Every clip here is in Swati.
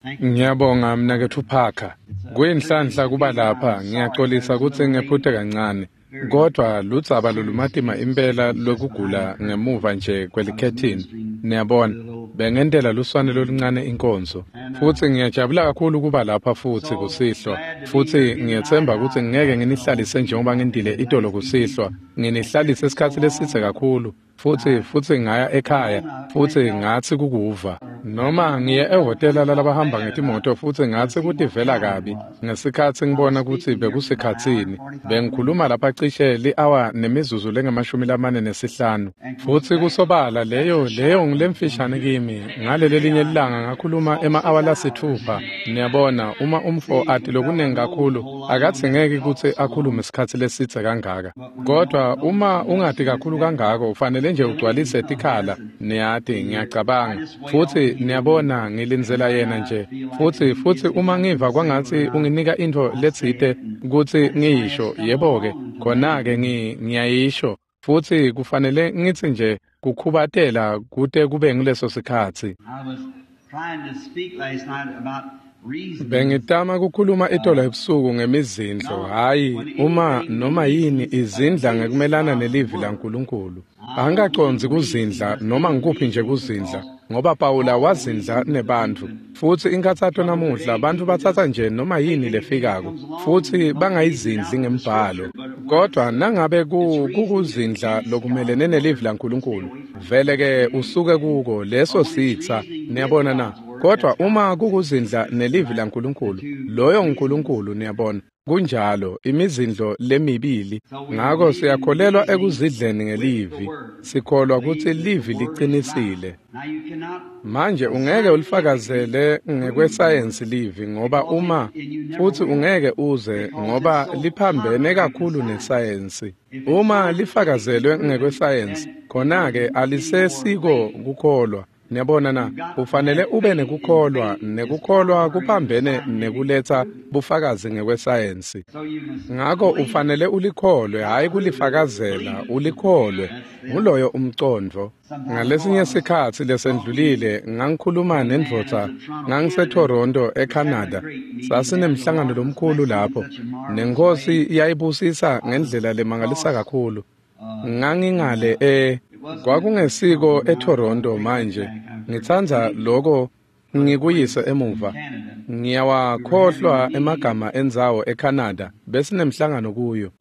Ngiyabonga mnaketfu Parker. Kuyinhlanhla kuba lapha, ngiyaxolisa kutsi ngephute kancane. Kodwa ludzaba lolumatima impela lwekugula ngemuva nje kwelikhethini. Niyabona, bengentela luswane loluncane inkonzo. Futsi ngiyajabula kakhulu kuba lapha futsi kusihlwa. Futsi ngiyetsemba kutsi ngeke nginihlalise njengoba ngentile itolo kusihlwa. Nginihlalise isikhatsi lesidze kakhulu. Futsi ngaya ekhaya futsi ngatsi kukuva noma ngiye ehhotela lalabahamba ngetimoto futsi ngatsi kutivela kabi ngesikhatsi ngibona kutsi bekusikhatsini. Bengikhuluma lapha cishe li-awa nemizuzu lengu-45 futsi kusobala leyo ngilemfishane kimi. Ngaleli linye lilanga ngakhuluma ema-awa lasithupha. Niyabona, uma umfo ati lokunengi kakhulu akadzingeki kutsi akhulume isikhatsi lesidze kangaka, kodwa uma ungati kakhulu kangako ufanele nje ugcwalise tikhala. Niyati, ngiyacabanga. Futsi niyabona, ngilindzela yena nje. Futsi uma ngiva kwangatsi unginika intfo letsite kutsi ngiyisho, yebo-ke, khona-ke ngiyayisho. Futsi kufanele ngitsi nje kukhubatela kute kube nguleso sikhatsi. Bengitama kukhuluma itolo ebusuku ngemizindlo, hhayi uma noma yini izindla ngekumelana nelivi laNkulunkulu. Angikacondzi kuzindla noma ngikuphi nje kuzindla, ngoba Pawula wazindla nebantfu. Futsi inkhatsato namuhla, bantfu batsatsa nje noma yini lefikako futsi bangayizindli ngembhalo. Kodwa nangabe kukuzindla lokumelene nelivi laNkulunkulu, vele-ke usuke kuko leso sitsa. Niyabona na? Kodwa uma kukuzindla nelivi laNkulunkulu, loyo nguNkulunkulu, niyabona. Kunjalo, imizindlo lemibili. Ngako siyakholelwa ekuzidleni ngelivi. Sikholwa kutsi livi liqinisile. Manje ungeke ulifakazele ngekwesayensi livi, ngoba uma futsi ungeke uze, ngoba liphambene kakhulu nesayensi. Uma lifakazelwe ngekwesayensi, khona-ke alisesiko kukholwa. Niyabona na? Ufanele ube nekukholwa, nekukholwa kuphambene nekuletsa bufakazi ngekwesayensi. Ngako ufanele ulikholwe, hhayi kulifakazela, ulikholwe. Nguloyo umcondvo. Ngalesinye sikhatsi lesendlulile ngangikhuluma nendvodza, ngangiseToronto eCanada. Sasinemhlangano lomkhulu lapho, nenkosi yayibusisa ngendlela lemangalisa kakhulu. Ngangingale kwakungesiko eToronto manje. Ngitsandza lokho ngikuyise emuva. Ngiyawakhohlwa emagama endzawo eCanada besinemhlangano kuyo.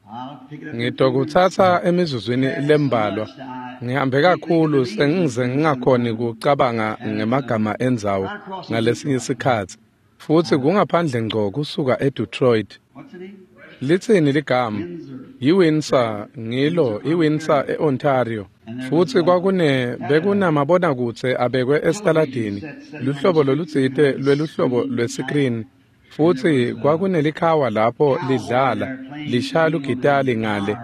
Ngitokutsatsa emizuzwini lembalwa. Ngihambe kakhulu sengize ngingakhoni kucabanga ngemagama endzawo ngalesinye isikhatsi. Futsi kungaphandle ngco kusuka eDetroit. Litsini ligama? IWindsor, ngilo iWindsor eOntario. Futsi bekunamabonakudze abekwe esitaladini, luhlobo lolutsite lweluhlobo lwesikrini. Futsi kwakunelikhawa lapho lidlala, lishaya lugitali ngale,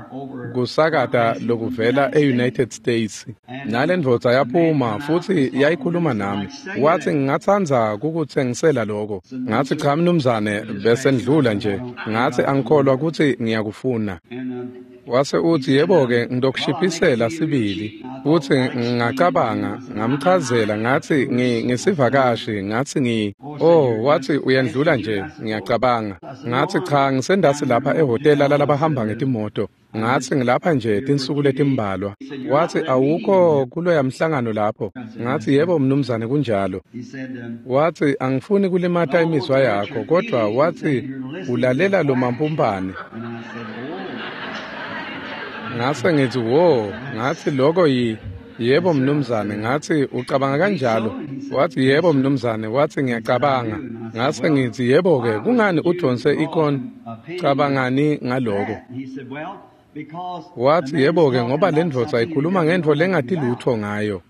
kusakata lokuvela e-United States. Nalendvodza yaphuma futsi yayikhuluma nami. Watsi, ngingatsandza kukutsengisela lokho. Ngatsi, cha mnumzane, bese ndlula nje. Ngatsi, angikholwa kutsi ngiyakufuna. Wase utsi, yebo-ke, ngitokushiphisela sibili. Futsi ngacabanga, ngamchazela, ngatsi, ngisivakashi, ngatsi watsi, uyendlula nje, ngiyacabanga. Ngatsi, cha, ngisendasi lapha ehhotela lalabahamba ngetimoto. Ngatsi, ngilapha nje tinsuku letimbalwa. Watsi, awukho kuloya mhlangano lapho. Ngatsi, yebo mnumzane, kunjalo. Watsi, angifuni kulimata imizwa yakho, kodwa watsi, ulalela lo mampumpane. Ngase ngithi, wo, ngatsi lokho yebo mnumzane. Ngatsi, ucabanga kanjalo? Watsi, yebo mnumzane. Watsi, ngiyacabanga. Ngase ngithi, yebo-ke, kungani udonse ikon? Cabangani ngaloko? Watsi, yebo-ke, ngoba le ndvodza ikhuluma ngentfo lengati lutfo ngayo.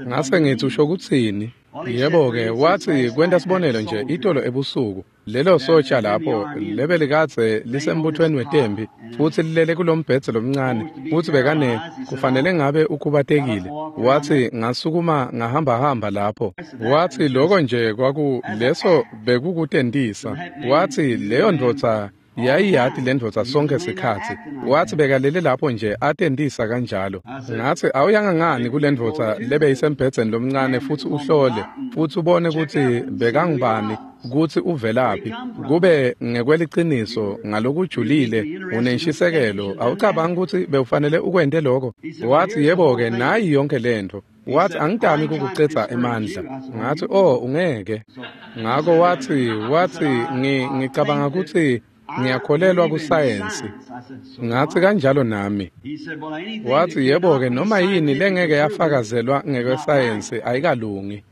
Ngase ngithi, usho kutsini? Yebo-ke, watsi, kwenta sibonelo nje, itolo ebusuku, lelo sotsha lapho lebelikadze lisembuthweni wetempi futsi lilele kulombhedze lomncane, futsi bekane kufanele ngabe ukhubatekile. Watsi, ngasukuma ngahambahamba lapho. Watsi, lokho nje kwakuleso bekukutentisa. Watsi, leyo ndvodza yayiyati le ndvodza sonke sikhatsi. Watsi bekalele lapho nje atentisa kanjalo. Ngatsi, awuyanga ngani kule ndvodza lebeyisembhedzeni lomncane futsi uhlole futsi ubone kutsi bekangubani kutsi uvelaphi, kube ngekweliciniso ngalokujulile unenshisekelo, awucabangi kutsi bewufanele ukwente lokho? Wathi, yebo-ke, nayi yonke lento. Wathi, angitami kukucedza emandla. Ngathi, oh, ungeke. Ngako wathi, ngicabanga kutsi ngiyakholelwa kusayensi. Ngathi, kanjalo nami. Wathi, yebo-ke, noma yini lengeke yafakazelwa ngekwesayensi ayikalungi.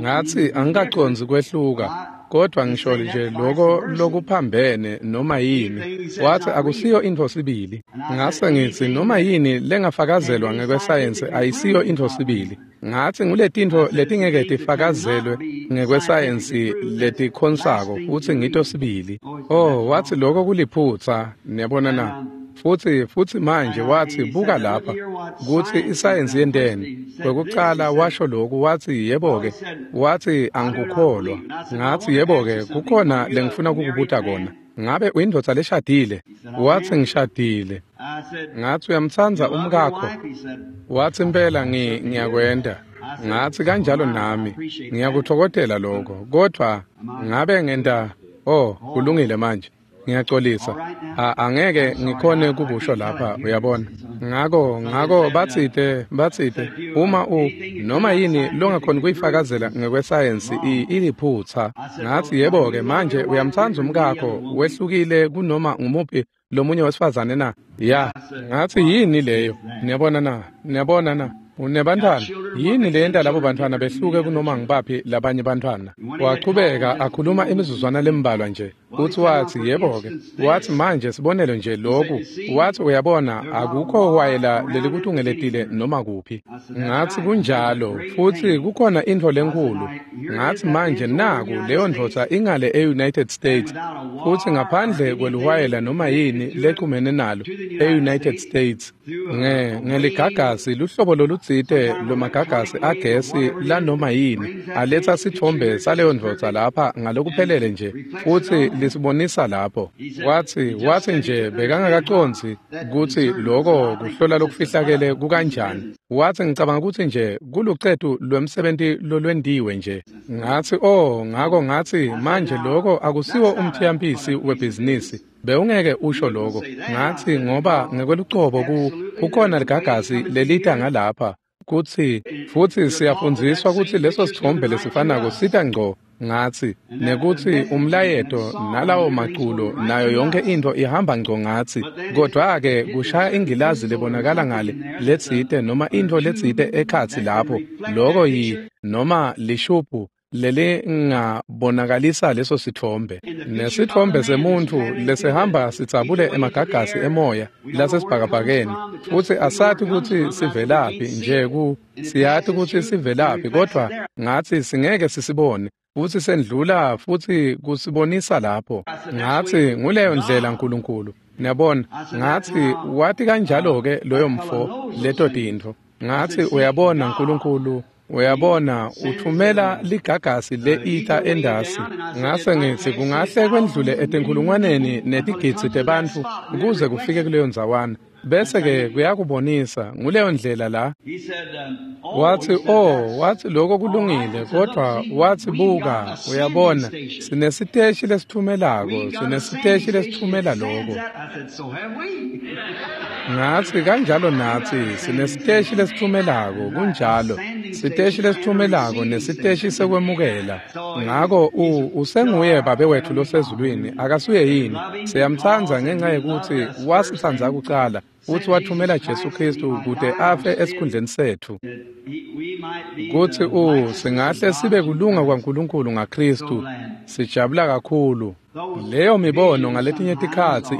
Ngathi, angikacondzi kwehluka, kodwa ngisho nje lokho lokuphambene noma yini. Wathi, akusiyo intfo sibili. Ngase ngithi, noma yini lengafakazelwa ngekwesayensi ayisiyo intfo sibili. Ngathi, nguletintfo letingeke tifakazelwe ngekwesayensi letikhonsako futsi ngito sibili. Oh, wathi, lokho kuliphutsa, niyabona na? Futsi manje wathi, buka lapha kutsi isayensi yenteni. Kwekucala washo lokhu, wathi, yebo-ke, wathi, angikukholwa. Ngathi, yebo-ke, kukhona lengifuna kukubuta kona. Ngabe uyindvodza leshadile? Wathi, ngishadile. Ngathi, uyamtsandza umkakho? Wathi, impela ngiyakwenta. Ngathi, kanjalo nami ngiyakuthokozela lokho, kodwa ngabe ngenta, oh, kulungile manje. Ngiyaxolisa, angeke ngikhone kukusho lapha, uyabona. Ngako batsite uma noma yini longakhoni kuyifakazela ngekwesayensi iliphutsa. Ngathi, yebo-ke, manje uyamtsandza umkakho, wehlukile kunoma ngumuphi lomunye wesifazane na? Ya. Ngathi, yini leyo? Niyabona na? Niyabona na? Unebantwana? Yini leyenta labo bantwana behluke kunoma ngibaphi labanye bantwana? Wachubeka akhuluma imizuzwana lembalwa nje. Uthi wathi, yebo-ke, wathi, manje sibonelo nje lokhu. Wathi, uyabona, akukho wayela lelikutungeletile noma kuphi. Ngathi, kunjalo, futhi kukhona intfo lenkulu. Ngathi, manje naku leyo ndvodza ingale e-United States, futhi ngaphandle kweluwayela noma yini lechumene nalo e-United States, ngeligagasi luhlobo lolutsite lomagagasi agesi lanoma yini aletha sithombe saleyo ndvodza lapha ngalokuphelele nje, futhi lisibonisa lapho. Wathi nje bekangakacondzi kutsi lokho kuhlola lokufihlakele kukanjani. Wathi, ngicabanga kutsi nje kulucetu lwemsebenti lolwendiwe nje. Ngathi, oh, ngako ngathi, manje lokho akusiwo umthiyampisi webhizinisi. Bewungeke usho lokho. Ngathi, ngoba ngekwelucobo kukhona ligagasi lelita ngalapha kutsi futhi siyafundziswa kutsi leso sithombe lesifanako sita ngco. Ngathi, nekutsi umlayeto nalawo maculo nayo yonke into ihamba ngco. Ngathi, kodwa-ke kushaya ingilazi lebonakala ngale letsite noma into letsite ekhatsi lapho, loko noma lishubhu lelingabonakalisa leso sithombe. Nesithombe semuntfu lesihamba sitsabule emagagasi emoya lasesibhakabhakeni, futhi asati kutsi sivelaphi nje siyati kutsi sivelaphi, kodwa ngathi singeke sisibone, futhi sendlula futhi kusibonisa lapho. Ngathi, nguleyo ndlela Nkulunkulu. Niyabona? Ngathi, wathi kanjalo-ke loyo mfo leto tintfo. Ngathi, uyabona Nkulunkulu, uyabona, uthumela ligagasi le-ether endasi. Ngase ngithi, kungahle kwendlule etinkhulungwaneni netigidzi tebantfu kuze kufike kuleyo ndzawana. Bese-ke kuyakubonisa, nguleyo ndlela la. Wathi, oh, wathi lokho kulungile, kodwa wathi, buka, uyabona, sinesiteshi lesithumelako, sinesiteshi lesithumela lokho. Ngathi, kanjalo nathi, sinesiteshi lesithumelako, kunjalo, siteshi lesithumelako nesiteshi sekwemukela. Ngako usenguye Babe wethu losezulwini, akasuye yini? Siyamtsandza ngenxa yekuthi wasitsandza kucala, futhi wathumela Jesu Kristu kute afe esikhundleni sethu, kutsi singahle sibe kulunga kwaNkulunkulu ngaKristu. Sijabula kakhulu. Leyo mibono ngaletinye tikhatsi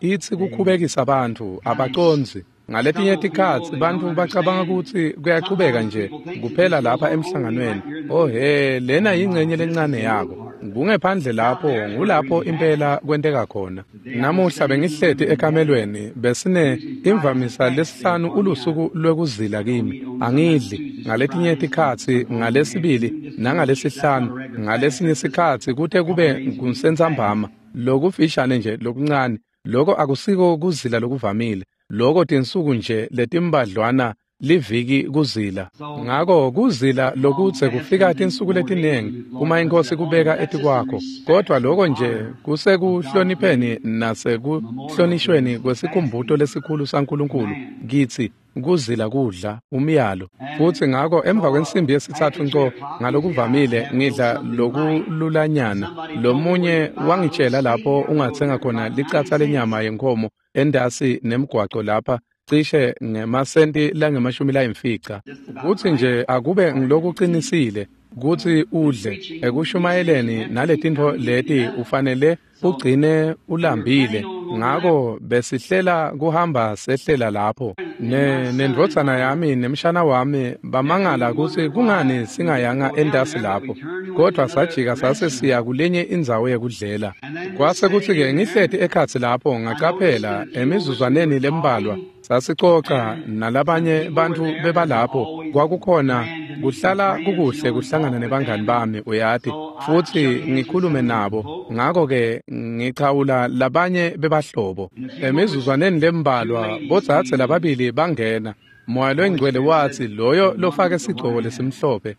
itsi kukhubekisa bantfu, abacondzi. Ngaletinye tikhatsi bantfu bacabanga kutsi kuyachubeka nje kuphela lapha emhlanganweni. Oh he, lena yingcenye lencane yako. Kungephandle lapho, ngulapho impela kwenteka khona. Namuhla bengihleti ekamelweni, besine imvamisa lesihlanu ulusuku lwekuzila kimi. Angidli ngaletinye tikhatsi, ngalesibili nangalesihlanu, ngalesinye sikhatsi kute kube kusentsambama, lokufishane nje lokuncane. Lokho akusiko kuzila lokuvamile. Lokho tinsuku nje letimbadlwana liviki kuzila. Ngako kuzila lokutse kufika tinsuku letinengi uma inkosi kubeka etikwakho, kodwa lokho nje kusekuhlonipheni nasekuhlonishweni kwesikhumbuto lesikhulu saNkulunkulu kitsi kuzila kudla umyalo. Futhi ngako emva kwensimbi yesithathu nco ngalokuvamile ngidla lokululanyana. Lomunye wangitshela lapho ungathenga khona licatsa lenyama yenkomo endasi nemgwaco lapha cishe ngemasenti lange-50. Kutsi nje akube ngilokuqinisile kutsi udle ekushumayeleni naletintfo leti ufanele ugcine ulambile. Ngako besihlela kuhamba sehlela lapho nendvodzana yami nemshana wami bamangala kutsi kungani singayanga endasi lapho, kodwa sajika sase siya kulenye indzawo yekudlela. Kwase kutsi-ke ngihleti ekhatsi lapho ngacaphela emizuzwaneni lembalwa sasicoca nalabanye bantfu bebalapho. Kwakukhona kuhlala kukuhle kuhlangana nebangani bami, uyati, futhi ngikhulume nabo. Ngako-ke ngichawula labanye bebahlobo. Emizuzwaneni lembalwa bodzadze lababili bangena. Moya loyingcwele watsi loyo lofake sigcoko lesimhlophe.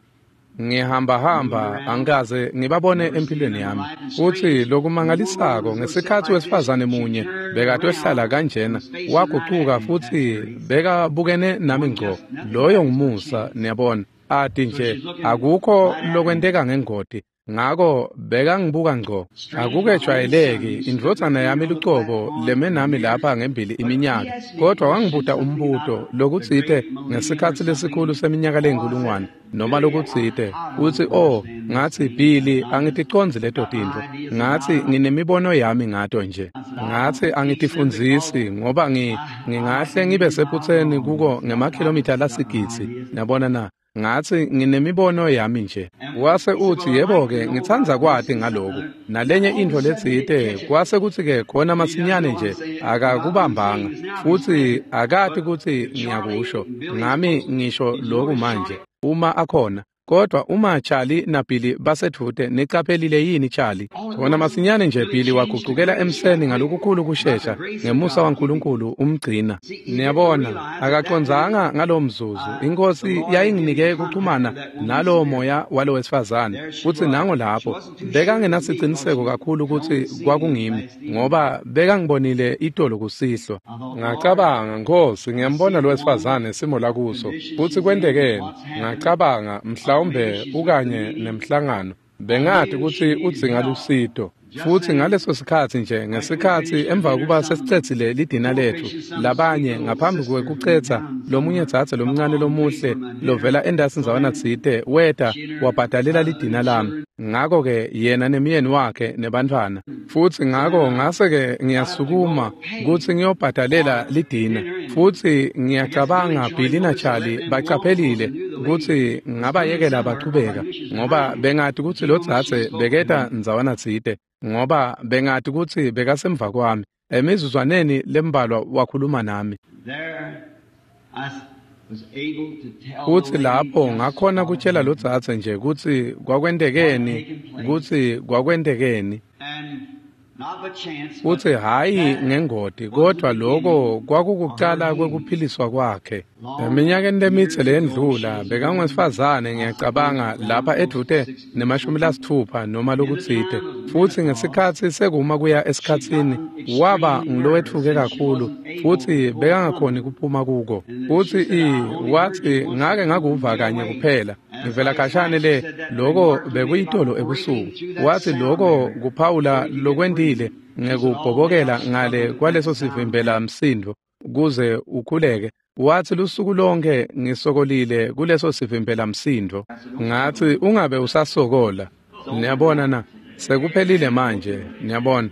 Ngihambahamba angikaze ngibabone empilweni yami. Futhi lokumangalisako ngesikhathi wesifazane munye bekatohlala kanjena wagucuka futhi bekabukene nami ngco. Loyo ngumusa, niyabona. Ati nje akukho lokwenteka ngengoti. Ngako bekangibuka ngco. Akukejwayeleki indvodzana yami lucobo leme nami lapha ngembili iminyaka, kodwa wangibuta umbuto lokutsite ngesikhatsi lesikhulu seminyaka leyinkulungwane noma lokutsite. Utsi, "Oh," ngathi, "Billy, angiticondzi leto tintfo." Ngathi, "Nginemibono yami ngato nje." Ngathi, "Angitifundzisi ngoba ngingahle ngibe sephutseni kuko ngemakhilomitha lasigidzi." Niyabona na? Ngathi, "Nginemibono yami nje." Wase utsi, "Yebo-ke, ngitsandza kwati ngaloku." Nalenye intfo letsite, kwase kutsi-ke khona masinyane nje akakubambanga, futhi akati kutsi ngiyakusho. Ngami ngisho loku manje, uma akhona. Kodwa uma Charlie naBilly basedvute, nicaphelile yini Charlie? Khona masinyane nje Billy wagucukela emseni ngalokukhulu kushesha, ngemusa waNkulunkulu umgcina. Niyabona, akacondzanga ngalowo mzuzu. Inkosi yayinginike kuxhumana nalowo moya walo wesifazane, futhi nango lapho bekangenasiciniseko kakhulu kutsi kwakungimi, ngoba bekangibonile itolo kusihlwa. Ngacabanga, "Nkosi, ngiyambona lo wesifazane simo lakuso, futhi kwentekeni?" Ngacabanga, mhlawumbe ukanye nemhlangano, bengati kutsi udzinga lusito. Futhi ngaleso sikhatsi nje, ngesikhatsi emva kuba sesicedzile lidina letfu, labanye ngaphambi kwekucedza, lomunye dzadze lomncane lomuhle lovela endasi ndzawana tsite weta wabhadalela lidina lami. Ngako-ke yena nemyeni wakhe nebantfwana. Futhi ngako ngase-ke ngiyasukuma kutsi ngiyobhadalela lidina. Futhi ngiyacabanga Billy na Charlie bacaphelile kutsi ngabayekela bachubeka, ngoba bengati kutsi lo dzadze beketa ndzawana tsite, ngoba bengati kutsi bekasemva kwami. Emizuzwaneni lembalwa wakhuluma nami. Futhi lapho ngakhona kutshela lo dzadze nje kutsi kwakwentekeni, kutsi kwakwentekeni. Futhi hhayi ngengoti, kodwa lokho kwakukucala kwekuphiliswa kwakhe. Eminyakeni lemitse leyendlula bekangwesifazane, ngiyacabanga lapha edvute ne-60 noma lokutsite. Futhi ngesikhatsi sekuma kuya esikhatsini waba ngulowetfuke kakhulu, futhi bekangakhoni kuphuma kuko. Futhi wathi, "Ngake ngakuva kanye kuphela ngivela khashane le, loko bekuyitolo ebusuku." Wathi, "Loko kuphawula lokwentile ngekubhobokela ngale kwaleso sivimbela msindo kuze ukhuleke." Wathi, "Lusuku lonke ngisokolile kuleso sivimbela msindo." Ngathi, "Ungabe usasokola. Niyabona na? Sekuphelile manje, niyabona."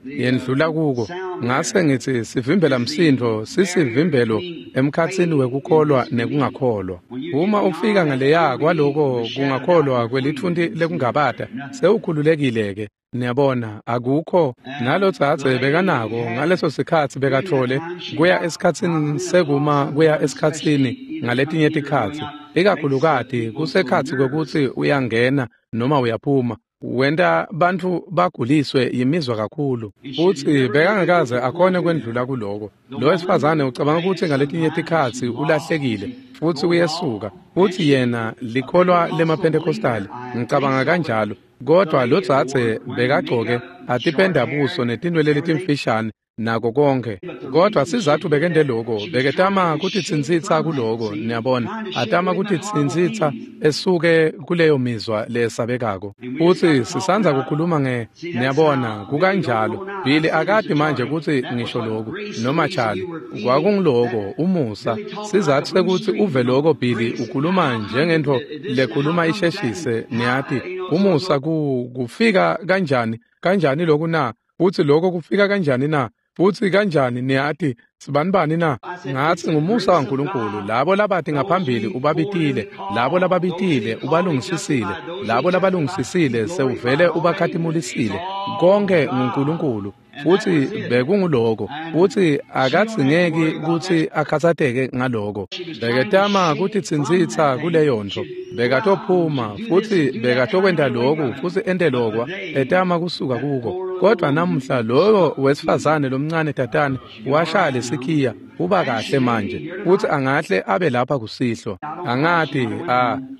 Yendlula kuko. Ngase ngithi, sivimbela msindo sisivimbelo emkhatsini wekukholwa nekungakholwa. Uma ufika ngaleya kwaloko kungakholwa kwelithunti lekungabata, sewukhululekile-ke. Niyabona, akukho. Nalo dzadze bekanako ngaleso sikhatsi bekatfole kuya esikhatsini sekuma kuya esikhatsini ngaletinye tikhatsi, ikakhulukati kusekhatsi kwekutsi uyangena noma uyaphuma. Wenta bantfu baguliswe yimizwa kakhulu. Futsi bekangakaze akhone kwendlula kuloko. Lo wesifazane ucabanga kutsi ngaletinye tikhatsi ulahlekile futsi uyesuka. Futsi yena likholwa lemaPentecostali, ngicabanga kanjalo. Kodwa lo dzadze bekagcoke atipenda buso netinwele letimfishane nako konke. Kodwa sizatfu bekente loko, beketama kutitsintsitsa kuloko, niyabona, atama kutitsintsitsa esuke kuleyo mizwa lesabekako. Futsi sisandza kukhuluma nge, niyabona, kukanjalo. Billy akati manje kutsi ngisho loku, noma Charlie, kwakungiloko, umusa. Sizatfu sekutsi uve loko Billy ukhuluma njengentfo lekhuluma isheshise, niyati, umusa kufika kanjani, kanjani loku na? Futsi loko kufika kanjani na? Futsi kanjani niyati sibanibani na? Ngatsi ngumusa waNkulunkulu, labo labati ngaphambili ubabitile, labo lababitile ubalungisisile, labo labalungisisile sewuvele ubakhatimulisile. Konke nguNkulunkulu. Futsi bekunguloko, futsi akadzingeki kutsi akhatsateke ngaloko. Beketama kutitsintsitsa kuleyo ntfo. Bekatophuma futsi bekatokwenta loku futsi ente lokwa, etama kusuka kuko. Kodwa namuhla loyo wesifazane lomncane tatane washaya lesikhiya, uba kahle manje, futsi angahle abe lapha kusihlwa. Angati,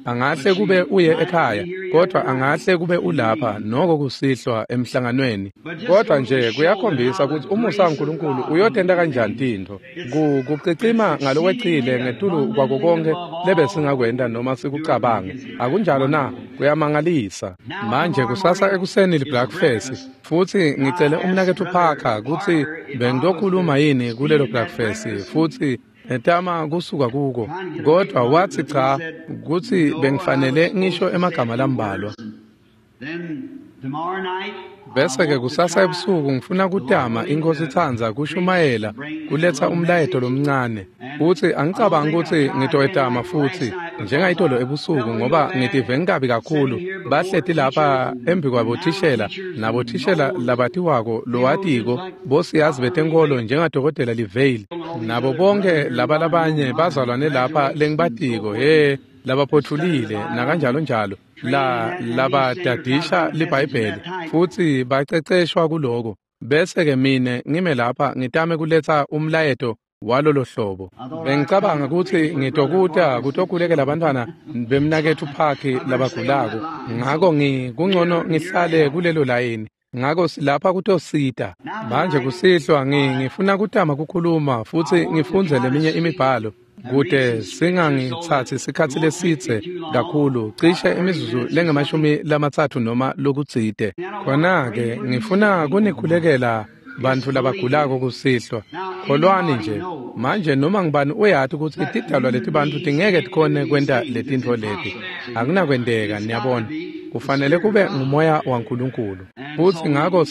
angahle kube uye ekhaya, kodwa angahle kube ulapha noko kusihlwa emhlanganweni. Kodwa nje kuyakhombisa kutsi umusa waNkulunkulu uyotenta kanjani tintfo. Kucicima ngalokwecile ngetulu kwako konkhe lebesingakwenta noma sikucabange. Akunjalo na? Kuyamangalisa. Manje kusasa ekuseni li-breakfast, futsi ngicele umnaketfu Parker kutsi bengitokhuluma yini kulelo breakfast, futsi etama kusuka kuko, kodwa watsi cha, kutsi bengifanele ngisho emagama lambalwa. Bese-ke kusasa ebusuku ngifuna kutama iNkhosi itsandza kushumayela kuletsa umlayeto lomncane. Futsi angicabangi kutsi ngitoyetama futsi njengayitolo ebusuku ngoba ngitive ngikabi kakhulu. Bahleti lapha embi kwabothishela nabothishela labatiwako lowatiko bosiyazi betenkolo njengadokotela Livale nabo bonke laba labanye bazalwane lapha lengibatiko labaphotfulile nakanjalo njalo la labadadisha liBhayibheli futsi baceceshwa kuloko. Bese-ke mine ngime lapha ngitame kuletsa umlayeto walolo hlobo. Bengicabanga kutsi ngitokuta kutokhulekela abantwana bemnaketfu Parker labagulako, ngako kungcono ngihlale kulelo layini. Ngako silapha kutosita. Manje kusihlwa ngifuna kutama kukhuluma futsi ngifundze leminye imibhalo kute singangitsatsi sikhatsi lesidze kakhulu, cishe imizuzu lengamashumi 30 noma lokutsite. Khona-ke ngifuna kunikhulekela bantfu labagulako kusihlwa. Kholwani nje. Manje noma ngibani uyati kutsi tidalwa letibantfu tingeke tikhone kwenta letintfo leti. Akunakwenteka, niyabona. Kufanele kube ngumoya waNkulunkulu. Futsi ngako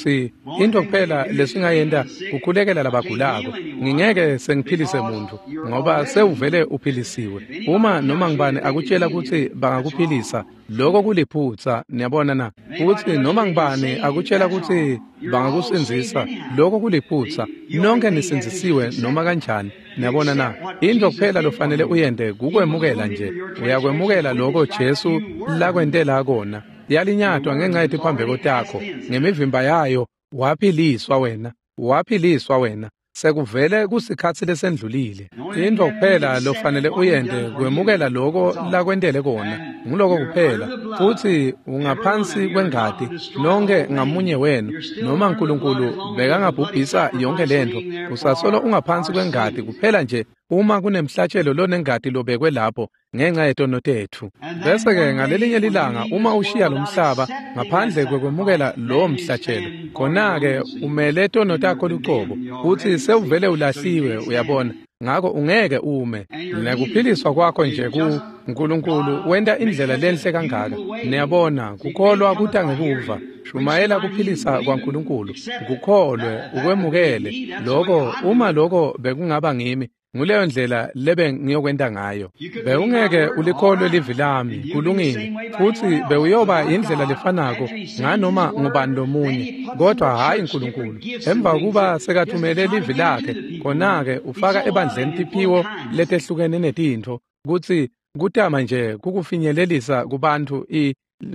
into kuphela lesingayenta kukhulekela labagulako. Ngingeke sengiphilise muntfu ngoba sewuvele uphilisiwe. Uma noma ngibani akutshela kutsi bangakuphilisa, lokho kuliphutsa, niyabona na? Futsi noma ngibani akutshela kutsi bangakusindzisa, lokho kuliphutsa. Nonke nisindzisiwe noma kanjani, niyabona na? Into kuphela lofanele uyente kukwemukela nje. Uyakwemukela lokho Jesu lakwentela kona. Yalinyatwa ngenxa yetiphambeko takho, ngemivimba yayo waphiliswa wena, waphiliswa wena. Sekuvele kusikhatsi lesendlulile. Into kuphela lofanele uyente kwemukela lokho lakwentele kona. Nguloko kuphela. Futsi ungaphansi kwengati, nonke ngamunye wenu, noma uNkulunkulu bekangabhubhisa yonke lentfo, usasolo ungaphansi kwengati kuphela nje uma kunemhlatshelo lonengati lobekwe lapho ngenxa yetono tetfu. Bese-ke ngalelinye lilanga uma ushiya lo mhlaba ngaphandle kwekwemukela lowo mhlatshelo, khona-ke umele tono takho lucobo, futsi sewuvele ulahliwe, uyabona. Ngako ungeke ume. Nekuphiliswa kwakho nje ku uNkulunkulu wenta indlela lenhle kangaka. Niyabona, kukholwa kuta ngekuva. Shumayela kuphilisa kwaNkulunkulu. Kukholwe, ukwemukele. Lokho uma lokho bekungaba ngimi, nguleyo ndlela lebe ngiyokwenta ngayo. Bewungeke ulikholwe livi lami, kulungile, futsi bewuyoba indlela lefanako nganoma ngubani lomunye, kodwa hhayi uNkulunkulu. Emva kuba sekathumele livi lakhe, khona-ke ufaka ebandleni tiphiwo letehlukene netintfo, kutsi kutama nje kukufinyelelisa kubantfu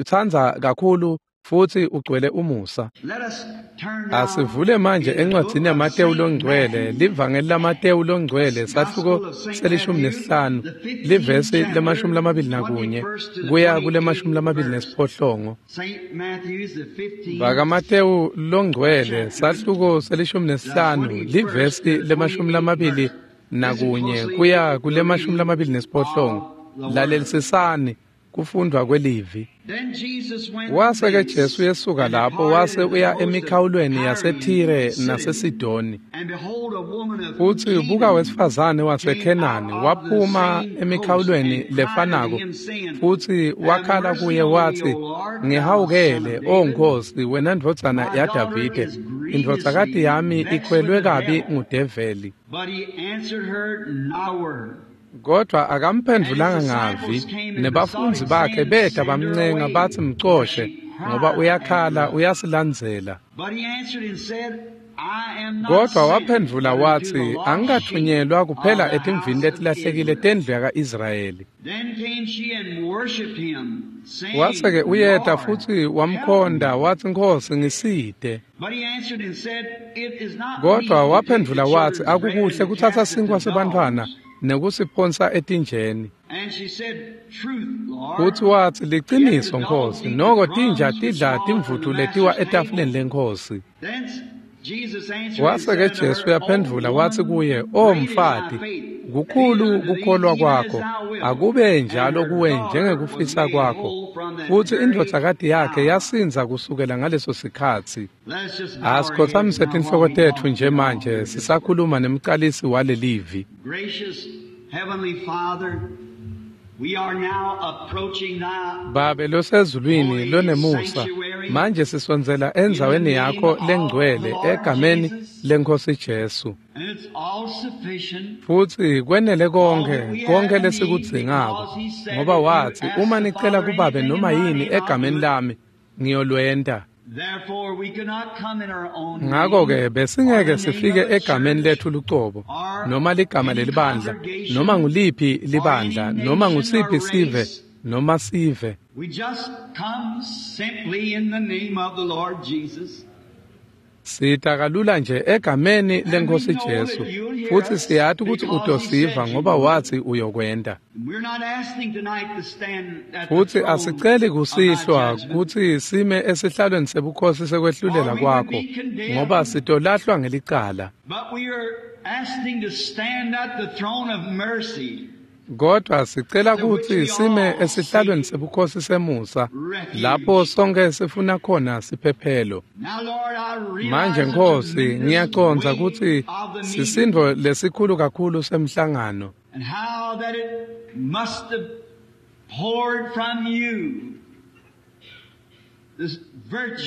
tsandza kakhulu. Futsi ugcwele umusa. Asivule manje encwadzini yaMatewu longcwele, livangeli laMatewu longcwele, sahluko se-15, livesi le-21 kuya kule-28. BakaMatewu longcwele, sahluko se-15, livesi le-21 kuya kule-28. Lalelisisani kufundwa kwelivi. Wase-ke Jesu yesuka lapho wase uya emikhawulweni yaseThire naseSidoni. Futsi buka wesifazane waseKhenani waphuma emikhawulweni lefanako futsi wakhala kuye watsi, "Ngihawukele, O Nkosi, wena ndvodzana yaDavide, indvodzakati yami ikhwelwe kabi ngudeveli." Kodwa akamphendvulanga ngavi, nebafundzi bakhe beta bamncenga batsi mcoshe, ngoba uyakhala uyasilandzela. Kodwa waphendvula watsi, "Angikathunyelwa kuphela etimvini letilahlekile tendlu yaka-Israyeli." Wase-ke uyeta futsi wamkhonda watsi, "Nkhosi, ngisite." Kodwa waphendvula watsi, "Akukuhle kutsatsa sinkhwa sebantfwana nekusiphonsa etinjeni." Futsi watsi, "Liciniso, Nkhosi, noko tinja tidla timvutfu letiwa etafuleni leNkhosi." Wase-ke Jesu uyaphendvula watsi kuye, "O mfati, kukhulu kukholwa kwakho, akube njalo kuwe njengekufisa kwakho." Futsi indvodzakati yakhe yasindza kusukela ngaleso sikhatsi. Asikhotsamise tinhloko tetfu nje manje sisakhuluma nemcalisi walelivi. Babe losezulwini lonemusa, manje sisondzela endzaweni yakho lengcwele egameni leNkhosi Jesu. Futsi kwenele konke lesikudzingako, ngoba watsi, "Uma nicela kuBabe noma yini egameni lami, ngiyolwenta." Ngako-ke besingeke sifike egameni letfu lucobo, noma ligama lelibandla, noma nguliphi libandla, noma ngusiphi sive, noma sive. Sita kalula nje egameni leNkhosi Jesu, futsi siyati kutsi utosiva ngoba watsi uyokwenta. Futsi asiceli kusihlwa kutsi sime esihlalweni sebukhosi sekwehlulela kwakho, ngoba sitolahlwa ngelicala. Kodwa sicela kutsi sime esihlalweni sebukhosi semusa, lapho sonke sifuna khona siphephelo. Manje Nkhosi, ngiyacondza kutsi sisindvo lesikhulu kakhulu semhlangano.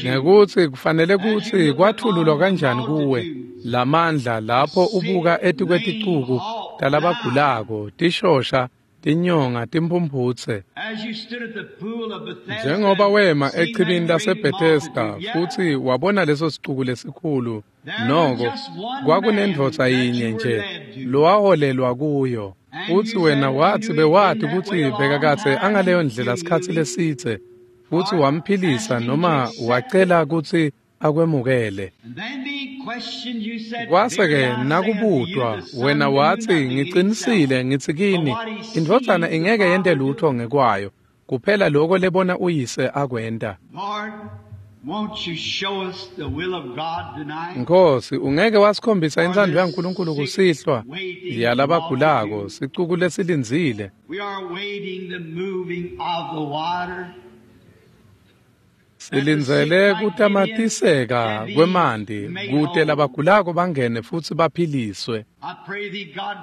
Ngekutsi kufanele kutsi kwathululwa kanjani kuwe lamandla lapho ubuka etikweticuku talabagulako, tishosha, tinyonga, timphumphutse. Njengoba wema echibini laseBethesda futsi wabona leso sicuku lesikhulu, noko kwakunendvodza yinye nje lowaholelwa kuyo. Futsi wena watsi bewati kutsi bekakadze angaleyo ndlela sikhatsi lesidze, futsi wamphilisa noma wacela kutsi akwemukele. Kwase-ke nakubutwa, wena watsi, "Ngicinisile ngitsi kini, indvodzana ingeke yente lutho ngekwayo, kuphela lokho lebona uyise akwenta." Nkhosi, ungeke wasikhombisa intsandvo yaNkulunkulu kusihlwa yalabagulako, sicuku lesilindzile. Silindzele kutamatiseka kwemanti kute labagulako bangene futsi baphiliswe.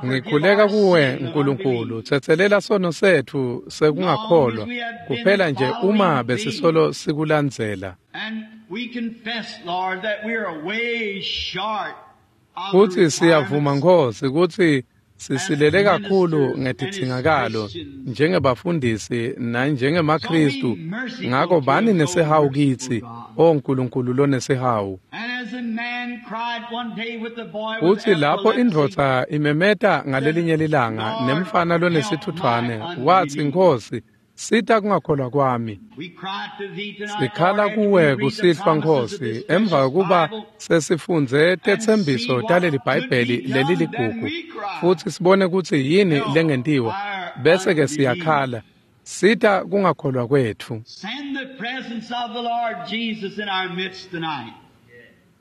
Ngikhuleka kuwe Nkulunkulu, tsetselela sono setfu sekungakholwa, kuphela nje uma besisolo sikulandzela. Futsi siyavuma Nkhosi kutsi sisilele kakhulu ngetidzingakalo njengebafundisi nanjengemaKhristu, ngako bani nesihawu kitsi, O Nkulunkulu lonesihawu. Futsi lapho indvodza imemeta ngalelinye lilanga nemfana lonesithuthwane, watsi, "Nkhosi, Sita kungakholwa kwami. Sikhala kuwe kusihlwa Nkhosi, emva kokuba sesifundze tetsembiso taleli Bhayibheli leliligugu, futsi sibone kutsi yini lengentiwa, bese-ke siyakhala. Sita kungakholwa kwetfu.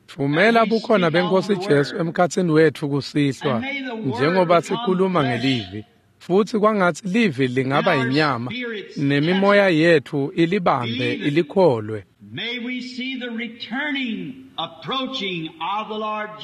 Thumela bukhona beNkhosi Jesu emkhatsini wetfu kusihlwa, njengoba sikhuluma ngelivi. Futsi kwangatsi livi lingaba inyama, nemimoya yetfu ilibambe ilikholwe.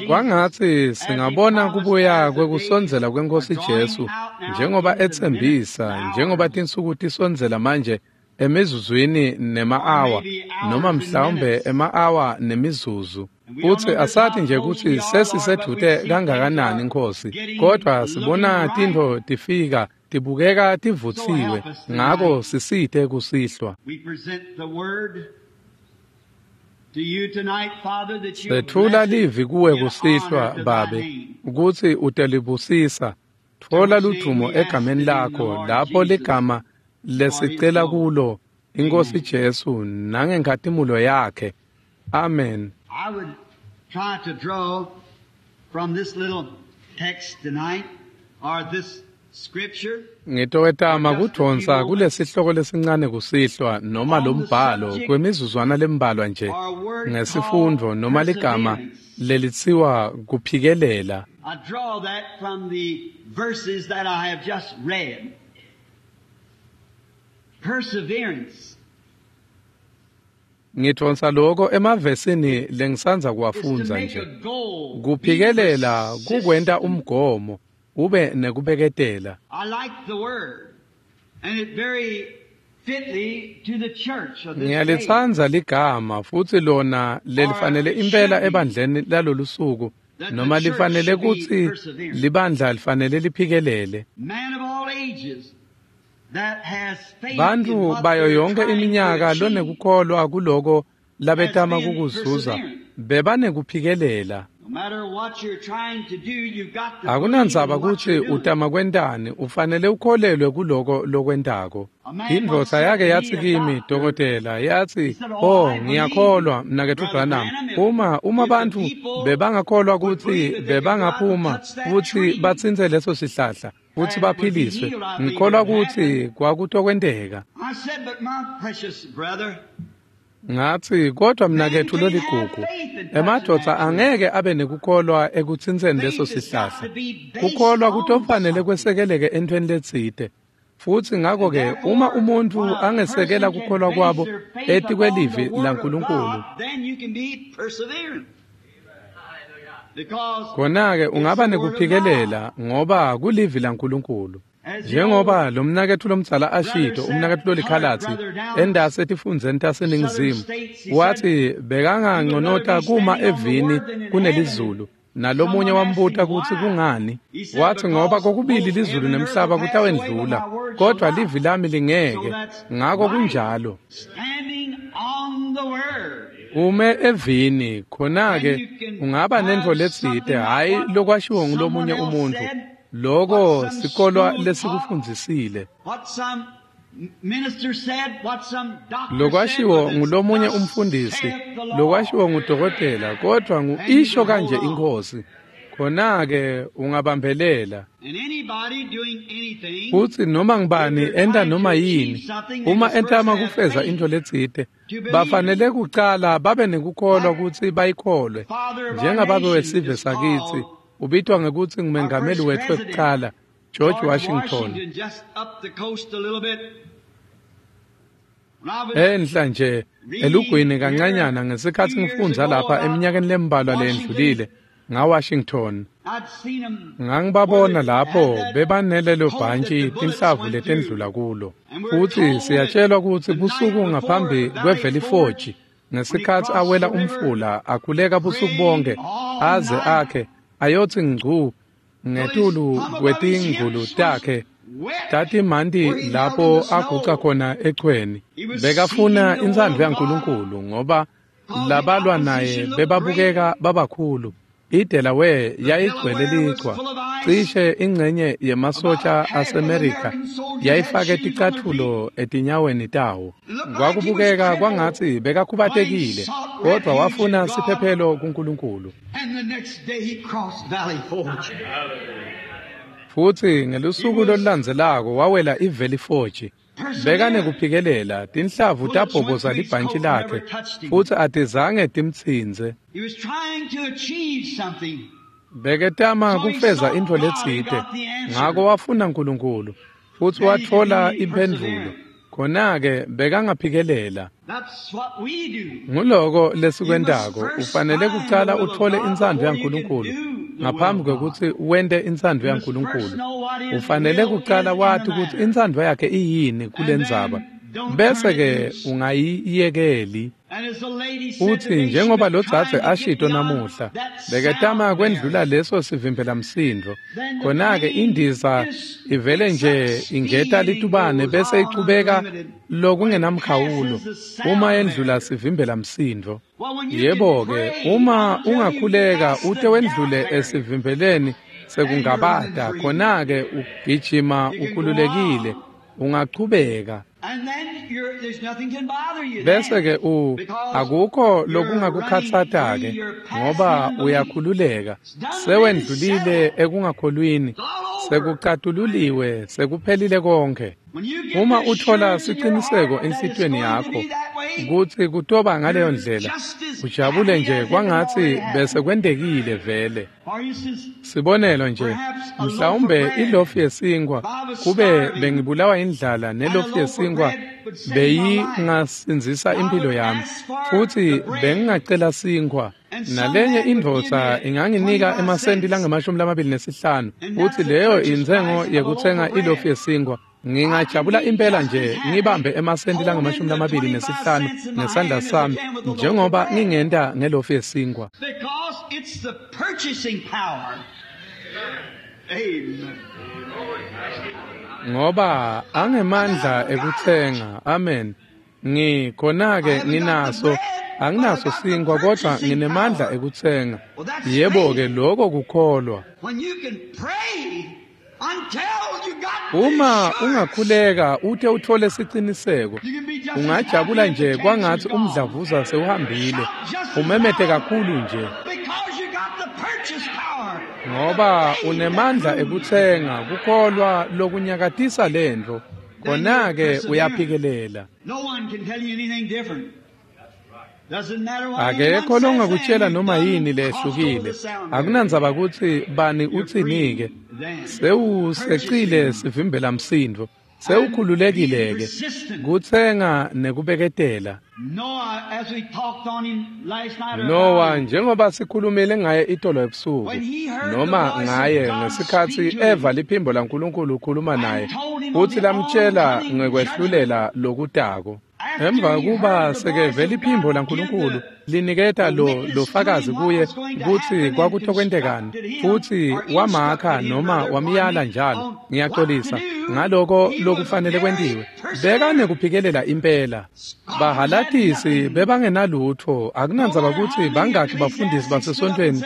Kwangatsi singabona kubuya kwekusondzela kweNkhosi Jesu, njengoba etsembisa, njengoba tinsuku tisondzela manje emizuzwini nema-awa, noma mhlawumbe ema-awa nemizuzu. Futsi asathi nje kutsi sesisedvute kangakanani Nkhosi, kodvwa sibona tintfo tifika tibukeka tivutsiwe, ngako sisite kusihlwa. Setfula livi kuwe kusihlwa, Babe, kutsi utelibusisa. Tfola ludvumo egameni lakho, lapho ligama lesicela kulo iNkhosi Jesu nangenkhatimulo yakhe. Amen. I would try to draw from this little text tonight, or this scripture. Ngitowetama kudvonsa kulesihloko lesincane kusihlwa noma lombhalo kwemizuzwana lembalwa nje ngesifundvo noma ligama lelitsiwa kuphikelela. I draw that from the verses that I have just read. Perseverance. Ngidvonsa lokho emavesini lengisandza kuwafundza nje. Kuphikelela kukwenta umgomo, ube nekubeketela. Ngiyalitsandza ligama futsi lona lelifanele impela ebandleni lalolusuku, noma lifanele kutsi libandla lifanele liphikelele. Bantfu bayo yonke iminyaka lonekukholwa kuloko labetama kukuzuza bebanekuphikelela. Akunandzaba kutsi utama kwentani, ufanele ukholelwe kuloko lokwentako. Indvodza yake yatsi kimi, dokotela, yatsi, "Oh, ngiyakholwa, mnaketfu Branham. Uma bantfu bebangakholwa kutsi bebangaphuma futsi batsintse leso sihlahla futsi baphiliswe, ngikholwa kutsi kwakutokwenteka." Ngatsi, kodwa mnaketfu loligugu, emadvodza angeke abe nekukholwa ekutsintseni leso sihlahla. Kukholwa kutofanele kwesekeleke entweni letsite. Futsi ngako-ke uma umuntfu angesekela kukholwa kwabo etikwelivi laNkulunkulu, khona-ke ungaba nekuphikelela ngoba kulivi laNkulunkulu. Njengoba lo mnaketfu lomdzala ashito, umnaketfu lolikhalatsi endase etifundzeni taseNingizimu, wathi bekanganconota kuma evini kunelizulu. Nalomunye wambuta kutsi kungani. Wathi ngoba kokubili lizulu nemhlaba kutawendlula, kodwa livi lami lingeke. Ngako kunjalo. Ume evini, khona-ke ungaba nentfo letsite, hhayi lokwashiwo ngulomunye umuntfu. Loko sikolwa lesikufundzisile. Lokwashiwo ngulomunye umfundisi, lokwashiwo ngudokotela, kodwa ngu-isho kanje iNkhosi. Khona-ke ungabambelela. Futsi noma ngubani enta noma yini, uma entama kufeza intfo letsite, bafanele kucala babe nekukholwa kutsi bayikholwe. Njengababe wesive sakitsi, ubitwa ngekutsi ngumengameli wetfu wekucala, George Washington. Enhla nje elugwini kancanyana ngesikhatsi ngifundza lapha eminyakeni lembalwa leyendlulile ngaWashington. Ngangibabona lapho bebanelelo bhantshi tinhlavu letendlula kulo. Futsi siyatshelwa kutsi busuku ngaphambi kweValley Forge, ngesikhatsi awela umfula akhuleka busuku bonke aze akhe ayotsi ngcu ngetulu kwetingulu takhe tatimanti lapho aguca khona echweni. Bekafuna intsandvo yaNkulunkulu ngoba labalwa naye bebabukeka babakhulu. IDelaware yayigcwele lichwa. Cishe ingcenye yemasotsha aseMerika yayifake ticatfulo etinyaweni tawo. Kwakubukeka kwangatsi bekakhubatekile, kodvwa wafuna siphephelo kuNkulunkulu. Futsi ngelusuku lolulandzelako wawela iValley Forge. Bekanekuphikelela, tinhlavu tabhoboza libhantshi lakhe futsi atizange timtsintse. Beketama kufeza intfo letsite, ngako wafuna Nkulunkulu futsi watfola imphendvulo. Khona-ke bekangaphikelela. Nguloko lesikwentako, ufanele kucala utfole intsandvo yaNkulunkulu ngaphambi kwekutsi wente intsandvo yaNkulunkulu. Ufanele kucala wati kutsi intsandvo yakhe iyini kulendzaba, bese-ke ungayiyekeli. Futsi njengoba lodzadze ashito namuhla, beketama kwendlula leso sivimbelamsindvo. Khona-ke indiza ivele nje ingeta litubane bese ichubeka lokungenamkhawulo uma yendlula sivimbelamsindvo. Yebo-ke, uma ungakhuleka ute wendlule esivimbeleni sekungabata, khona-ke ugijima ukhululekile, ungachubeka. Bese-ke akukho lokungakukhatsata-ke ngoba uyakhululeka. Sewendlulile ekungakholwini, sekucatululiwe, sekuphelile konke. Uma uthola siciniseko enhlitiyweni yakho kutsi kutoba ngaleyo ndlela, ujabule nje kwangatsi bese kwentekile vele. Sibonelo nje, mhlawumbe ilofu yesinkwa, kube bengibulawa indlala nelofu yesinkwa beyingasindzisa impilo yami, futsi bengingacela sinkwa. Nalenye indvodza inganginika emasenti langama-25, futsi leyo intsengo yekutsenga ilofu yesinkwa. Ngingajabula impela nje ngibambe emasenti langama-25 ngesandla sami njengoba ngingenta ngelofu yesinkwa. Ngoba angemandla ekutsenga. Amen. Ngikhona-ke nginaso, anginaso sinkwa kodvwa nginemandla ekutsenga. Yebo-ke, lokho kukholwa. Uma ungakhuleka ute uthole siciniseko, ungajabula nje kwangatsi umdlavuza sewuhambile, umemete kakhulu nje. Ngoba unemandla ekutsenga, kukholwa lokunyakatisa lentfo. Khona-ke uyaphikelela. Akekho longakutshela noma yini lehlukile. Akunandzaba kutsi bani utsini-ke. Sewusecile sivimbelamsindvo. Sewukhululekile-ke. Kutsenga nekubeketela. Noah, njengoba sikhulumile ngaye itolo ebusuku, noma ngaye ngesikhatsi eva liphimbo laNkulunkulu ukhuluma naye, futsi lamtshela ngekwehlulela lokutako. Emva kuba sekeve liphimbo laNkulunkulu liniketa lo fakazi kuye kutsi kwakutokwentekani, futsi wamakha noma wamyala njalo, ngiyaxolisa ngaloko lokufanele kwentiwe. Bekanekuphikelela impela. Bahalatisi bebangenalutfo, akunandzaba kutsi bangakhi bafundisi basesontfweni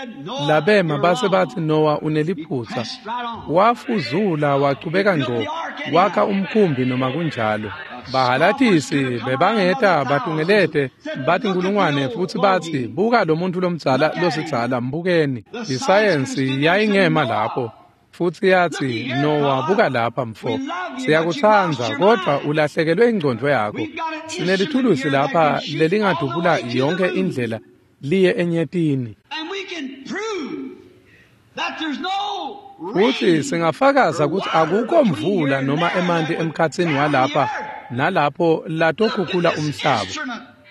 labema base batsi Noah uneliphutsa. Wafuzula wachubeka ngco, wakha umkhumbi noma kunjalo. Bahalatisi bebangeta batungelete bathi nkulungwane futsi batsi buka lo muntu lomdzala losidzala mbukeni. Isayensi yayingema lapho futsi yatsi Noah buka lapha mfo, siyakutsandza kodvwa ulahlekelwe ingcondvo yakho. Sinelithulusi lapha lelingadubula yonke indlela liye enyetini. Futsi singafakaza kutsi akukho mvula noma emanti emkhatsini walapha nalapho latokhukhula umhlaba.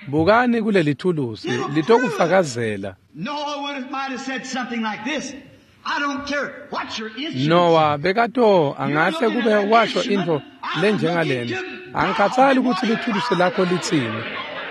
Bukani kuleli thulusi litokufakazela. Noah bekato angahle kube washo intfo lenjengalena. Angikhathali kutsi lithulusi lakho litsini.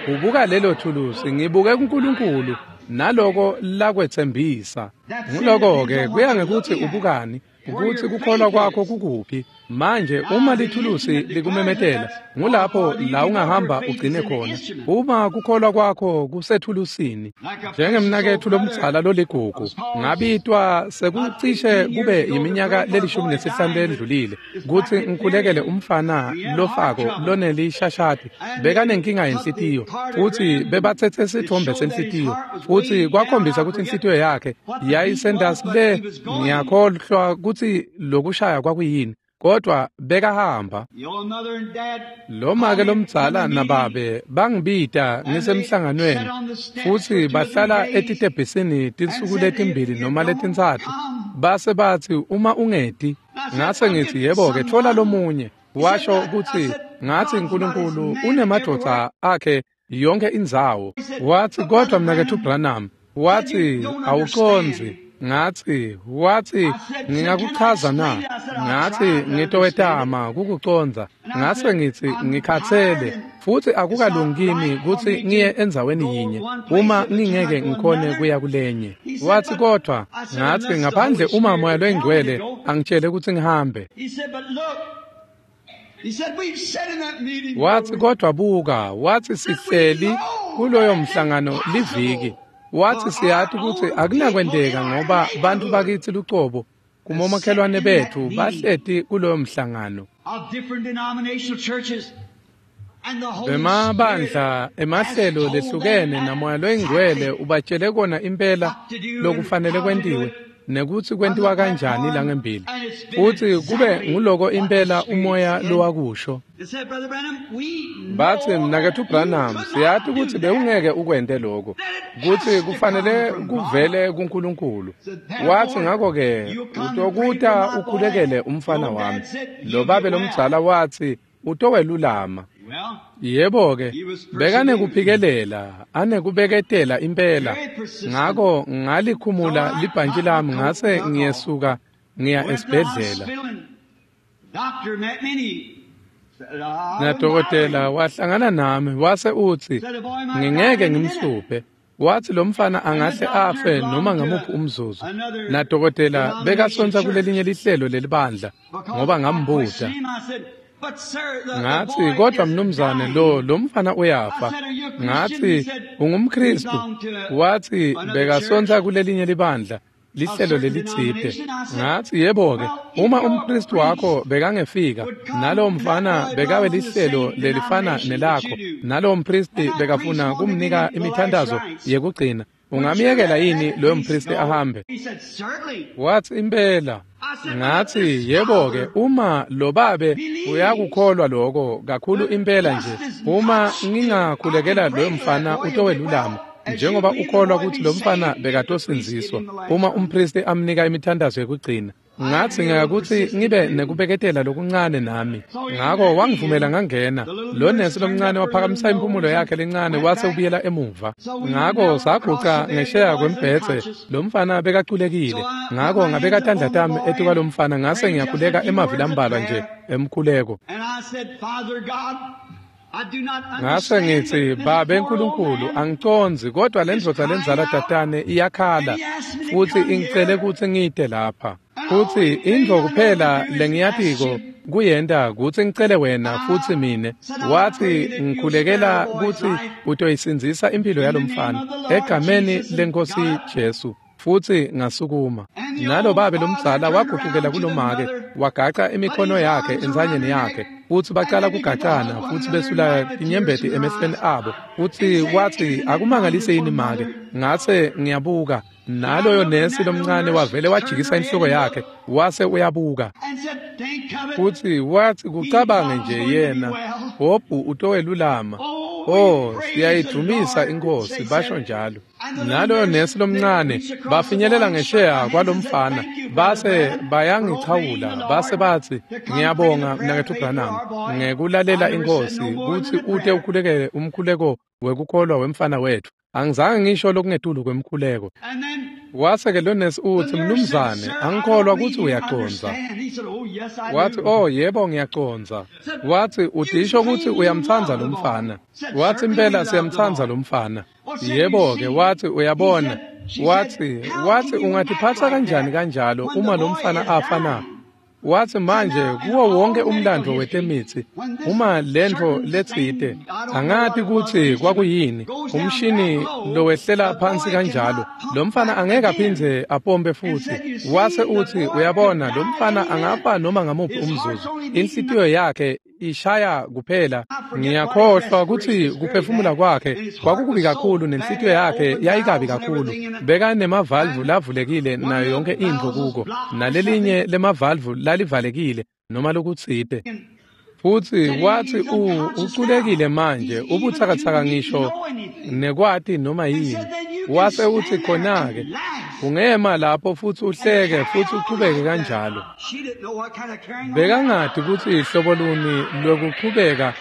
Ubuka lelo thulusi, ngibuke kuNkulunkulu naloko lakwetsembisa. Nguloko-ke kuya ngekutsi ubukani. Kutsi kukholwa kwakho kukuphi. Manje uma lithulusi likumemetela, ngulapho la ungahamba ugcine khona. Uma kukholwa kwakho kusethulusini, njengemnaketfu lomdzala loligugu, ngabitwa sekucishe kube iminyaka le-15 lendlulile kutsi ngikhulekele umfana lofako lonelishashati. Bekanenkinga yenhlitiyo, futsi bebatsetse sitfombe senhlitiyo, futsi kwakhombisa kutsi inhlitiyo yakhe yayisendasi le. Ngiyakhohlwa kutsi lokushaya kwakuyini, kodwa bekahamba. Lo make lomdzala nababe bangibita ngisemhlanganweni, futsi bahlala etitebhisini tinsuku letimbili noma letintsatfu. Base batsi uma ungeti, ngase ngitsi yebo-ke tfola lomunye. Washo kutsi ngatsi uNkulunkulu unemadvodza akhe yonke indzawo. Watsi kodwa mnaketfu Branham, watsi awucondzi. Ngatsi, watsi ngingakuchaza na? Ngatsi ngitowetama kukucondza. Ngase ngitsi ngikhatsele futsi akukalungi kimi kutsi ngiye endzaweni yinye uma ngingeke ngikhone kuya kulenye. Watsi kodwa, ngatsi ngaphandle uma Moya loyiNgcwele angitshele kutsi ngihambe. Watsi kodwa buka, watsi sihleli kuloyo mhlangano liviki. Watsi siyati kutsi akunakwenteka ngoba bantfu bakitsi lucobo kumomakhelwane betfu bahleti kuloyo mhlangano. Bemabandla emahlelo lehlukene naMoya loyiNgcwele ubatshele kona impela lokufanele kwentiwe nekutsi kwentiwa kanjani langembili, futsi kube nguloko impela umoya lowakusho. Batsi mnaketfu Branham, siyati kutsi bewungeke ukwente lokho, kutsi kufanele kuvele kuNkulunkulu. Watsi ngakho-ke utokuta ukhulekele umfana wami. Lo babe lomdzala watsi utowelulama. Yebo-ke, bekanekuphikelela, anekubeketela impela. Ngako ngalikhumula libhantji lami ngase ngiyesuka ngiya esibhedlela. Nadokotela wahlangana nami wase utsi ngingeke ngimhluphe. Watsi lo mfana angahle afe noma ngamuphi umzuzu. Nadokotela bekasonsa kulelinye lihlelo lelibandla ngoba ngambuta. Ngatsi kodwa mnumzane lo mfana uyafa. Ngatsi ungumKristu. Watsi bekasonsa kulelinye libandla, lihlelo lelitsite. Ngatsi yebo-ke, uma umKristu wakho bekangefika nalowo mfana bekawe lihlelo lelifana nelakho, nalowo mpristi bekafuna kumnika imithandazo yekugcina, ungamyekela yini loyo mpristi ahambe? Watsi impela. Ngatsi yebo-ke, uma lo babe uyakukholwa lokho kakhulu impela nje, uma ngingakhulekela loyo mfana utowelulama, njengoba ukholwa kutsi lo mfana bekatosindziswa uma umpristi amnika imithandazo yekugcina. Ngatsi ngiyakutsi ngibe nekubeketela lokuncane nami. Ngako wangivumela ngangena. Lo nesi lomncane waphakamisa impumulo yakhe lencane wase ubuyela emuva. Ngako saguca ngesheya kwembhedze, lo mfana bekaculekile. Ngako ngabeka tandla tami etukwalo mfana ngase ngiyakhuleka emavi lambalwa nje emkhuleko. Ngase ngitsi Babe Nkulunkulu, angicondzi kodwa lendvodza lendzala tatane iyakhala futsi ingicele kutsi ngite lapha. Futsi intfo kuphela lengiyatiko kuyenta kutsi ngicele wena futsi mine. Watsi ngikhulekela kutsi utoyisindzisa impilo yalomfana egameni leNkosi Jesu. Futsi ngasukuma. Nalo babe lomdzala wagucukela kulomake, wagaca imikhono yakhe entsanyeni yakhe, futsi bacala kugacana futsi besula tinyembeti emehlweni abo. Futsi watsi akumangalise yini make? Ngase ngiyabuka, naloyo nesi lomncane wavele wajikisa inhloko yakhe wase uyabuka. Futsi watsi kucabange nje yena, Hobhu utowelulama. Oh, siyayidumisa iNkosi, basho njalo. Naloyo nesi lomncane bafinyelela ngesheya kwalomfana, base bayangichawula, base batsi ngiyabonga mnaketfu Branham ngekulalela iNkosi kutsi ute ukhulekele umkhuleko wekukholwa wemfana wetfu. Angizange ngisho lokungetulu kwemkhuleko. Wase-ke lo nesi utsi mnumzane, angikholwa kutsi uyacondza. Watsi oh yebo ngiyacondza. Watsi udisho kutsi uyamtsandza lo mfana. Watsi impela siyamtsandza lo mfana. Yebo-ke, watsi uyabona. Watsi ungatiphatsa kanjani kanjalo uma lo mfana afa na? Watsi manje kuwo wonke umlando wetemitsi uma lentfo letsite angati kutsi kwakuyini umshini lowehlela phansi kanjalo lo mfana angeke aphindze apompe futsi. Wase utsi uyabona lo mfana angafa noma ngamuphi umzuzu, inhlitiyo yakhe ishaya kuphela. Ngiyakhohlwa kutsi kuphefumula kwakhe kwakukubi kakhulu nenhlitiyo yakhe yayikabi kakhulu. Bekanemavalvu lavulekile nayo yonke intfo kuko, nalelinye lemavalvu lalivalekile noma lokutsite. Futsi watsi uculekile manje, ubutsakatsaka ngisho nekwati noma yini. Wase utsi khona-ke ungema lapho futsi uhleke futsi uchubeke kanjalo. Bekangati kutsi hlobo luni lwekuchubeka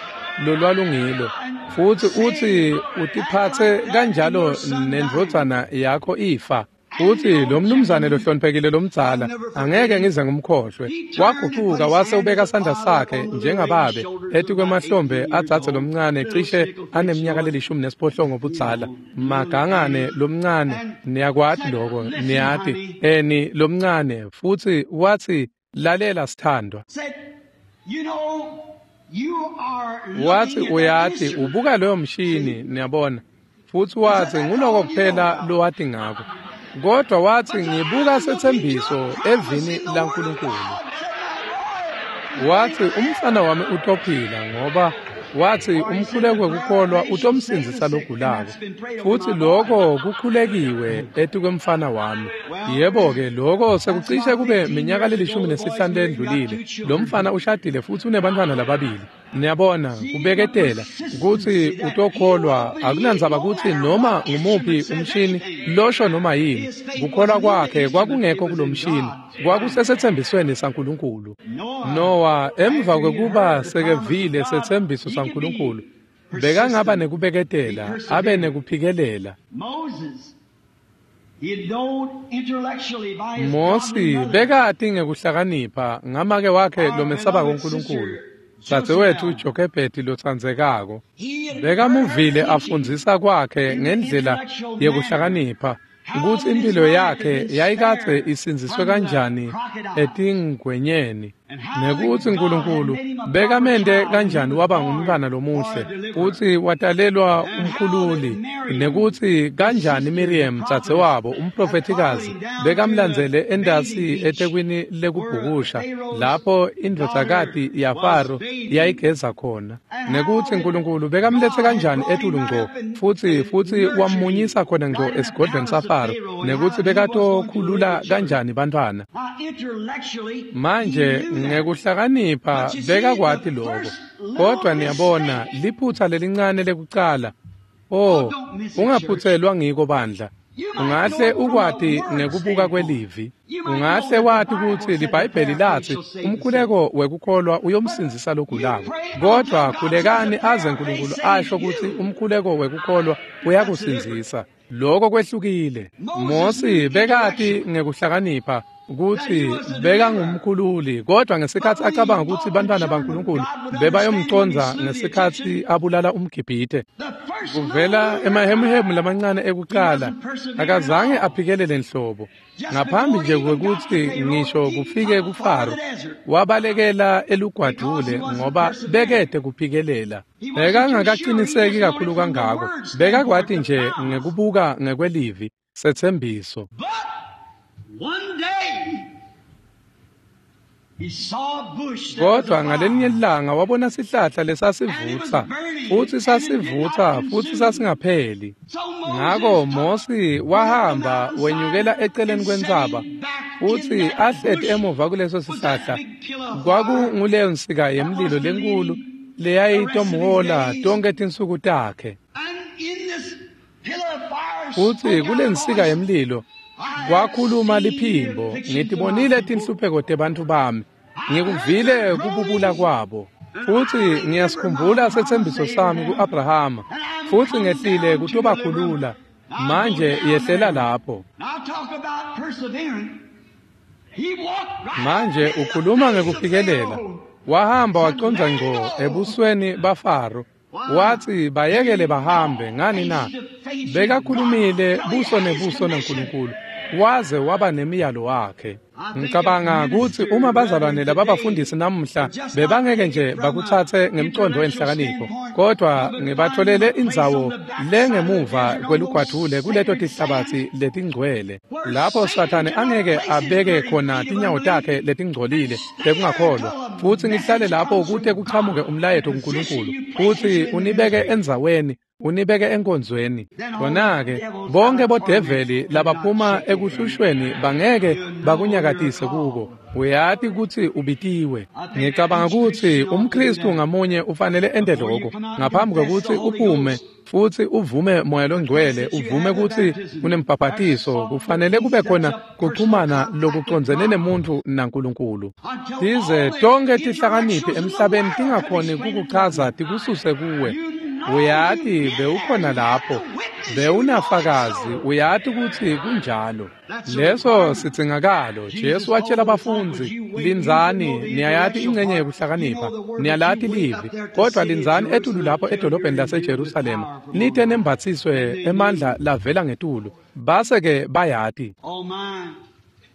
lolwalungilo. Futsi utsi utiphatse kanjalo nendvodzana yakho ifa. Futsi lo mnumzane lohloniphekile lomdzala angeke ngize ngimkhohlwe. Wagucuka wase ubeka sandla sakhe njengababe etikwemahlombe adzadze lomncane cishe aneminyaka le-18 budzala. Magangane lomncane, niyakwati loko, niyati, eni lomncane. Futsi watsi lalela sithandwa. Watsi uyati ubuka loyo mshini, niyabona. Futsi watsi nguloko kuphela lowati ngako. Kodwa watsi ngibuka setsembiso evini laNkulunkulu. Watsi umfana wami utophila ngoba watsi umkhuleko wekukholwa utomsindzisa logulako. Futsi lokho kukhulekiwe etikwemfana wami. Yebo-ke lokho sekucishe kube minyaka le-15 lendlulile. Lo mfana ushadile futsi unebantfwana lababili. Niyabona kubeketela kutsi utokholwa akunandzaba kutsi noma ngumuphi umshini losho noma yini. Kukholwa kwakhe kwakungekho kulomshini, kwakusesethembisweni saNkulunkulu. Noah emva kwekuba sekevile setsembiso saNkulunkulu bekangaba nekubeketela abe nekuphikelela. Mosi bekati ngekuhlakanipha ngamake wakhe lomesabako uNkulunkulu. Dzadzewethu Jokhebhedi lotsandzekako bekamuvile afundzisa kwakhe ngendlela yekuhlakanipha kutsi impilo yakhe yayikadze isindziswe kanjani etingwenyeni nekutsi uNkulunkulu bekamente kanjani waba ngumntwana lomuhle futsi watalelwa umkhululi, nekutsi kanjani Miriam dzadzewabo umprofethikazi bekamlandzele endasi etekwini lekubhukusha lapho indvodzakati yaFaro yayigeza khona, nekutsi uNkulunkulu bekamlethe kanjani etulu ngco futsi wamunyisa khona ngco esigodlweni saFaro, nekutsi bekatokhulula kanjani bantfwana. Manje ngekuhlakanipha bekakwati lokho, kodwa niyabona liphutsa lelincane lekucala. Oh, ungaphutselwa ngiko bandla. Ungahle ukwati ngekubuka kwelivi. Ungahle wati kutsi liBhayibheli lathi umkhuleko wekukholwa uyomsindzisa logulako. Kodwa khulekani aze uNkulunkulu asho kutsi umkhuleko wekukholwa uyakusindzisa. Lokho kwehlukile. Mosi bekati ngekuhlakanipha kutsi bekangumkhululi, kodwa ngesikhatsi acabanga kutsi bantfwana baNkulunkulu bebayomcondza ngesikhatsi abulala umGibhite. Kuvela emahemuhemu lamancane ekucala, akazange aphikelele nhlobo. Ngaphambi nje kwekutsi ngisho kufike kuFaro, wabalekela elugwadvule ngoba bekete kuphikelela. Bekangakaqiniseki kakhulu kangako, bekakwati nje ngekubuka ngekwelivi setsembiso. Kodwa ngalelinye ilanga wabona sihlahla lesasivutsa futsi sasivutsa futsi sasingapheli. Ngako Mosi wahamba wenyukela eceleni kwentsaba futsi ahleti emuva kuleso sihlahla. Kwakunguleyo nsika yemlilo lenkulu leyayitomhola tonke tinsuku takhe. Futsi kule nsika yemlilo kwakhuluma liphimbo, ngitibonile tinhlupheko tebantfu bami, ngikuvile kububula kwabo, futsi ngiyasikhumbula setsembiso sami ku-Abrahama, futsi ngehlile kutobakhulula. Manje yehlela lapho. Manje ukhuluma ngekuphikelela. Wahamba wacondza ngco ebusweni baFaro. Watsi bayekele bahambe ngani na? Bekakhulumile buso nebuso naNkulunkulu, waze waba nemiyalo wakhe. Ngicabanga kutsi uma bazalwane lababafundisi namuhla bebangeke nje bakutsatse ngemcondo wenhlakanipho, kodwa ngibatholele indzawo lengemuva kwelugwadvule kuleto tihlabatsi letingcwele, lapho Sathane angeke abeke khona tinyawo takhe letingcolile tekungakholwa, futsi ngihlale lapho kute kuchamuke umlayeto kuNkulunkulu, futsi unibeke endzaweni, unibeke enkonzweni. Khona-ke bonke bodeveli labaphuma ekuhlushweni bangeke bakunyakatise kuko. Uyati kutsi ubitiwe. Ngicabanga kutsi umKhristu ngamunye ufanele ente loko ngaphambi kwekutsi uphume futsi uvume Moya Longcwele, uvume kutsi unembhaphatiso. Kufanele kube khona kuxhumana lokucondzene nemuntfu naNkulunkulu, tize tonke tihlakaniphi emhlabeni tingakhoni kukuchaza tikususe kuwe. Uyati bewukhona lapho, bewunafakazi, uyati kutsi kunjalo. Leso sidzingakalo. Jesu watshela abafundzi, lindzani, niyayati ingcenye yekuhlakanipha, niyalati livi, kodwa lindzani etulu lapho edolobheni laseJerusalema, nite nembatsiswe emandla lavela ngetulu. Base-ke bayati.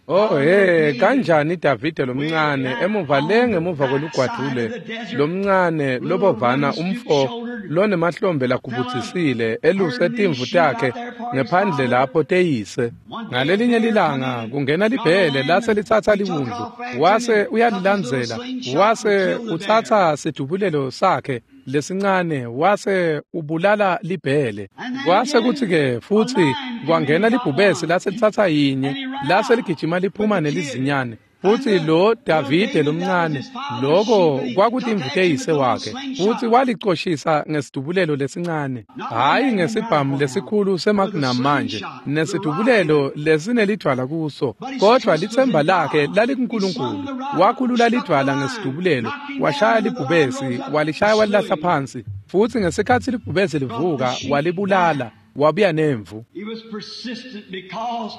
Oh he, kanjani Davide lomncane emuva le ngemuva kwelugwadvule lomncane lobovana umfo lonemahlombe lagubudzisile eluse timvu takhe ngephandle lapho teyise. Ngalelinye lilanga kungena libhele lase litsatsa liwundlu, wase uyalilandzela, wase utsatsa sidubulelo sakhe lesincane wase ubulala libhele. Kwase kutsi-ke futsi kwangena libhubesi lase litsatsa yinye, lase ligijima liphuma nelizinyane. Futsi lo Davide lomncane, loko kwakutimvu teyise wakhe, futsi walicoshisa ngesidubulelo lesincane, hhayi ngesibhamu lesikhulu seMagnum manje, nesidubulelo lesinelidvwala kuso, kodwa litsemba lakhe lalikuNkulunkulu. Wakhulula lidvwala ngesidubulelo, washaya libhubesi, walishaya walilahla phansi, futsi ngesikhatsi libhubesi livuka, walibulala, wabuya nemvu. He was persistent because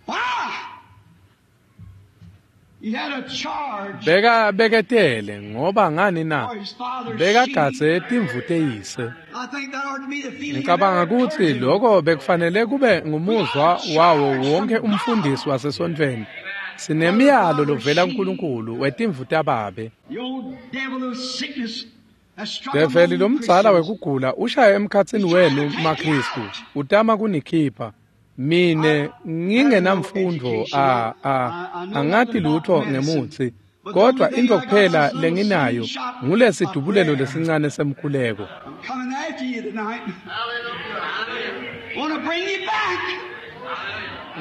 why? He had a charge Beka beketele ngoba ngani na? for his father's Bekagadze sheep. timvu teyise. I think that ought to be the feeling of Ngicabanga every kutsi clergyman. loko bekufanele kube ngumuzwa wawo wonke umfundisi wasesontfweni. Sinemiyalo lovela kuNkulunkulu wetimvu tababe. The old devil of sickness has struck Develi among lomdzala Christians. wekugula ushaya emkhatsini wenu maKhristu, utama kunikhipha. Mine ngingenamfundo angati lutho ngemutsi, kodwa intfo kuphela lenginayo ngulesidubulelo lesincane semkhuleko. I'm coming after you tonight. Want to bring you back.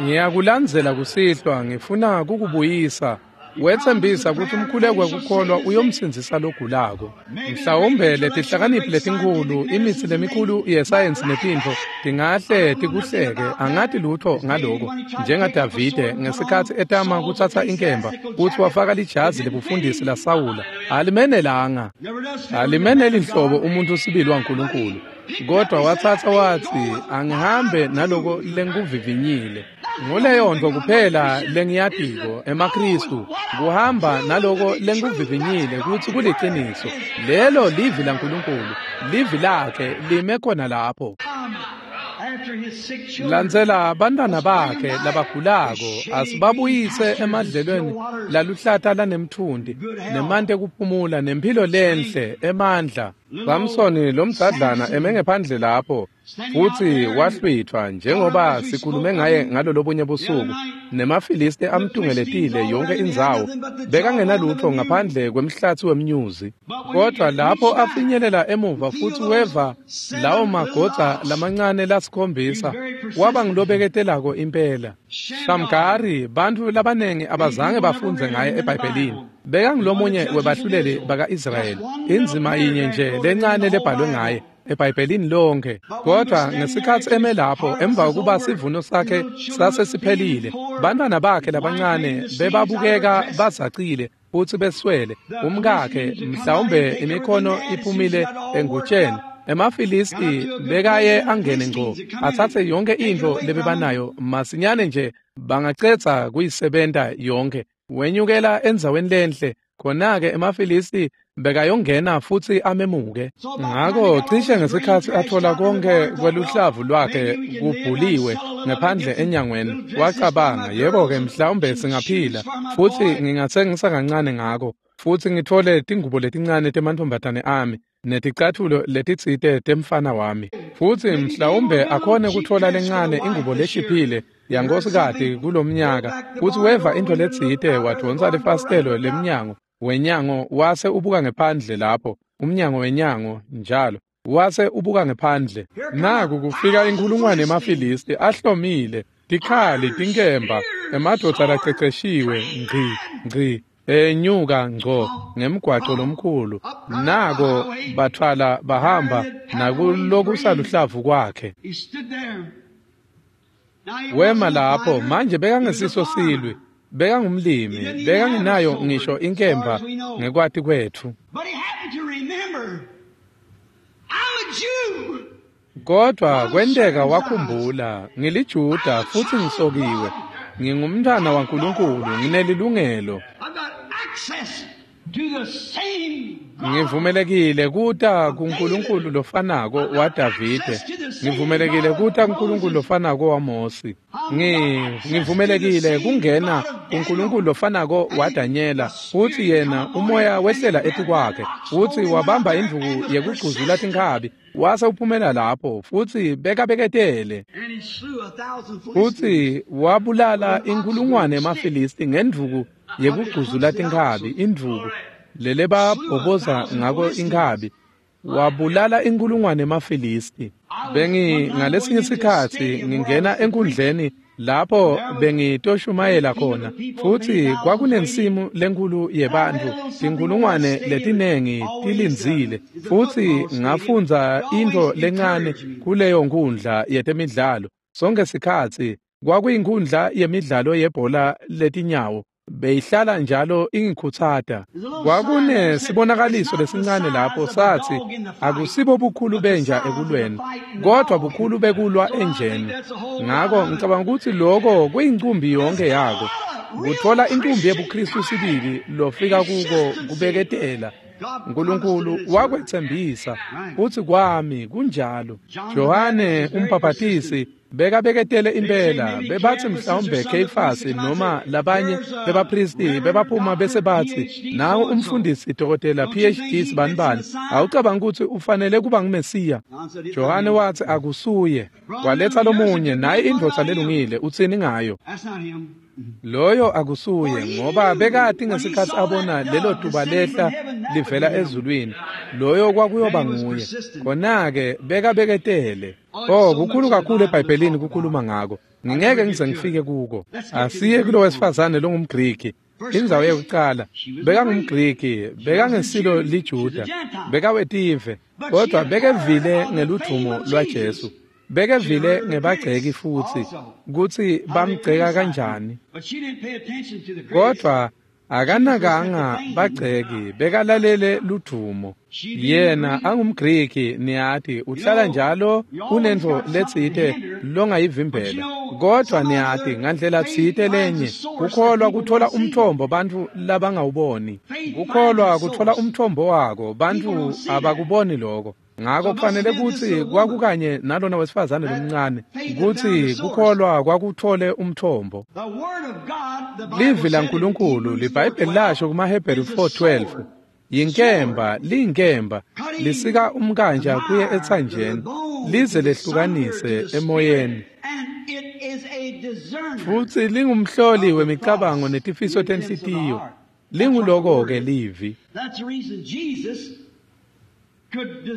Ngiyakulandzela kusihlwa, ngifuna kukubuyisa. Wetsembisa kutsi umkhuleko wekukholwa uyomsindzisa logulako. Mhlawumbe letihlakaniphi letinkhulu, imitsi lemikhulu yesayensi netintfo tingahle tikuhleke, angati lutho ngaloko. NjengaDavide ngesikhatsi etama kutsatsa inkemba, kutsi wafaka lijazi lebufundisi laSawula, alimenelanga. Never does fit with the Alimeneli man of nhlobo God. umuntu sibili waNkulunkulu. Kodwa watsatsa watsi, angihambe naloko lengikuvivinyile. Nguleyo ntfo kuphela lengiyatiko emaKhristu, kuhamba naloko lengikuvivinyile kutsi kuliciniso. Lelo livi laNkulunkulu, livi lakhe lime khona lapho. Come after his sick children. Landzela bantwana bakhe labagulako, asibabuyise emadlelweni laluhlata lanemtfundi, nemanti ekuphumula, nemphilo lenhle, emandla. Samsoni lomdzadlana eme ngephandle lapho, futsi wahlwithwa njengoba sikhulume ngaye ngalolobunye busuku, nemaFilisti amtungeletile yonke indzawo, bekangenalutfo ngaphandle kwemhlatsi wemnyuzi. Kodwa lapho afinyelela emuva futsi weva lawo magodza lamancane lasikhombisa, waba ngulobeketelako impela. Shamgari, bantfu labanengi abazange bafundze ngaye eBhayibhelini. Bekangulomunye webahluleli baka-Israyeli, indzima yinye nje lencane lebhalwe ngaye eBhayibhelini lonke. Kodwa ngesikhatsi eme lapho emva kokuba sivuno sakhe sasesiphelile, bantwana bakhe labancane bebabukeka bazacile futsi beswele. Umkakhe mhlawumbe imikhono iphumile engutsheni. EmaFilisti bekaye angene ngco atsatse yonke intfo lebebanayo masinyane nje bangacedza kuyisebenta yonke. Wenyukela endzaweni lenhle, khona-ke emaFilisti Bekayongena futsi amemuke. Ngako cishe ngesikhatsi atfola konkhe kweluhlavu lwakhe kubhuliwe ngephandle enyangweni, wacabanga, yebo-ke, mhlawumbe singaphila futsi ngingatsengisa kancane ngako futsi ngitfole tingubo letincane temantfombatane ami neticatfulo letitsite temfana wami, futsi mhlawumbe akhone kutfola lencane ingubo leshiphile yankosikati kulomnyaka. Futsi weva intfo letsite, wadvonsa lifasitelo lemnyango wenyango wase ubuka ngephandle lapho, umnyango wenyango njalo wase ubuka ngephandle. Naku kufika inkhulungwane yemaFilisti ahlomile, tikhali, tinkemba, emadvodza laceceshiwe, ngci ngci, enyuka ngco ngemgwaco lomkhulu. Nako batfwala bahamba nakulokusaluhlavu kwakhe. Wema lapho manje, bekangesiso silwi, bekangumlimi, bekangenayo ngisho inkemba ngekwati kwetfu. Kodwa kwenteka wakhumbula, ngiliJuda futsi ngisokiwe, ngingumntwana waNkulunkulu, nginelilungelo. Ngivumelekile kuta kuNkulunkulu lofanako waDavide, ngivumelekile kuta kuNkulunkulu lofanako waMosi, ngivumelekile kungena kuNkulunkulu lofanako waDanyela. Futsi yena umoya wehlela etikwakhe, futsi wabamba indvuku yekugcuzula tinkhabi, wase uphumela lapho, futsi bekabeketele. Futsi wabulala inkhulungwane yemaFilisti ngendvuku yekugcuzula tinkhabi, indvuku lelebabhoboza ngako inkhabi. Wabulala inkhulungwane yemaFilisti. Bengi ngalesinye sikhatsi ngingena enkundleni lapho bengitoshumayela khona, futsi kwakunensimu lenkulu yebantfu, tinkhulungwane letinengi tilindzile, futsi ngafundza intfo lencane kuleyo nkundla yetemidlalo. Sonke sikhatsi kwakuyinkhundla yemidlalo yebhola letinyawo, beyihlala njalo ingikhutsata. Kwakunesibonakaliso lesincane lapho sathi, akusibo bukhulu benja ekulweni, kodwa bukhulu bekulwa enjeni. Ngako ngicabanga ukuthi lokho kuyincumbi yonke yako, kutfola inkumbi yebuKristu sibili lofika kuko kubeketela. Nkulunkulu wakwetsembisa, futsi kwami kunjalo. Johane umbhaphatisi bekabeketele impela. Bebathi mhlawumbe Kheyifasi noma labanye bebapristi bebaphuma bese bathi, nawu umfundisi dokotela PhD sibanibani, awucabanga ukuthi ufanele kuba nguMesiya? Johane wathi akusuye. Waletha lomunye, naye indvodza lelungile, utsini ngayo? Loyo akusuye, ngoba bekati ngesikhatsi abona lelo tuba lehla livela ezulwini, loyo kwakuyoba nguye. Khona-ke bekabeketele. Oh, kukhulu kakhulu eBhayibhelini kukhuluma ngako, ngingeke ngize ngifike kuko. Asiye kulo wesifazane longumGriki. Indzawo yekucala, bekangumGriki, bekangesilo liJuda, bekawetive, kodwa bekevile ngeludvumo lwaJesu. Bekevile ngebagceki futsi kutsi bamgceka kanjani. Kodwa akanakanga bagceki, bekalalele ludvumo. Yena angumGriki, niyati, uhlala njalo unentfo letsite longayivimbela. Kodwa niyati, ngandlela tsite lenye, kukholwa kuthola umthombo bantfu labangawuboni. Kukholwa kuthola umthombo wako, bantfu abakuboni lokho. Ngako kufanele kutsi kwakukanye nalona wesifazane lomncane, kutsi kukholwa kwakuthole umthombo. Livi laNkulunkulu, liBhayibheli lasho kumaHebheru 4:12, yinkemba, liyinkemba, lisika umkanja kuye etsanjeni, lize lehlukanise emoyeni. Futsi lingumhloli wemicabango netifiso tenhlitiyo. Linguloko-ke livi.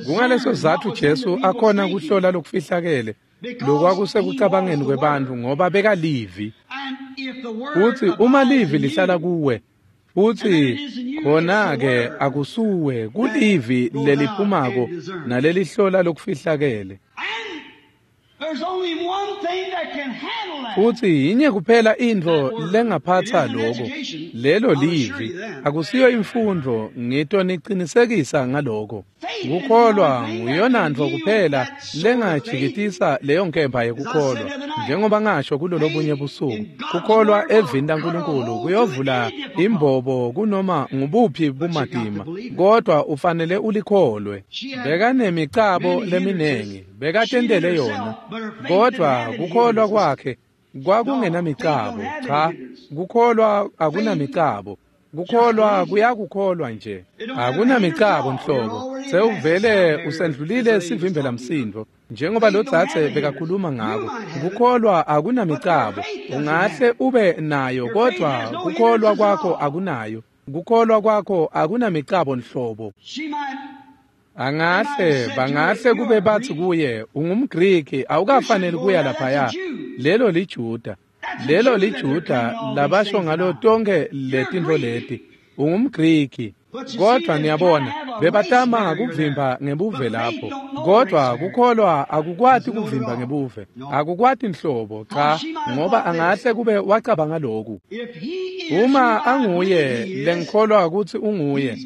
Kungaleso sizatfu Jesu akhona kuhlola lokufihlakele lokwakusekucabangeni kwebantfu, ngoba bekalivi. Futsi uma livi lihlala kuwe, futsi khona-ke akusuwe, kulivi leliphumako nalelihlola lokufihlakele. Futsi yinye kuphela intfo lengaphatsa loko, lelo livi. Akusiyo imfundvo, ngitonicinisekisa ngaloko. Kukholwa nguyonantfo kuphela lengajikitisa leyo nkemba yekukholwa. Njengoba ngasho kulolobunye busuku, kukholwa evini laNkulunkulu kuyovula imbobo kunoma ngubuphi bumatima, kodwa ufanele ulikholwe. Bekanemicabo leminengi, bekatentele yona, kodwa kukholwa kwakhe kwakungenamicabo. Cha, kukholwa akunamicabo. Kukholwa kuyakukholwa nje, akunamicabo nhlobo. Sewuvele usendlulile sivimbela msindo, njengoba lo dzadze bekakhuluma ngako. Kukholwa akunamicabo. Ungahle ube nayo, kodwa kukholwa kwakho akunayo. Kukholwa kwakho akunamicabo nhlobo. Angahle bangahle kube bathi kuye, ungumGriki, awukafaneli kuya laphaya. Lelo liJuda. Lelo liJuda labasho ngalo tonke letintfo leti. UngumGriki. Kodwa niyabona, bebatama kuvimba ngebuve lapho. Kodwa kukholwa akukwati kuvimba ngebuve. Akukwati nhlobo, cha, ngoba angahle kube wacabanga lokhu. Uma anguye lengikholwa ukuthi unguye,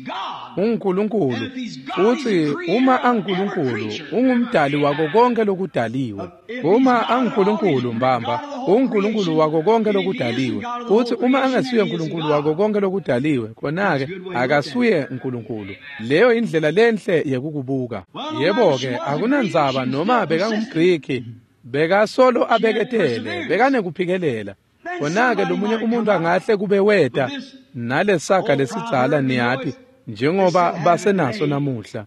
unguNkulunkulu. Futhi uma anguNkulunkulu, ungumdali wako konke lokudaliwe. Uma anguNkulunkulu mbamba, unguNkulunkulu wako konke lokudaliwe. Futhi uma angasuye uNkulunkulu wako konke lokudaliwe, khona-ke akasuye uNkulunkulu. Leyo indlela lenhle yekukubuka. Yebo-ke, akunandzaba noma bekangumGriki, bekasolo abeketele, bekanekuphikelela. Khona-ke lomunye umuntu angahle kube weta nalesaga lesidzala, niyati, njengoba basenaso namuhla.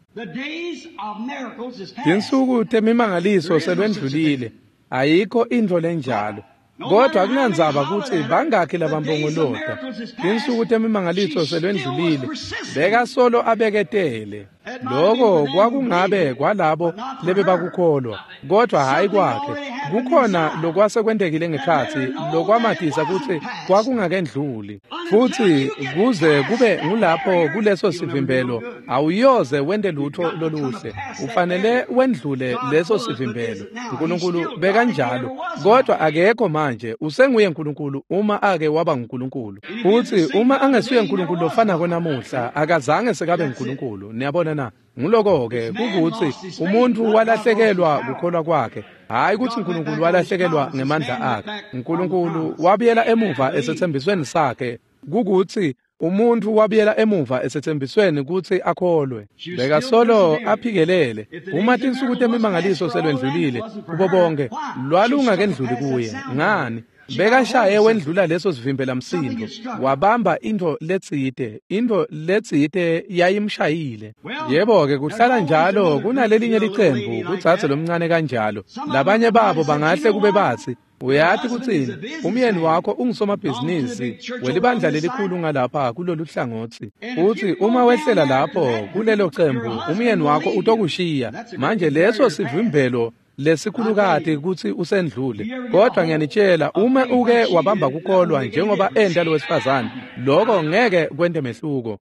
Tinsuku temimangaliso selwendlulile, ayikho intfo lenjalo. Kodwa akunandzaba kutsi bangakhi labambongolota, tinsuku temimangaliso selwendlulile, bekasolo abeketele. Loko kwakungabe kwalabo lebebakukholwa, kodwa hhayi kwakhe. Kukhona lokwase kwentekile ngekhatsi lokwamatisa kutsi kwakungakendluli. Futhi kuze kube ngulapho kuleso sivimbelo, awuyoze wente lutho loluhle. Ufanele wendlule leso sivimbelo. uNkulunkulu bekanjalo, kodwa akekho manje. Usenguye uNkulunkulu uma ake waba nguNkulunkulu. Futhi uma angesuye uNkulunkulu lofanako namuhla, akazange sekabe nguNkulunkulu. Niyabona na? Nguloko-ke kukuthi umuntu walahlekelwa kukholwa kwakhe, hhayi ukuthi uNkulunkulu walahlekelwa ngemandla akhe. uNkulunkulu wabuyela emuva esethembisweni sakhe, kukuthi umuntu wabuyela emuva esethembisweni kutsi akholwe. Bekasolo aphikelele. Uma tinsuku temimangaliso selwendlulile kubo bonke, lwalungakendluli kuye. Ngani? Bekashaye wendlula leso sivimbela msindo, wabamba intfo letsite, intfo letsite yayimshayile. Yebo-ke, kuhlala njalo kunalelinye licembu kudzadze lomncane kanjalo. Labanye babo bangahle kube batsi, uyati kutsini, umyeni wakho ungusomabhizinisi welibandla lelikhulu ngalapha kulolu hlangotsi. Uthi uma wehlela lapho kulelo cembu, umyeni wakho utokushiya. Manje leso sivimbelo lesikhulukati kutsi usendlule. Kodwa ngiyanitshela, uma uke wabamba kukholwa njengoba enta lowesifazane, lokho ngeke kwente mehluko.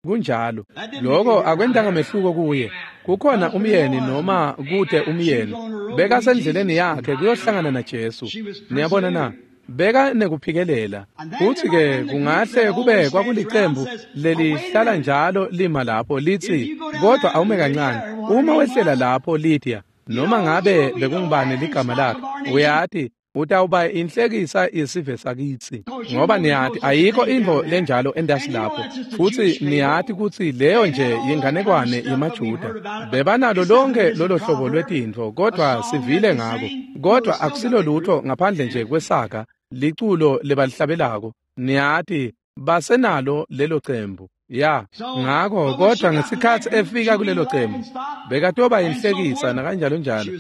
Kunjalo. Lokho akwentanga mehluko kuye. Kukhona umyeni noma kude umyeni, bekasendleleni yakhe kuyohlangana naJesu. Niyabona na? Beka nekuphikelela. Futhi-ke kungahle kube kwakulicembu lelihlala njalo lima lapho lithi, kodwa awume kancane, uma wehlela lapho Lydia, noma ngabe bekungubani ligama lakhe, uyati utawuba inhlekisa yesive sakitsi, ngoba niyati ayikho intfo lenjalo entasi lapho. Futhi niyati kutsi leyo nje yinganekwane yemaJuda. Bebanalo lonke lolo hlobo lwetintfo, kodwa sivile ngako. Kodwa akusilo lutho ngaphandle nje kwesaga, liculo lebalihlabelako. Niyati basenalo lelo cembu. Ya, ngakho kodwa ngesikhatsi efika kulelo cembu, bekatoba inhlekisa nakanjalo njalo.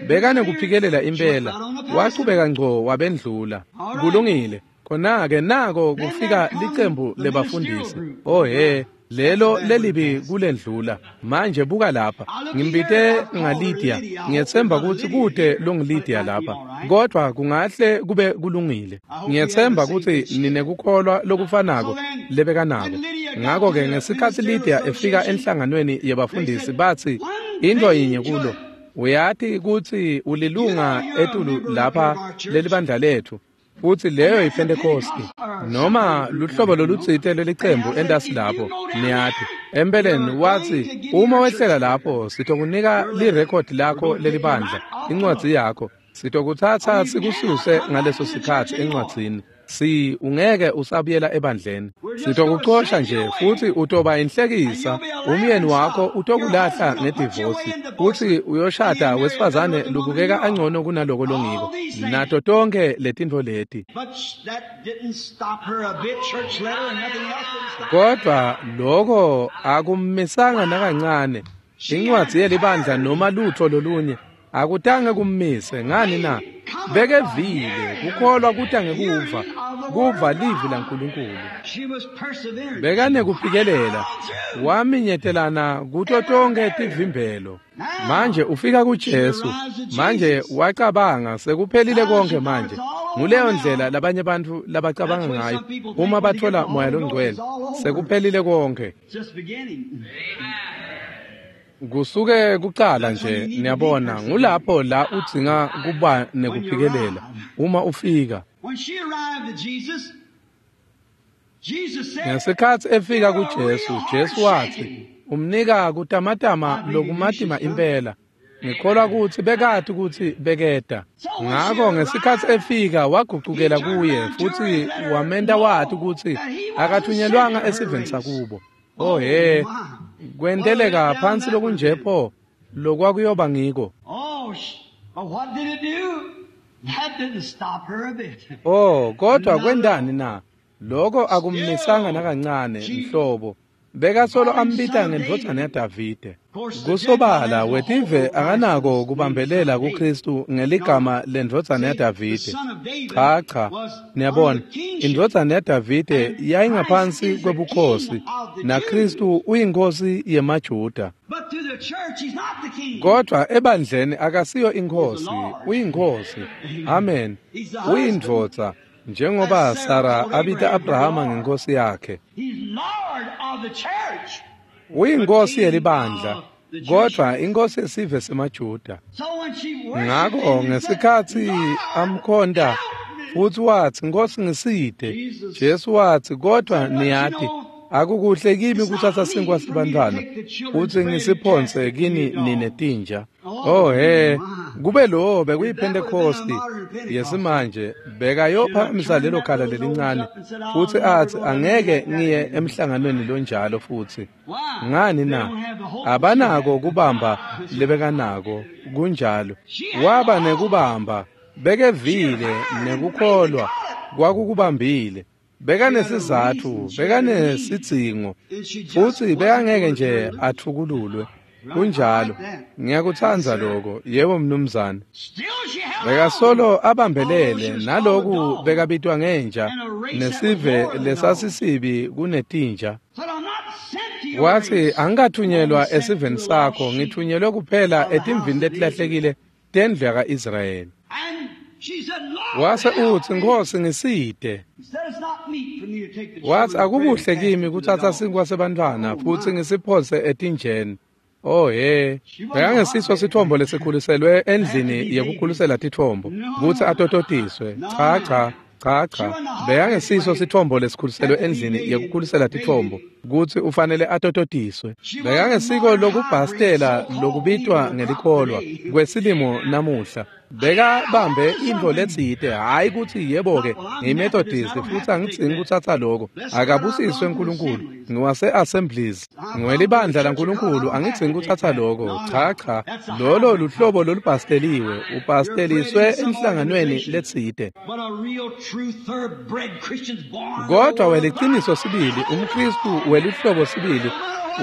Bekanekuphikelela impela, wachubeka ngco wabendlula. Kulungile. Khona-ke nako kufika licembu lebafundisi. Oh he, lelo lelibi kulendlula. Manje buka lapha. Ngimbite ngaLydia. Ngiyetsemba kutsi kude longuLydia lapha, kodwa kungahle kube kulungile. Ngiyetsemba kutsi ninekukholwa lokufanako lebekanako. Ngakho-ke ngesikhatsi Lydia efika enhlanganweni yebafundisi, bathi intfo yinye kulo, uyati kutsi ulilunga etulu lapha lelibandla letfu. Futhi leyo yiPentecosti noma luhlobo lolutsite lelicembu entasi lapho, niyati. Empeleni wathi, uma wehlela lapho sitokunika lirekhodi lakho lelibandla, incwadzi yakho, sitokutsatsa sikususe ngaleso sikhatsi encwadzini. Si ungeke usabuyela ebandleni, sitokucosha nje futhi utoba inhlekisa. Umyeni wakho utokulahla ngedivosi, futhi uyoshada wesifazane lubukeka angcono kunaloko longiko, nato tonke letintfo leti. Kodwa loko akummisanga nakancane. Incwadzi yelibandla noma lutho lolunye akutange kummise. Ngani na? Bekevile. Kukholwa kuta ngekuva, kuva livi laNkulunkulu. Bekanekuphikelela, waminyetelana kuto tonke tivimbelo. Manje ufika kuJesu. Manje wacabanga sekuphelile konke manje. Nguleyo ndlela labanye bantfu labacabanga ngayo uma bathola Moya loNgcwele, sekuphelile konke. Kusuke kucala nje, niyabona, ngulapho la udzinga kuba nekuphikelela uma ufika. Ngesikhatsi efika kuJesu, Jesu wathi, umnika kutamatama lokumatima impela. Ngikholwa kutsi bekati kutsi beketa. Ngako ngesikhatsi efika wagucukela kuye futhi wamenta wati kutsi akathunyelwanga esiveni sakubo. Oh he, kwenteleka phansi lokunje pho lokwakuyoba ngiko. Oh, kodwa kwendani na? Lokho akummisanga nakancane nhlobo. Bekasolo ambita ngendvodzana yaDavide. Kusobala wetive akanako kubambelela kuKristu ngeligama lendvodzana yaDavide. Cha cha, niyabona, indvodzana yaDavide yayingaphansi kwebukhosi, naKristu uyinkosi yemaJuda. Kodwa ebandleni akasiyo inkosi, uyinkosi. Amen. Uyindvodza. Njengoba Sara abita Abrahama ngenkosi yakhe. Uyinkosi yelibandla, kodwa inkosi yesive semaJuda. Ngako ngesikhatsi amkhonta futhi wathi, Nkosi ngiside, Jesu wathi, kodwa niyati, akukuhle kimi kuthatha sinkwa sebantfwana futhi ngisiphonse kini nine tinja. Oh he, kube lo bekuyiPentecosti yesimanje, bekayophakamisa lelo khala lelincane futhi athi, angeke ngiye emhlanganweni lonjalo futhi. Ngani na? Abanako kubamba lebekanako, kunjalo. Waba nekubamba, bekevile nekukholwa kwakukubambile. Bekanesizatfu, bekanesidzingo, futhi bekangeke nje athukululwe. Kunjalo. Ngiyakutsandza lokho. Yebo mnumzane. Bekasolo abambelele naloku bekabitwa ngenja nesive lesasisibi kunetinja. Wathi, angikathunyelwa esiveni sakho, ngithunyelwe kuphela etimvini letilahlekile tendlu yaka-Israyeli. Wase uthi, Nkosi ngiside. Wathi, akukuhle kimi kuthatha sinkwa sebantfwana futhi ngisiphonse etinjeni. Oh he, bekangesiso sithombo lesikhuliselwe endlini yekukhulisela tithombo kutsi atototiswe. Cha cha cha cha, bekangesiso sithombo lesikhuliselwe endlini yekukhulisela tithombo kutsi ufanele atototiswe. Bekangesiko lokubhastela lokubitwa ngelikholwa kwesilimo namuhla. Bekabambe intfo letsite, hhayi kutsi yebo-ke ngiyiMethodist futhi angidzingi kutsatsa loko. Akabusiswe uNkulunkulu, ngiwase-Assemblies, ngiwelibandla laNkulunkulu, angidzingi kutsatsa loko. Cha cha, lolo luhlobo lolubhasteliwe, ubhasteliswe emhlanganweni letsite. Kodwa weliciniso sibili, umKristu weluhlobo sibili,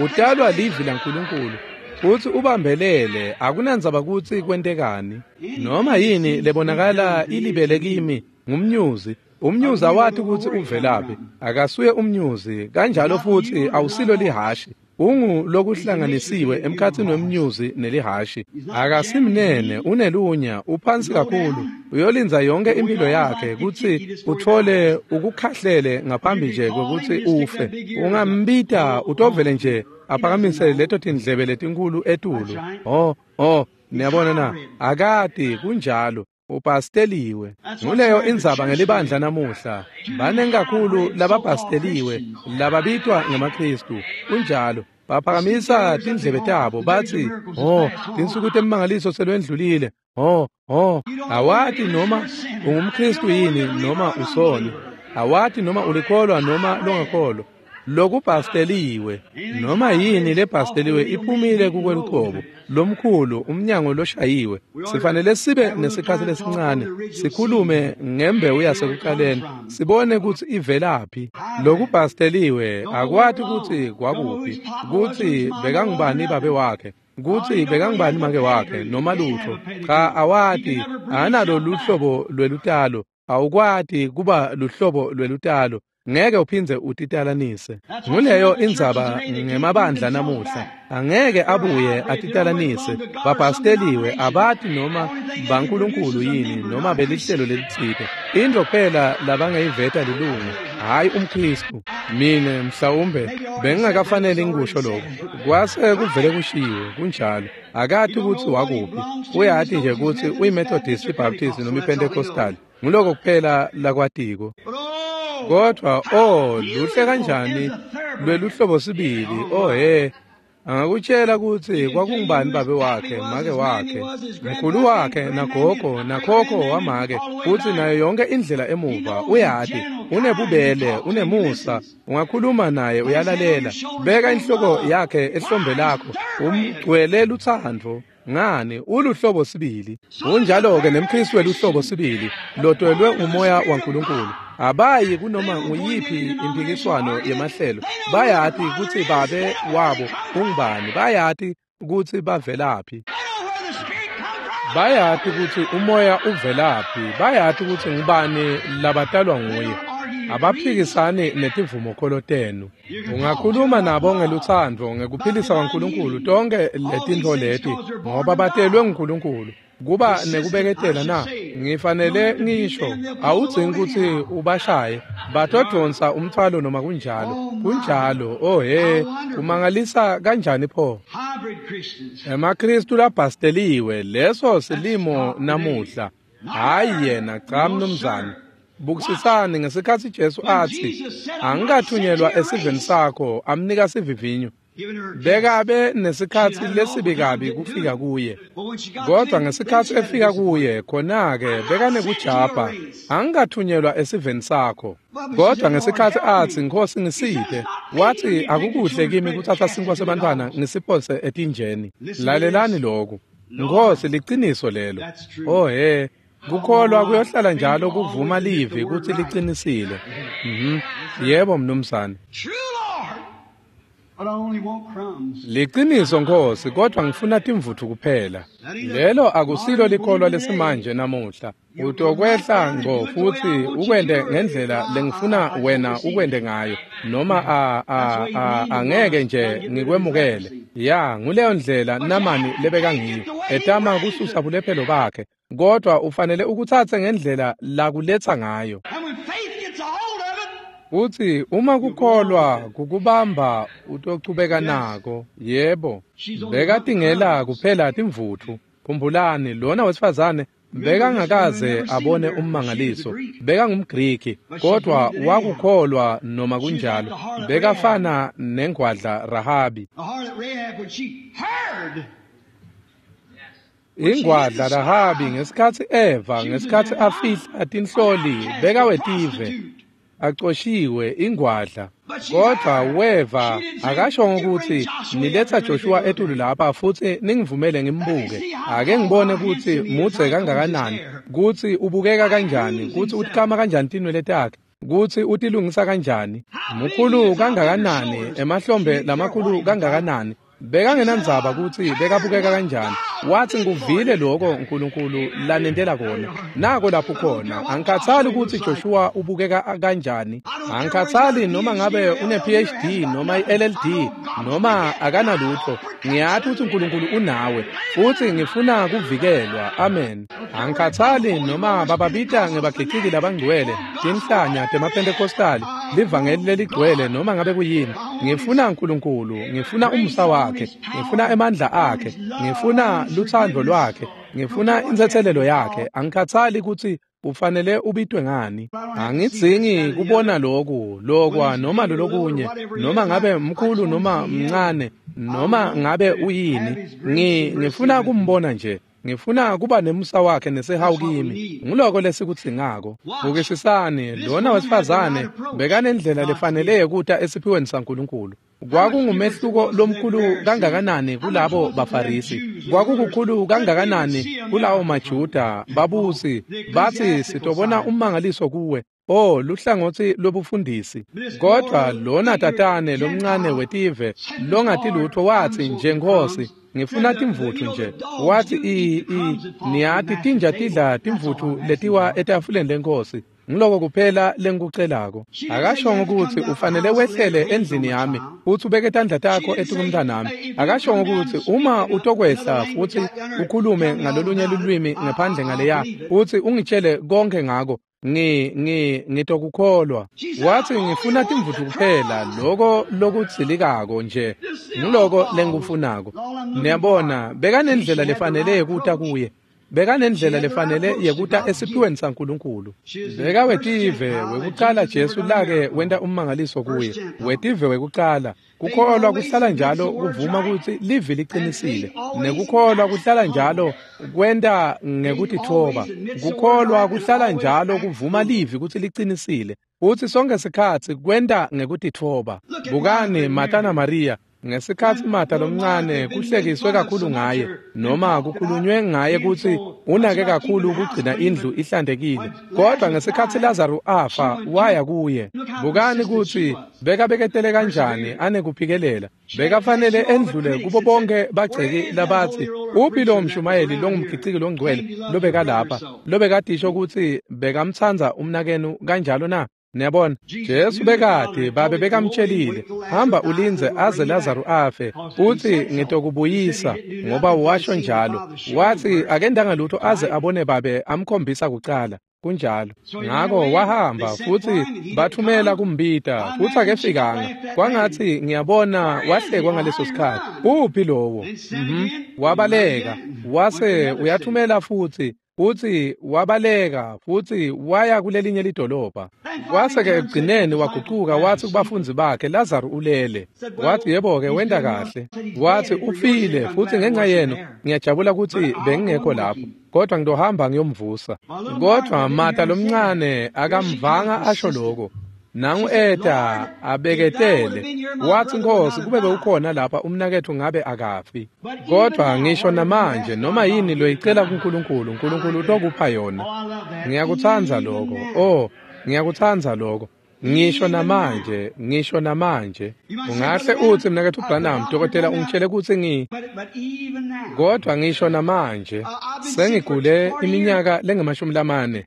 utalwa livi laNkulunkulu futhi ubambelele, akunandzaba kutsi kwentekani. Noma yini lebonakala ilibele kimi ngumnyuzi. Umnyuzi awati kutsi uvelaphi, akasuye umnyuzi, kanjalo futhi awusilo lihashi. Ungu lokuhlanganisiwe emkhatsini wemnyuzi nelihashi. Akasimnene, unelunya, uphansi kakhulu. Uyolinza yonke impilo yakhe kutsi uthole ukukhahlele ngaphambi nje kwekutsi ufe. Ungambita utovele nje aphakamise leto tindlebe letinkulu etulu. Oh, oh, niyabona na? Akati kunjalo. Ubhasteliwe. Nguleyo indzaba ngelibandla namuhla. Banengi kakhulu lababhasteliwe, lababitwa ngemaKhristu. Kunjalo. Baphakamisa tindlebe tabo bathi, "Oh, tinsuku temimangaliso selwendlulile. Oh, oh, awati noma ungumKhristu yini noma usoni. Awati noma ulikholwa noma longakholwa." Lokubhasteliwe, noma yini lebhasteliwe iphumile kukweluqobo lomkhulu umnyango loshayiwe. Sifanele sibe nesikhathi lesincane sikhulume ngembewu yasekuqaleni, sibone kutsi ivelaphi. Lokubhasteliwe akwati kutsi kwakuphi, kutsi bekangubani babe wakhe, kutsi bekangubani make wakhe, noma lutfo. Cha, awati, analo luhlobo lwelutalo, awukwati kuba luhlobo lwelutalo. Ngeke uphindze utitalanise. Nguleyo indzaba ngemabandla namuhla. Angeke abuye atitalanise. Babhasteliwe, abati noma baNkulunkulu yini noma belihlelo lelitsite. Into kuphela labangayiveta lilungu, hhayi umKhristu. Mine mhlawumbe bengingakafanele ngikusho lokho. Kwase kuvele kushiwo kunjalo. Akati kutsi wakuphi. Uyati nje kutsi uyiMethodist, iBaptist noma iPentecostal. Nguloko kuphela lakwatiko. Kodwa oh, luhle kanjani lweluhlobo sibili. Oh he, angakutshela kutsi kwakungubani babe wakhe, make wakhe, mkhulu wakhe, nagogo, nakhokho wamake, futsi nayo yonke indlela emuva. Uyati, unebubele, unemusa, ungakhuluma naye uyalalela. Beka inhloko yakhe ehlombe lakho, umgcwele lutsandvo. Ngani, uluhlobo sibili. Unjalo-ke nemKhristu weluhlobo sibili, lotwelwe umoya waNkulunkulu. Abayi kunoma nguyiphi impikiswano yemahlelo. Bayati kutsi babe wabo ungubani, bayati kutsi bavelaphi. Bayati kutsi umoya uvelaphi, bayati kutsi ngubani labatalwa nguye. Abaphikisani netivumokholo tenu. Ungakhuluma nabo ngelutsandvo, ngekuphilisa kwaNkulunkulu, tonke letintfo leti, ngoba batelwe nguNkulunkulu. Kuba nekubeketela na? Ngifanele ngisho, awudzingi kutsi ubashaye, batodonsa umthwalo noma kunjalo. Kunjalo, oh he, kumangalisa kanjani pho? EmaKhristu labhasteliwe, leso silimo namuhla. Hhayi yena, cha mnumzane. Bukisisani ngesikhatsi Jesu atsi, "Angikathunyelwa esiveni sakho," amnika sivivinyo. Bekabe nesikhatsi lesibi kabi kufika kuye. Kodwa ngesikhatsi efika kuye, khona-ke bekanekujabha, "Angikathunyelwa esiveni sakho." Kodwa ngesikhatsi atsi, "Nkhosi ngisiphe," wathi, "Akukuhle kimi kutsatsa sinkwa sebantfwana ngisiphose etinjeni." Lalelani lokhu. Nkhosi, liciniso lelo. Oh he, kukholwa kuyohlala njalo kuvuma livi kutsi licinisile. Yebo mnumzane. Liciniso Nkhosi, kodwa ngifuna timvutfu kuphela. Lelo akusilo likholwa lesimanje namuhla. Utokwehla ngco futsi ukwente ngendlela lengifuna wena ukwente ngayo, noma angeke nje ngikwemukele. Ya, nguleyo ndlela Namani lebekangiyo, etama kususa bulephelo bakhe, kodwa ufanele ukutsatse ngendlela lakuletsa ngayo. Utsi uma kukholwa kukubamba utochubeka nako. Yebo, bekatingela kuphela timvutfu. Khumbulani, lona wesifazane bekangakaze abone ummangaliso. BekangumGriki, kodwa wakukholwa noma kunjalo. Bekafana nengwadla Rahabi. Ingwadla Rahabi ngesikhatsi eva, ngesikhatsi afihla tinhloli, bekawetive, acoshiwe ingwadla. Kodwa weva, akashongo kutsi niletsa Joshua etulu lapha futsi ningivumele ngimbuke. Ake ngibone kutsi mudze kangakanani, kutsi ubukeka kanjani, kutsi utikama kanjani tinwele takhe, kutsi utilungisa kanjani, mkhulu kangakanani, emahlombe lamakhulu kangakanani. Bekangenandzaba kutsi bekabukeka kanjani. Wathi, "Ngikuvile lokho uNkulunkulu lanentela kona. Nako lapho khona. Angikhathali kutsi Joshua ubukeka kanjani. Angikhathali noma ngabe une PhD noma i-LLD noma akanalutho. Ngiyati kutsi uNkulunkulu unawe futsi ngifuna kuvikelwa. Amen. Angikhathali noma bababita ngebagiciki labangcwele, tinhlanya temaPentecostali, livangeli leligcwele noma ngabe kuyini. Ngifuna uNkulunkulu, ngifuna umusa wakhe, ngifuna emandla akhe, ngifuna luthando lwakhe, ngifuna insetselelo yakhe. Angikhathali ukuthi ufanele ubitwe ngani. Angidzingi kubona lokhu, lokwa noma lolokunye, noma ngabe mkhulu noma mncane, noma ngabe uyini. Ngifuna kumbona nje. Ngifuna kuba nemusa wakhe nesihawu kimi. Nguloko lesikudzingako. Bukisisani, lona wesifazane bekanendlela lefanele yekuta esiphiweni saNkulunkulu. Kwakungumehluko lomkhulu kangakanani kulabo baFarisi, kwakukukhulu kangakanani kulawo maJuda babusi bathi sitobona ummangaliso kuwe. Oh, luhlangothi lobufundisi. Kodwa lona tatane lomncane wetive longati lutho wathi nje, Nkosi, ngifuna timvuthu nje. Wathi niyati tinja tidla timvuthu letiwa etafuleni lenkosi. Ngiloko kuphela lengikucelako. Akashongo ukuthi ufanele wehlele endlini yami futhi ubeke tandla takho etukumntanami. Akashongo ukuthi uma utokwehla futhi ukhulume ngalolunye lulwimi ngephandle ngaleya futhi ungitshele konke ngako. Ngitokukholwa. Wathi ngifuna timvuthu kuphela, lokho lokudzilikako nje ngiloko lengikufunako. Niyabona, bekanendlela lefanele yekuta kuye. Bekanendlela lefanele yekuta esiphiweni saNkulunkulu. Beka wetive wekucala Jesu lake wenta ummangaliso kuye. Wetive wekucala. Kukholwa kuhlala njalo kuvuma ukuthi livi liqinisile. Nekukholwa kuhlala njalo kwenta ngekutithoba. Kukholwa kuhlala njalo kuvuma livi ukuthi liqinisile. Futhi sonke sikhatsi kwenta ngekutithoba. Bukani Martha na Maria. Ngesikhatsi Martha lomncane kuhlekiswe kakhulu ngaye, noma kukhulunywe ngaye kutsi unake kakhulu ukugcina indlu ihlantekile. Kodwa ngesikhatsi Lazarus afa waya kuye. Bukani kutsi bekabeketele kanjani anekuphikelela. Bekafanele endlule kubo bonke bagceki labatsi uphi lo mshumayeli longumgiciki longcwele lobeka lapha, lobekadisho kutsi bekamtsandza umnakenu kanjalo na? Niyabona, Jesu bekade babe bekamtshelile, hamba ulindze aze Lazarus afe, uthi ngitokubuyisa, ngoba washo njalo. Wathi akendanga lutho aze abone babe amkhombisa kucala. Kunjalo. Ngako wahamba futhi bathumela kumbita, futhi akefikanga. Kwangathi ngiyabona wahlekwa ngaleso sikhathi. Uphi lowo? Wabaleka, wase uyathumela futhi. Futhi wabaleka futhi waya kulelinye lidolobha. Kwase-ke ekugcineni wagucuka wathi kubafundi bakhe, Lazarus ulele. Wathi yebo-ke wenda kahle. Wathi ufile futhi ngenxa yenu ngiyajabula ukuthi bengingekho lapho, kodwa ngitohamba ngiyomvusa. Kodwa Martha lomncane akamvanga asho lokho. Nangu eta abeketele. Wathi Nkosi, kube bewukhona lapha umnakethu ngabe akafi. Kodwa ngisho namanje noma yini loyicela kuNkulunkulu, uNkulunkulu utokupha yona. Ngiyakutsandza lokho. Oh, ngiyakutsandza lokho. Ngisho namanje, ngisho namanje. Ungahle uthi mnakethu Branham, dokotela ungitshele ukuthi kodwa ngisho namanje sengigule iminyaka lengamashumi lamane.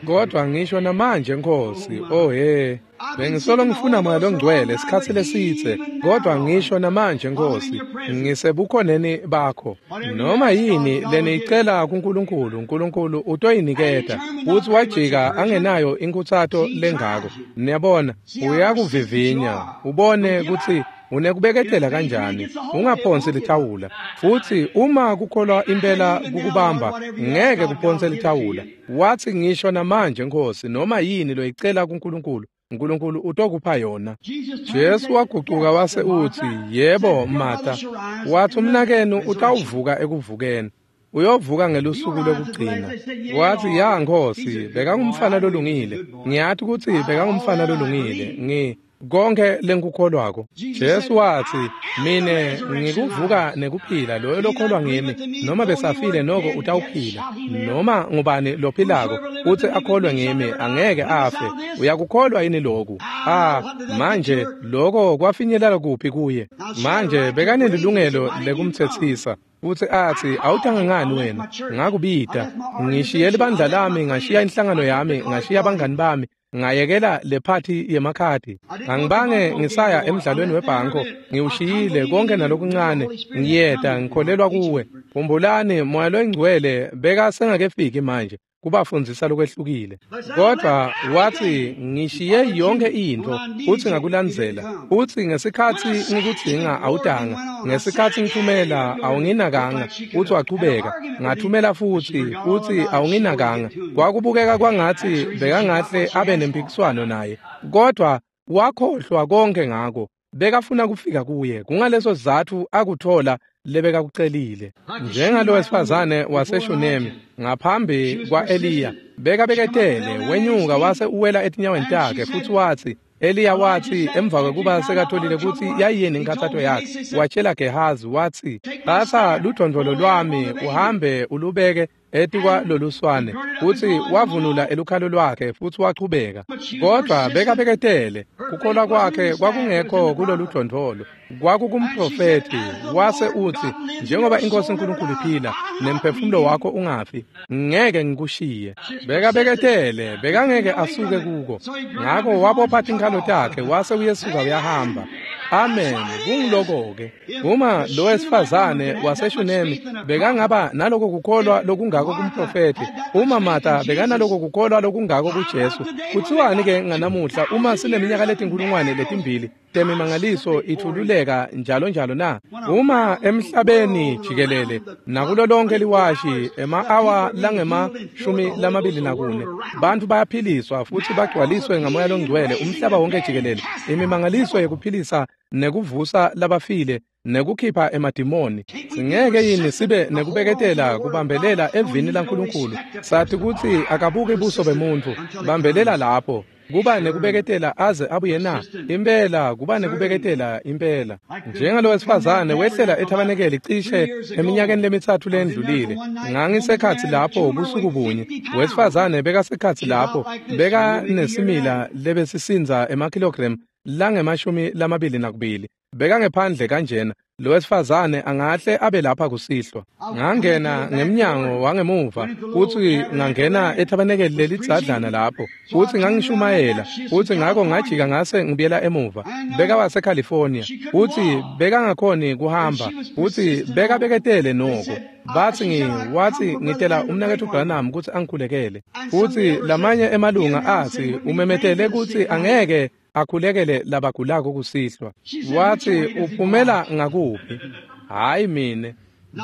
Kodwa ngisho namanje Nkosi, oh he, bengisolo ngifuna Moya longcwele isikhatsi lesitse, kodwa ngisho namanje Nkosi, ngisebukhoneni bakho. Noma yini leniyicela kuNkulunkulu, uNkulunkulu utoyiniketa. Futhi wajika angenayo inkhuthato lengako. Niyabona, uyakuvivinya, ubone ukuthi unekubeketela kanjani, ungaphonsi lithawula. Futhi uma kukholwa impela kukubamba, ngeke kuphonse lithawula. Wathi ngisho namanje Nkosi, noma yini loyicela kuNkulunkulu, uNkulunkulu utokupha yona. Jesu wagucuka wase uthi, yebo Martha, wathi umnakenu utawuvuka ekuvukeni. Uyovuka ngelusuku lokugcina. Wathi ya Nkosi, bekangumfana lolungile. Ngiyathi ukuthi bekangumfana lolungile. Konke lengikukholwako. Jesu wathi, mine ngikuvuka nekuphila, loyo lokholwa ngimi, noma besafile noko utawuphila. Noma ngubani lophilako uthi akholwe ngimi angeke afe. Uyakukholwa yini lokhu? Ah, manje lokho kwafinyelela kuphi kuye? Manje bekanelilungelo lekumthethisa. Futhi athi awutanga ngani wena? Ngakubida. Ngishiye libandla lami, ngashiya inhlangano yami, ngashiya abangani bami. Ngayekela le phathi yemakhadi. Angibange ngisaya emidlalweni webhanko, ngiwushiyile konke nalokuncane, ngiyeda ngikholelwa kuwe. Khumbulani Moya loyingcwele beka sengakefiki manje. kubafundzisa lokwehlukile. Kodwa wathi ngishiye yonke intfo futsi ngakulandzela. Futsi ngesikhatsi ngikudzinga awutanga, ngesikhatsi ngithumela awunginakanga. Futsi wachubeka, ngathumela futsi awunginakanga. Kwakubukeka kwangatsi bekangahle abe nempikiswano naye, kodwa wakhohlwa konke ngako. Bekafuna kufika kuye, kungaleso sizatfu akuthola lebekakucelile. Njengalo wesifazane waseShunemi ngaphambi kwa-Eliya, bekabeketele, wenyuka wase uwela etinyaweni takhe futsi watsi, Eliya watsi emva kwekuba sekatholile kutsi yayiyini inkhatsato yakhe, watshela Gehazi watsi, "Tsatsa ludvondvolo lwami uhambe ulubeke etikwa loluswane." Futsi wavunula elukhalo lwakhe futsi wachubeka. Kodwa bekabeketele, kukholwa kwakhe kwakungekho kuloludvondvolo, kwakukumprofethi. Wase utsi, njengoba iNkosi uNkulunkulu iphila nemphefumulo wakho ungafi, ngeke ngikushiye. Bekabeketele, bekangeke asuke kuko. Ngako wabopha tinkhalo takhe wase uyesuka uyahamba. Amen. Kungiloko-ke. Uma lo wesifazane waseShunemi bekangaba naloko kukholwa lokungako kumprofethi, uma Martha bekanaloko kukholwa lokungako kuJesu, kutsiwani-ke nganamuhla uma sineminyaka letinkhulungwane letimbili temimangaliso ithululeka njalo njalo na? Uma emhlabeni jikelele nakulo lonke liwashi ema-awa langema-24 bantfu bayaphiliswa futsi bagcwaliswe ngaMoya Longcwele umhlaba wonke jikelele, imimangaliso yekuphilisa nekuvusa labafile nekukhipha emadimoni, singeke yini sibe nekubeketela kubambelela evini laNkulunkulu? Sathi kutsi akabuki buso bemuntfu, bambelela lapho. Kuba nekubeketela aze abuye na? Impela, kuba nekubeketela impela. Njengalo wesifazane wehlela ethabanekeli cishe eminyakeni lemithathu lendlulile. Ngangisekhatsi lapho busuku bunye. Wesifazane bekasekhatsi lapho, bekanesimila lebesisindza emakilogramu langema-22. Bekangephandle kanjena. Lo wesifazane angahle abe lapha kusihlwa. Ngangena ngemnyango wangemuva futsi ngangena ethabanekeli lelidzadlana lapho futsi ngangishumayela, futsi ngako ngajika ngase ngibuyela emuva. BekawaseCalifornia futsi bekangakhoni kuhamba futsi bekabeketele noko. Batsi watsi ngitela umnaketfu Branham kutsi angikhulekele. Futsi lamanye emalunga atsi umemetele kutsi angeke akhulekele labagulako kusihlwa. Watsi uphumela ngakuphi? Hayi mine.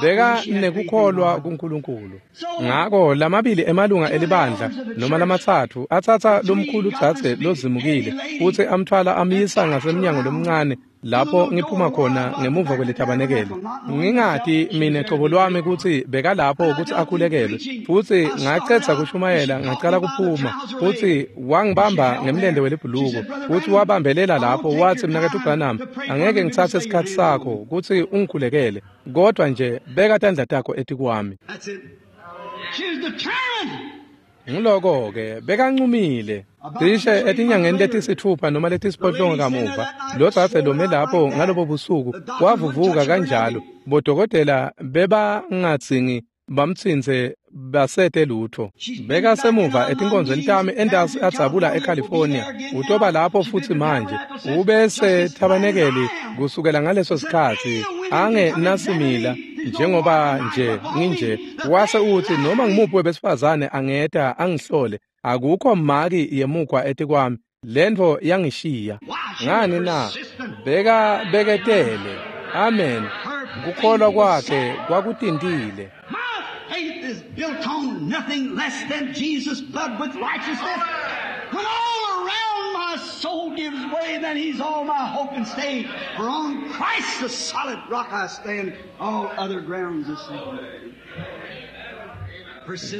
Beka nekukholwa kuNkulunkulu. Ngako lamabili emalunga elibandla noma lamathathu atsatsa lomkhulu dzadze lozimukile futsi amthwala amyisa ngasemnyango lomncane lapho ngiphuma khona ngemuva kwelithabanekeli. Ngingati mine cobo lwami kutsi bekalapho kutsi akhulekelwe, futsi ngacedza kushumayela ngacala kuphuma, futsi wangibamba ngemlente welibhuluko futsi wabambelela lapho watsi, mnaketfu Branham, angeke ngitsatse isikhatsi sakho kutsi ungikhulekele, kodwa nje beka tandla takho etikwami. Ngiloko-ke bekancumile. Cishe etinyangeni letisitfupha noma letisiphohlongo kamuva, lo dzadze lome lapho ngalobo busuku wavuvuka kanjalo. Bodokotela bebangadzingi bamtsintse basete lutho. Bekasemuva etinkonzweni tami entasi adzabula eCalifornia. Utoba lapho futsi manje. Ubese thabanekeli kusukela ngaleso sikhatsi ange nasimila njengoba nje nginje. Wase utsi noma ngimuphi webesifazane angeta angihlole, akukho maki yemukwa etikwami. Lentfo yangishiya. Ngani na? Beka beketele. Amen. Kukholwa kwakhe kwakutintile. Faith is built on nothing less than Jesus' blood with righteousness. When all around my soul gives way, then he's all my hope and stay. For on Christ the solid rock I stand, all other grounds is sinking.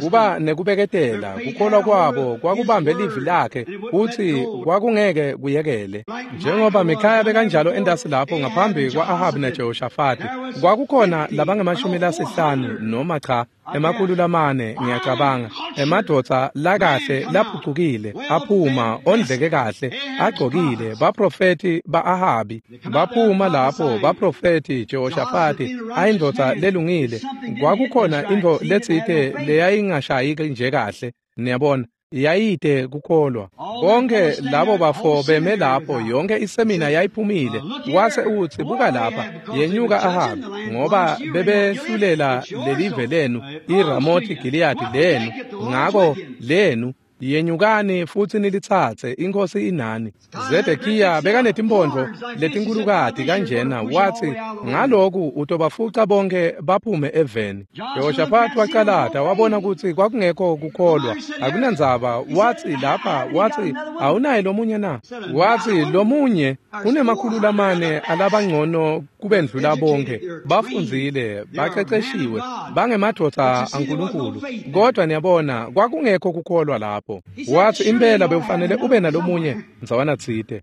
Kuba nekubeketela, kukholwa kwabo kwakubambe livi lakhe futsi kwakungeke kuyekele. Njengoba Mikhaya bekanjalo entasi lapho ngaphambi kwa-Ahabi naJehoshafati, kwakukhona labangama-50 noma cha 400 ngiyacabanga, emadvodza lakahle laphucukile aphuma ondleke kahle agcokile, baprofethi ba-Ahabi baphuma lapho, baprofethi Jehoshafati ayindvodza lelungile. Kwakukhona intfo letsite leyayingashayiki nje kahle, niyabona. Yayite kukholwa. Bonke labo bafo beme lapho, yonke isemina yayiphumile. Wase uthi, buka lapha, yenyuka Ahabi, ngoba bebehlulela lelive lenu, iRamothi Gileyadi lenu, ngako lenu yenyukani futhi nilitsatse, inkosi inani. Zedekiya bekanetimphondvo letinkulukati kanjena, wathi ngaloku utobafuca bonke baphume eveni. Jehoshaphat wacalata wabona kutsi kwakungekho kukholwa, akunandzaba. Wathi lapha, wathi awunaye lomunye na? Wathi lomunye unemakhulu lamane alabangcono kubendlula bonke, bafundzile, baqeqeshiwe, bangemadvodza aNkulunkulu. Kodwa niyabona kwakungekho kukholwa lapho. Wathi impela bewufanele ube nalomunye ndzawana tsite.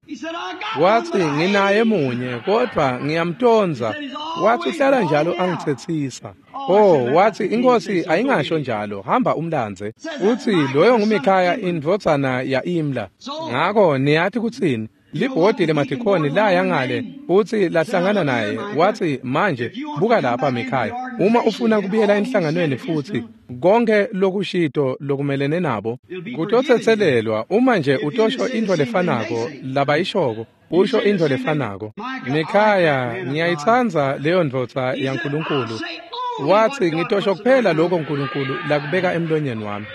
Wathi nginaye munye kodwa ngiyamtonza. Wathi uhlala njalo angitsetsisa. Oh, wathi inkosi ayingasho njalo, hamba umlandze. Uthi loyo nguMikhaya indvodzana ya-Imla. Ngako niyathi kutsini? Libhodi lemadikhoni laya ngale futhi lahlangana naye. Wathi manje buka lapha Mikhaya, uma ufuna kubuyela enhlanganweni futhi konke lokushito lokumelene nabo kutotsetselelwa uma nje utosho into lefanako labayishoko, usho into lefanako. Mikhaya, ngiyayitsandza leyo ndvodza yaNkulunkulu. Wathi ngitosho kuphela lokho uNkulunkulu lakubeka emlonyeni wami.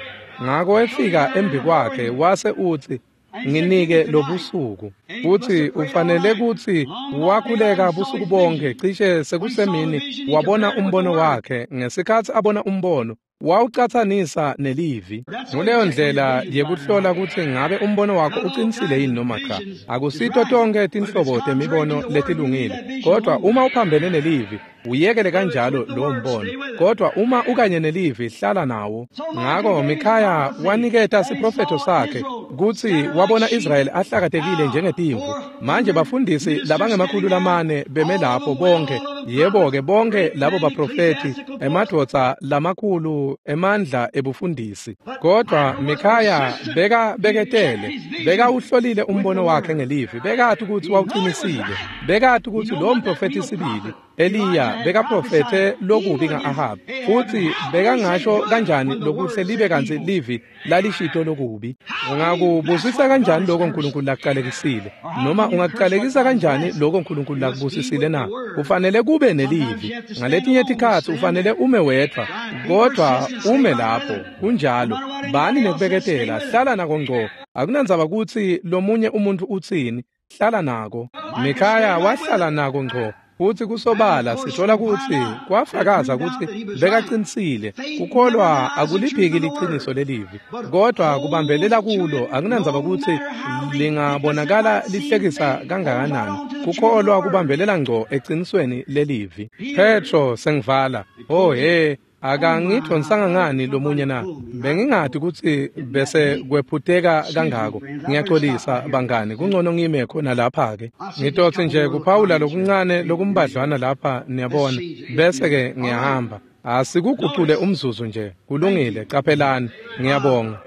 Ngako efika embi kwakhe wase uthi nginike lobusuku. Futhi ufanele kuthi wakhuleka busuku bonke, cishe sekusemini wabona umbono wakhe. Ngesikhathi abona umbono wawucatsanisa nelivi. Nguleyo ndlela yekuhlola kutsi ngabe umbono wakho uqinisile yini noma cha. Akusito tonke tinhlobo temibono letilungile, kodwa uma uphambene nelivi uyekele kanjalo lowo mbono. Kodwa uma ukanye nelivi hlala nawo. Ngako Mikhaya waniketa siprofetho sakhe kutsi wabona Israyeli ahlakatekile njengetimvu. Manje bafundisi labangemakhulu lamane beme lapho bonke, yebo-ke bonke labo baprofethi, emadvodza lamakhulu emandla ebufundisi. Kodwa Mikhaya bekabeketele, bekawuhlolile umbono wakhe ngelivi, bekati kutsi wawuqinisile, bekati kutsi lo mprofethi sibili Eliya bekaprofethe lokubi nga-Ahabi, futhi bekangasho kanjani lokuhle libe kantsi livi lalishito lokubi? Ungakubusisa kanjani lokho uNkulunkulu lakuqalekisile? Noma ungakuqalekisa kanjani lokho uNkulunkulu lakubusisile na? Ufanele kube nelivi. Ngaletinye tikhatsi ufanele ume wedvwa, kodwa ume lapho kunjalo. Bani nekubeketela, hlala nako ngco. Akunandzaba kutsi lomunye umuntu utsini, hlala nako. Mikhaya wahlala nako ngco. Futhi kusobala sithola kutsi kwafakaza kutsi bekaqinisile. Kukholwa akuliphiki liqiniso lelivi, kodwa kubambelela kulo akunandzaba kutsi lingabonakala lihlekisa kangakanani. Kukholwa kubambelela ngco eqinisweni lelivi. Petro sengivala. Oh he, akangidonsanga ngani lomunye na? Bengingati kutsi bese kwephuteka kangako. Ngiyaxolisa bangani, kungcono ngime khona lapha ke. Ngitotsi nje kuphawula lokuncane lokumbadlwana lapha niyabona, bese ke ngiyahamba. Asikugucule umzuzu nje. Kulungile, qaphelani. Ngiyabonga.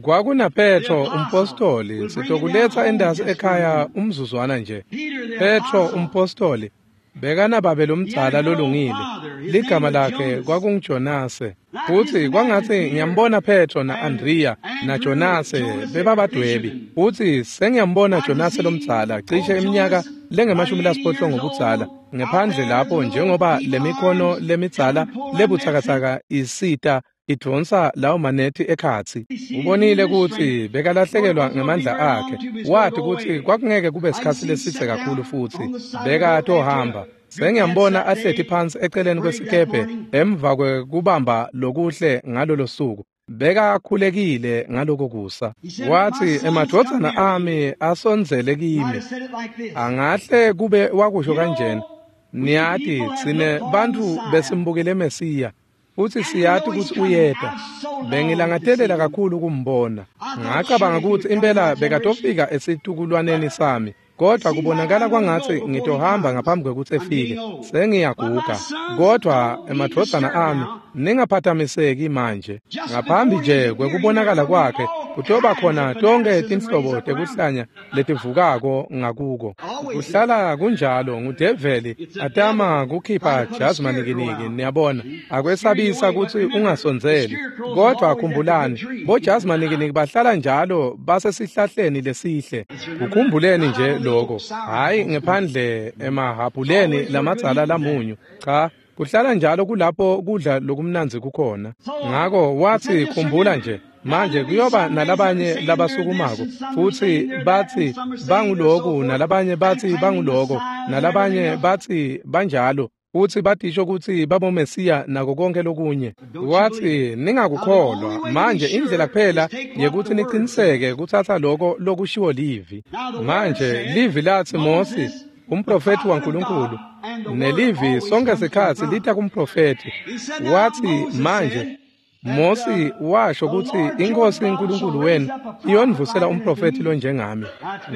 Kwakuna Petro umpostoli, sitokuletsa endasi ekhaya umzuzwana nje. Petro umpostoli bekanababe lomdzala lolungile, ligama lakhe kwakunguJonase. Futhi kwangatsi ngiyambona Petro na-Andrea naJonase bebabadwebi. Futhi sengiyambona Jonase lomdzala cishe iminyaka lengemashumi ngobudzala ngephandle lapho, njengoba lemikhono lemidzala lebutsakatsaka isita idvonsa lawo manethi ekhatsi. Ubonile kutsi bekalahlekelwa ngemandla akhe. Wathi kutsi kwakungeke kube sikhatsi lesidze kakhulu futhi bekatohamba. Sengiyambona ahleti phansi eceleni kwesikebhe emva kwekubamba lokuhle ngalolo suku. Bekakhulekile ngaloko kusa. Wathi emadvodzana ami asondzele kimi. Angahle kube wakusho kanjena. Niyati tsine bantfu besimbukile Mesiya, futhi siyati kutsi uyeta. Bengilangatelela kakhulu kumbona. Ngacabanga kutsi impela bekatofika esitukulwaneni sami, kodwa kubonakala kwangatsi ngitohamba ngaphambi kwekutsi efike. Sengiyaguga. Kodwa emadvodzana ami, ningaphathamiseki manje. Ngaphambi nje kwekubonakala kwakhe Kutoba khona tonke tinhlobo tekuhlanya letivukako ngakuko. Kuhlala kunjalo ngudeveli atama kukhipha jazi manikiniki, niyabona, akwesabisa kutsi ungasondzeli. Kodwa khumbulani, bojazi manikiniki bahlala njalo basesihlahleni lesihle. Kukhumbuleni nje lokho, hhayi ngephandle emahhabhuleni lamadzala lamunyu, cha. Kuhlala njalo kulapho kudla lokumnandzi kukhona. Ngako watsi khumbula nje, manje kuyoba nalabanye labasukumako futsi batsi banguloku, nalabanye batsi banguloko, nalabanye batsi banjalo, futsi batisho kutsi babomesiya nako konke lokunye. Watsi ningakukholwa. Manje indlela kuphela yekutsi niciniseke kutsatsa loko lokushiwo livi. Manje livi latsi Mosi, umprofethi waNkulunkulu, nelivi sonke sikhatsi lita kumprofethi. Watsi manje Mosi washo kutsi iNkhosi uNkulunkulu wenu iyonivusela umprofethi lonjengami.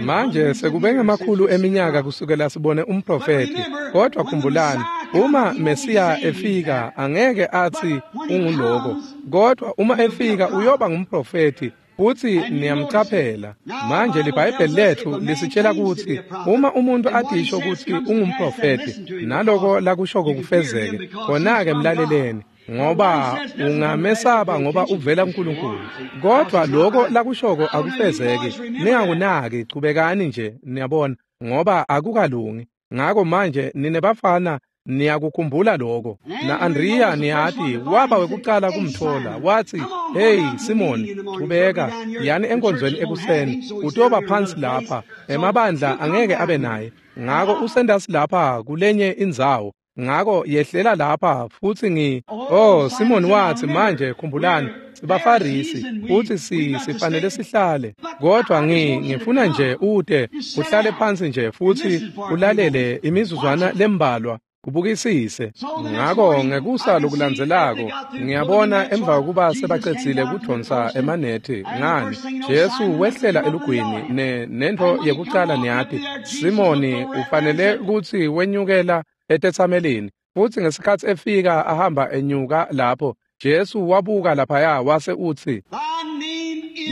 Manje sekube ngemakhulu eminyaka kusukela sibone umprofethi, kodwa khumbulani, uma Mesiya efika angeke athi unguloko, kodwa uma efika uyoba ngumprofethi. Futsi niyamcaphela. Manje liBhayibheli lethu lisitshela kutsi uma umuntu atisho kutsi ungumprofethi naloko lakushoko kufezeke, khona-ke mlaleleni, ngoba ungamesaba ngoba uvela kuNkulunkulu. Kodwa loko lakushoko akufezeki, ningakunaki, chubekani nje, niyabona, ngoba akukalungi. Ngako manje nine bafana niyakukhumbula lokho. Na-Andriya niyati waba wekucala kumthola, watsi, "Hey Simoni, chubeka, yani enkonzweni ekuseni, utoba phansi lapha, emabandla angeke abe naye. Ngako usendasi lapha kulenye indzawo. Ngako yehlela lapha futsi Oh Simoni watsi, manje khumbulani, sibafarisi futsi sifanele sihlale. Kodwa ngifuna nje ute uhlale phansi nje futsi ulalele imizuzwana lembalwa, kubukisise." Ngako ngekusa lokulandzelako ngiyabona emva kokuba sebacedzile kudonsa emanethi, ngani Jesu wehlela elugwini nentfo yekucala niyati, Simoni ufanele kutsi wenyukela etetsamelini. Futsi ngesikhatsi efika ahamba enyuka lapho, Jesu wabuka laphaya wase utsi,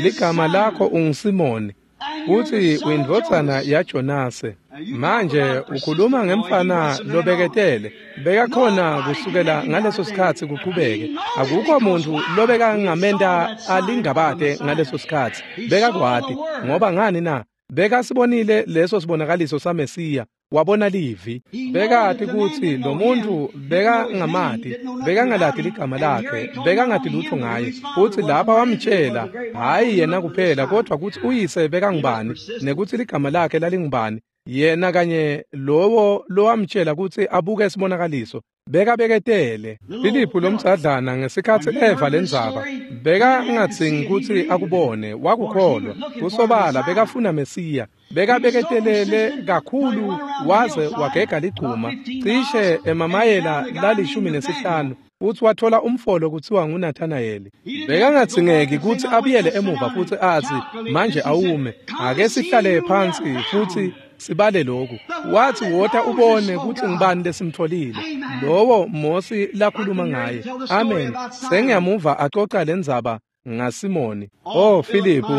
"Ligama lakho unguSimoni, futsi uyindvodzana yaJonase." Manje ukhuluma ngemfana lobeketele, bekakhona kusukela ngaleso sikhatsi kuqhubeke. Akukho muntu lobekangamenta alingabate ngaleso sikhatsi. Bekakwati, ngoba ngani na? Bekasibonile leso sibonakaliso saMesiya. Wabona livi. Bekati kutsi lo muntu bekangamati, bekangalati ligama lakhe, bekangati lutho ngaye. Futsi lapha wamtshela, hhayi yena kuphela, kodwa kutsi uyise bekangubani, nekutsi ligama lakhe lalingubani. Yena kanye lowo lowamtshela kutsi abuke sibonakaliso, bekabeketele. Filiphu lomdzadlana ngesikhatsi eva lendzaba, bekangadzingi kutsi akubone, wakukholwa. Kusobala bekafuna Mesiya. Bekabeketelele kakhulu waze wagega ligcuma, cishe emamayela la15, futsi wathola umfolo kutsiwa nguNathanayeli. Bekangadzingeki kutsi abuyele emuva futsi atsi, "Manje awume, ake sihlale phansi futsi sibale lokhu." Wathi, "Wota ubone kutsi ngubani lesimtholile, lowo Mosi lakhuluma ngaye." Amen. Sengiyamuva acoca lendzaba ngaSimoni. Oh Filiphu,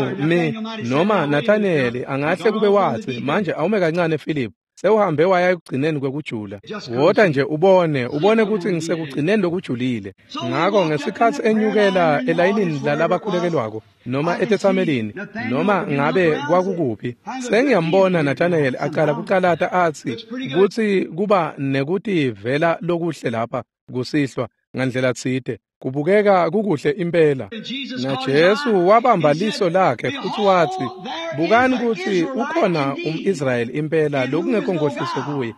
noma Nathanayeli angahle kube watsi, "Manje awume kancane Filiphu, sewuhambe waya ekugcineni kwekujula. Wota nje ubone kutsi ngisekugcineni lokujulile." Ngako ngesikhatsi enyukela elayinini lalabakhulekelwako noma etetsamelini noma ngabe kwakukuphi, sengiyambona Nathanayeli acala kucalata atsi kutsi kuba nekutivela lokuhle lapha kusihlwa ngandlela tsite. Kubukeka kukuhle impela. NaJesu wabamba liso lakhe futsi watsi, "Bukani kutsi ukhona umIsrayeli impela lokungekho nkohliso kuye."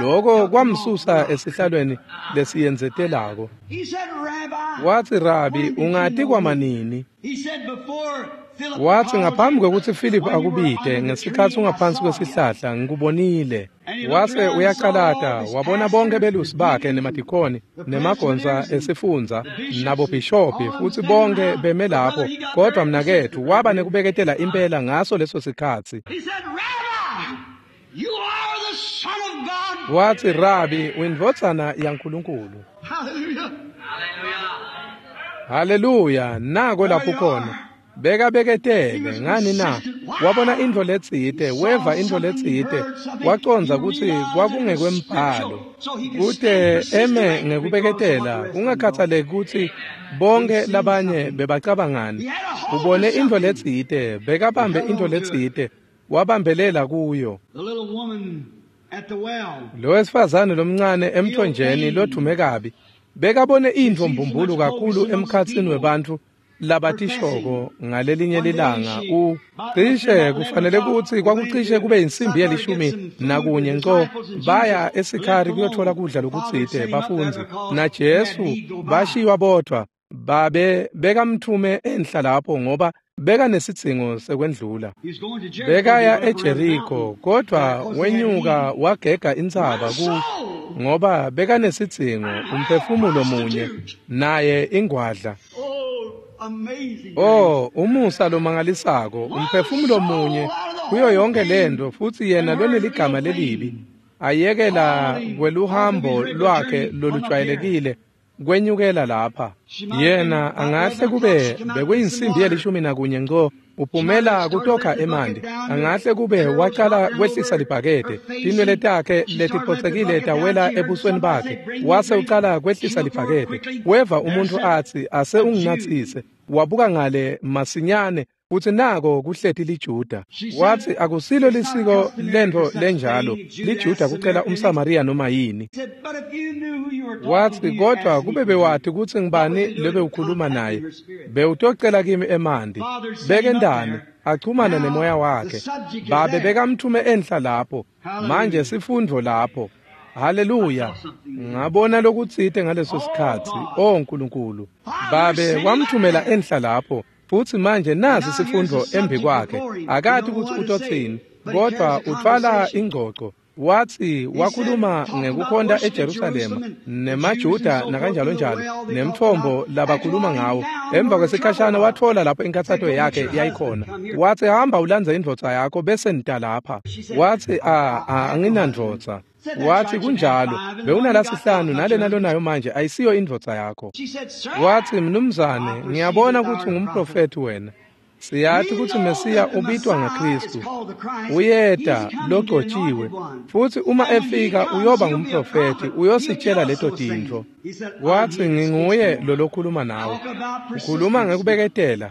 Loko kwamsusa esihlalweni lesiyendzetelako. Watsi, "Rabi, ungati kwamanini?" Watsi, "Ngaphambi kwekutsi Philip akubite, ngesikhatsi ungaphansi kwesihlahla, ngikubonile." Wase uyacalata, wabona bonke belusi bakhe nemadikhoni, nemagonsa esifundza, nabobhishobhi, futsi bonke beme lapho. Kodwa mnaketfu waba nekubeketela impela ngaso leso sikhatsi. Watsi, "Rabi, uyindvodzana yaNkulunkulu." Haleluya, nako lapho khona. Bekabeketele ngani na? Wabona intfo letsite, weva intfo letsite, wacondza kutsi kwakungekwembhalo. Kute eme ngekubeketela, kungakhathaleki kutsi bonke labanye bebacabangani. Ubone intfo letsite, bekabambe intfo letsite, wabambelela kuyo. Lo wesifazane lomncane emthonjeni lodvume kabi, bekabone intfo mbumbulu kakhulu emkhatsini webantfu labatishoko ngalelinye lilanga. Cishe kufanele kutsi kwakucishe kube insimbi ye-11 nco, baya eSikhari kuyothola kudla lokutsite bafundzi naJesu bashiywa bodvwa. Babe bekamthume enhla lapho ngoba bekanesidzingo sekwendlula. Bekaya eJeriko, kodwa wenyuka wagega intsaba ngoba bekanesidzingo, umphefumulo munye naye ingwadla. Oh, umusa lomangalisako, umphefumulo munye kuyo yonke lento, futsi yena loneligama lelibi ayekela kweluhambo lwakhe lolujwayelekile kwenyukela lapha. Yena angahle kube bekuyinsimbi ye-11 nco, uphumela kutokha emanti. Angahle kube wacala kwehlisa libhakede, tinwele takhe letiphotsekile tawela ebusweni bakhe, wase ucala kwehlisa libhakede. Weva umuntfu atsi, ase unginatsise. Wabuka ngale masinyane, futsi nako kuhleti liJuda. Watsi, akusilo lisiko lentfo lenjalo, liJuda kucela umSamariya noma yini. Watsi, kodvwa kube bewati kutsi ngibani lobewukhuluma naye, bewutocela kimi emanti. Bekendani achumana nemoya wakhe. Babe bekamthume enhla lapho. Manje sifundvo lapho. Haleluya. Ngabona lokutsite ngaleso sikhatsi. O Nkulunkulu. Babe wamthumela enhla lapho. Futsi manje nasi sifundvo embi kwakhe. Akati kutsi utotsini, kodvwa utfwala ingcoco. Watsi wakhuluma ngekukhonta eJerusalema nemaJuda nakanjalo njalo nemtfombo labakhuluma ngawo. Emva kwesikhashana watfola lapho inkhatsato yakhe yayikhona. Watsi, hamba ulandze indvodza yakho bese nita lapha. Watsi, anginandvodza. Watsi, kunjalo, bewunalasihlanu nalena lonayo manje ayisiyo indvodza yakho. Watsi, mnumzane, ngiyabona kutsi ungumprofethi wena. Siyati kutsi Mesiya ubitwa ngaKristu. Uyeta logcotshiwe, futsi uma efika uyoba ngumprofethi, uyositshela leto tintfo. Watsi, nginguye lolokhuluma nawe. Ukhuluma ngekubeketela.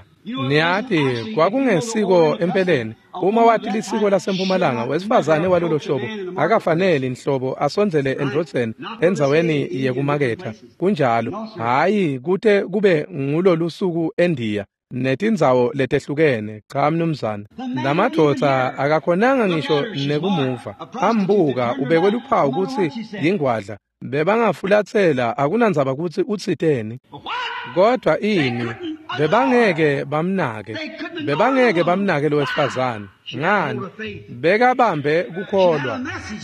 Niyati, kwakungesiko empeleni. Uma wati lisiko lasempumalanga, wesifazane walolo hlobo akafaneli nhlobo asondzele endvodzeni endzaweni yekumaketha. Kunjalo, hhayi kute kube ngulolu suku eNdiya netindzawo letehlukene. Cha mnumzane, lamadvodza akakhonanga ngisho nekumuva. Ambuka ubekwe luphawu kutsi yingwadla. Bebangafulatsela, akunandzaba kutsi utsiteni. Kodwa ini, bebangeke bamnake. Bebangeke bamnake lo wesifazane. Ngani? Bekabambe kukholwa.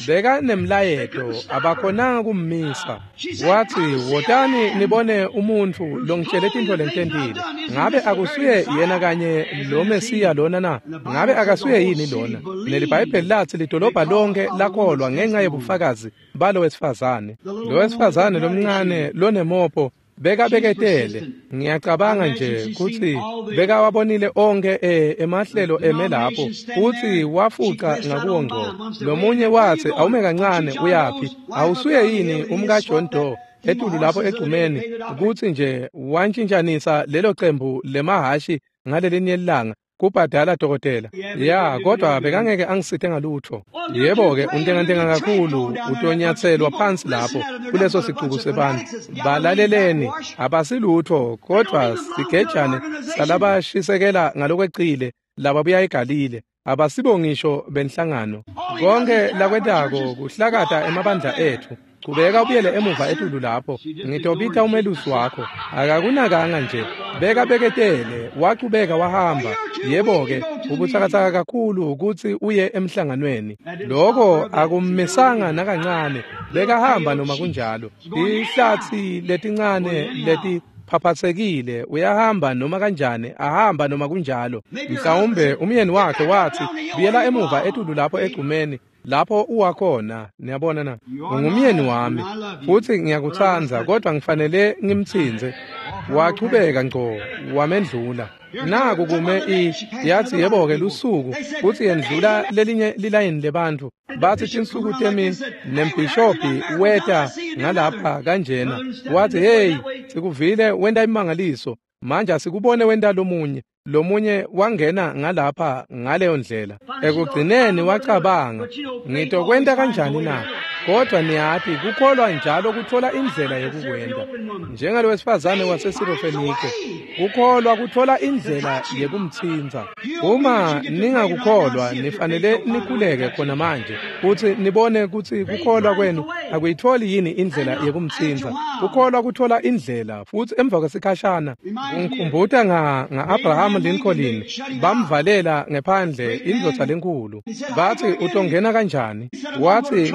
Bekanemlayeto, abakhonanga kummisa. Watsi, wotani nibone umuntfu longitshele tintfo lengitentile. Ngabe akusuye yena kanye lo Mesiya lona na? Ngabe akasuye yini lona? NeliBhayibheli latsi lidolobha lonke lakholwa ngenxa yebufakazi balo wesifazane. Lo wesifazane lomncane lonemopho bekabeketele. Ngiyacabanga nje kutsi bekawabonile onke emahlelo eme lapho, futsi wafuca ngakuwo ngco. Lomunye watsi, awume kancane, uyaphi? Awusuye yini umka John Doe etulu lapho egcumeni, kutsi nje wantshintshanisa lelo cembu lemahashi ngalelinye lilanga kubhadala dokotela? Ya, kodwa bekangeke angisite ngalutho. Yebo-ke, untengantenga kakhulu, utonyatselwa phansi lapho kuleso sicuku sebantu. Balaleleni, abasilutho, kodwa sigejane salabashisekela ngalokwecile lababuya eGalile. Abasibo ngisho benhlangano. Konke lakwentako kuhlakata emabandla ethu. Chubeka ubuyele emuva etulu lapho. Ngitobita umelusi wakho. Akakunakanga nje. Bekabeketele, wachubeka wahamba. Yebo-ke, ubutsakatsaka kakhulu kutsi uye emhlanganweni. Loko akummisanga nakancane. Bekahamba noma kunjalo. Tihlatsi letincane leti phaphatsekile, uyahamba noma kanjani, ahamba noma kunjalo. Mhlawumbe umyeni wakhe watsi, buyela emuva etulu lapho egcumeni lapho uwakhona. Niyabona na? Ungumyeni wami futsi ngiyakutsandza, kodwa ngifanele ngimtsintse. Wachubeka ngco, wamendlula. Naku kume yathi yebo-ke lusuku kutsi yendlula lelinye lilayini lebantfu. Bathi tinsuku temini nembhishobhi weta ngalapha kanjena. Wathi, hey, sikuvile wenta imangaliso. Manje asikubone wenta lomunye. Lomunye wangena ngalapha ngaleyo ndlela. Ekugcineni wacabanga, ngitokwenta kanjani na? Kodwa niyati kukholwa njalo kuthola indlela yekukwenta. Njengalo wesifazane waseSirofenike, kukholwa kuthola indlela yekumtsintsa. Uma ningakukholwa nifanele nikhuleke khona manje futhi nibone kutsi kukholwa kwenu akuyitholi yini indlela yekumtsintsa. Kukholwa kuthola indlela futhi emva kwesikhashana kungikhumbuta nga-Abraham Lincoln bamvalela ngephandle indvodza lenkulu. Bathi utongena kanjani? Wathi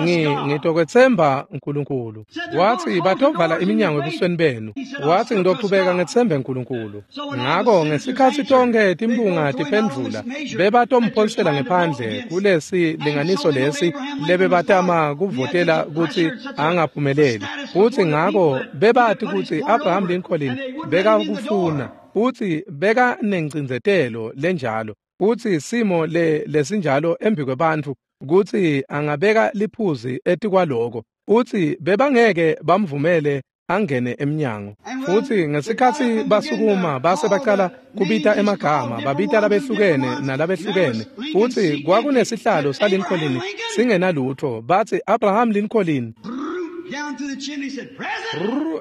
ngitokwetsemba uNkulunkulu. Wathi batovala iminyango ebusweni benu. Wathi ngitochubeka ngetsembe uNkulunkulu. Ngako ngesikhatsi tonke timpunga tiphendvula bebatomphonsela ngephandle kulesi linganiso lesi lebebatama kuvotela kutsi angaphumeleli. Futhi ngako bebati kutsi Abraham Lincoln bekakufuna futhi beka nencindzetelo lenjalo futhi simo lesinjalo embi kwebantfu kutsi angabeka liphuzi etikwaloko futhi bebangeke bamvumele angene emnyango. Futhi ngesikhatsi basukuma base baqala kubita emagama babita labehlukene nalabehlukene futhi kwakunesihlalo saLincoln singenalutho. Bathi Abraham Lincoln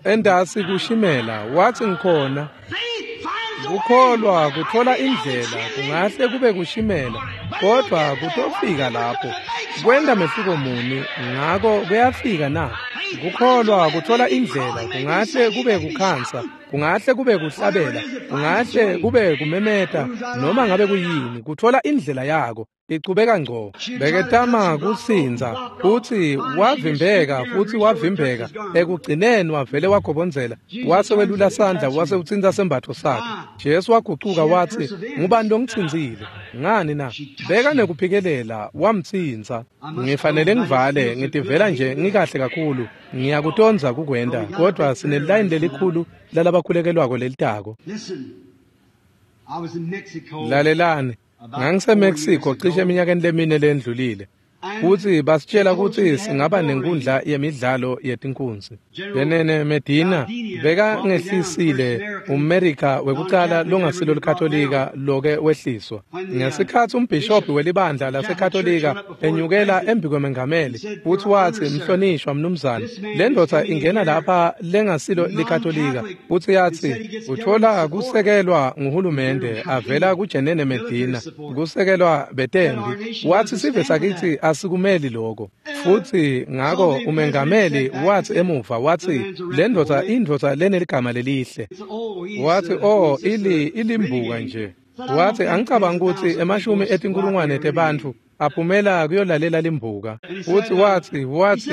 endasi kushimela. Wathi ngikhona. Kukholwa kuthola indlela kungahle kube kushimela kodwa kutofika lapho. Kwenta mehluko muni ngako kuyafika na? Kukholwa kuthola indlela kungahle kube kukhansa, kungahle kube kuhlabela, kungahle kube kumemeta, noma ngabe kuyini, kuthola indlela yako ichubeka ngco. Beketama kusindza futhi wavimbeka futhi wavimbeka. Ekugcineni wavele wagobonzela wase welula sandla wase utsintsa sembatfo sakhe. Jesu wagucuka wathi, ngubani longitsintsile? Ngani na? Beka nekuphikelela wamtsintsa. Ngifanele ngivale, ngitivela nje ngikahle kakhulu. Ngiyakutondza kukwenta, kodwa sinelilayini lelikhulu lalabakhulekelwako lelitako. Lalelani. NgangiseMexico cishe eminyakeni lemine lendlulile. Futhi basitshela kutsi singaba nenkundla yemidlalo yetinkunzi. Benene Medina bekangehlisile umMerika wekucala longasilo liKatolika loke wehliswa. Ngesikhatsi umbhishobhi welibandla laseKatolika enyukela embi kwemengameli futhi wathi, mhlonishwa mnumzane, le ndvodza ingena lapha lengasilo liKatolika futhi yathi uthola kusekelwa nguhulumende avela kuJenene Medina, kusekelwa betembi. Wathi sive sakithi asikumeli lokho. Futhi ngako umengameli wathi emuva wathi le ndvodza indvodza leneligama lelihle. Wathi oh ilimbuka nje. Wathi angicabangi ukuthi emashumi etinkulungwane tebantfu aphumela kuyolalela limbuka. Futhi wathi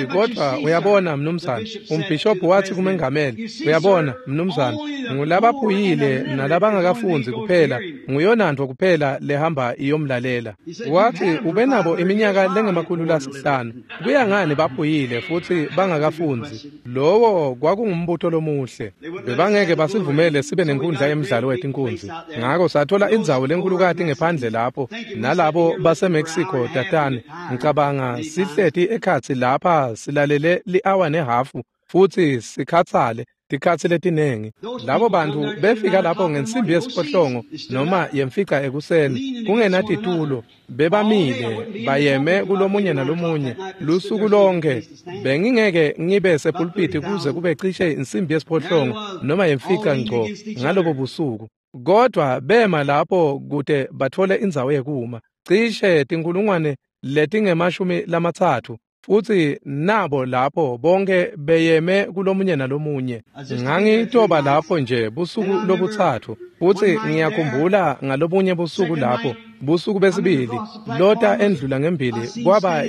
kodwa uyabona mnumzane, umbhishobhi wathi kumengameli, uyabona mnumzane, ngulabaphuyile nalabangakafunzi kuphela, nguyonantfo kuphela lehamba iyomlalela. Wathi ubenabo iminyaka lengama-500. Kuya ngani baphuyile futhi bangakafunzi? Lowo kwakungumbuto lomuhle. Bebangeke basivumele sibe nenkundla yemidlalo wetinkunzi. Ngako sathola indzawo lenkulukati ngephandle lapho nalabo baseMexico tatane. Ngicabanga sihleti ekhatsi lapha silalele li-hour nehafu futhi sikhatsale tikhatsi letinengi. Labo bantu befika lapho ngensimbi yesiphohlongo noma yemfica ekuseni kungenatitulo, bebamile bayeme kulomunye nalomunye lusuku lonke. Bengingeke ngibe sepulpiti kuze kube cishe insimbi yesiphohlongo noma yemfica ngco ngalobo busuku, kodwa bema lapho kute bathole indzawo yekuma. Cishe 30,000 futhi nabo lapho bonke beyeme kulomunye nalomunye. Ngangitoba lapho nje busuku lobutsatfu futhi ngiyakhumbula ngalobunye busuku lapho, busuku besibili, lota endlula ngembili kwaba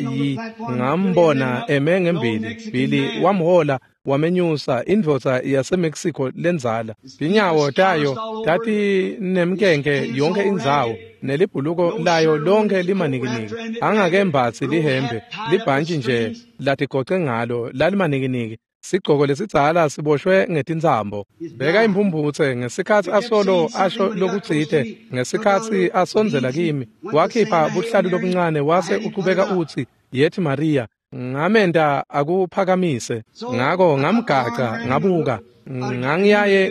ngambona eme ngembili. Billy wamhola wamenyusa, indvodza yaseMexico lendzala. Tinyawo tayo tatinemkenke yonke indzawo, nelibhuluko layo lonke limanikiniki. Angakembatsi lihembe, libhantshi nje latigoce ngalo lalimanikiniki. Sigcoko lesidzala siboshwe ngetintsambo. Beka imphumphutse ngesikhatsi asolo asho lokutsite, ngesikhatsi asondzela kimi, wakhipha buhlalu lobuncane wase uqhubeka utsi, "Yethi Maria." Ngamenta akuphakamise. Ngako ngamgaca ngabuka. Ngangiyaye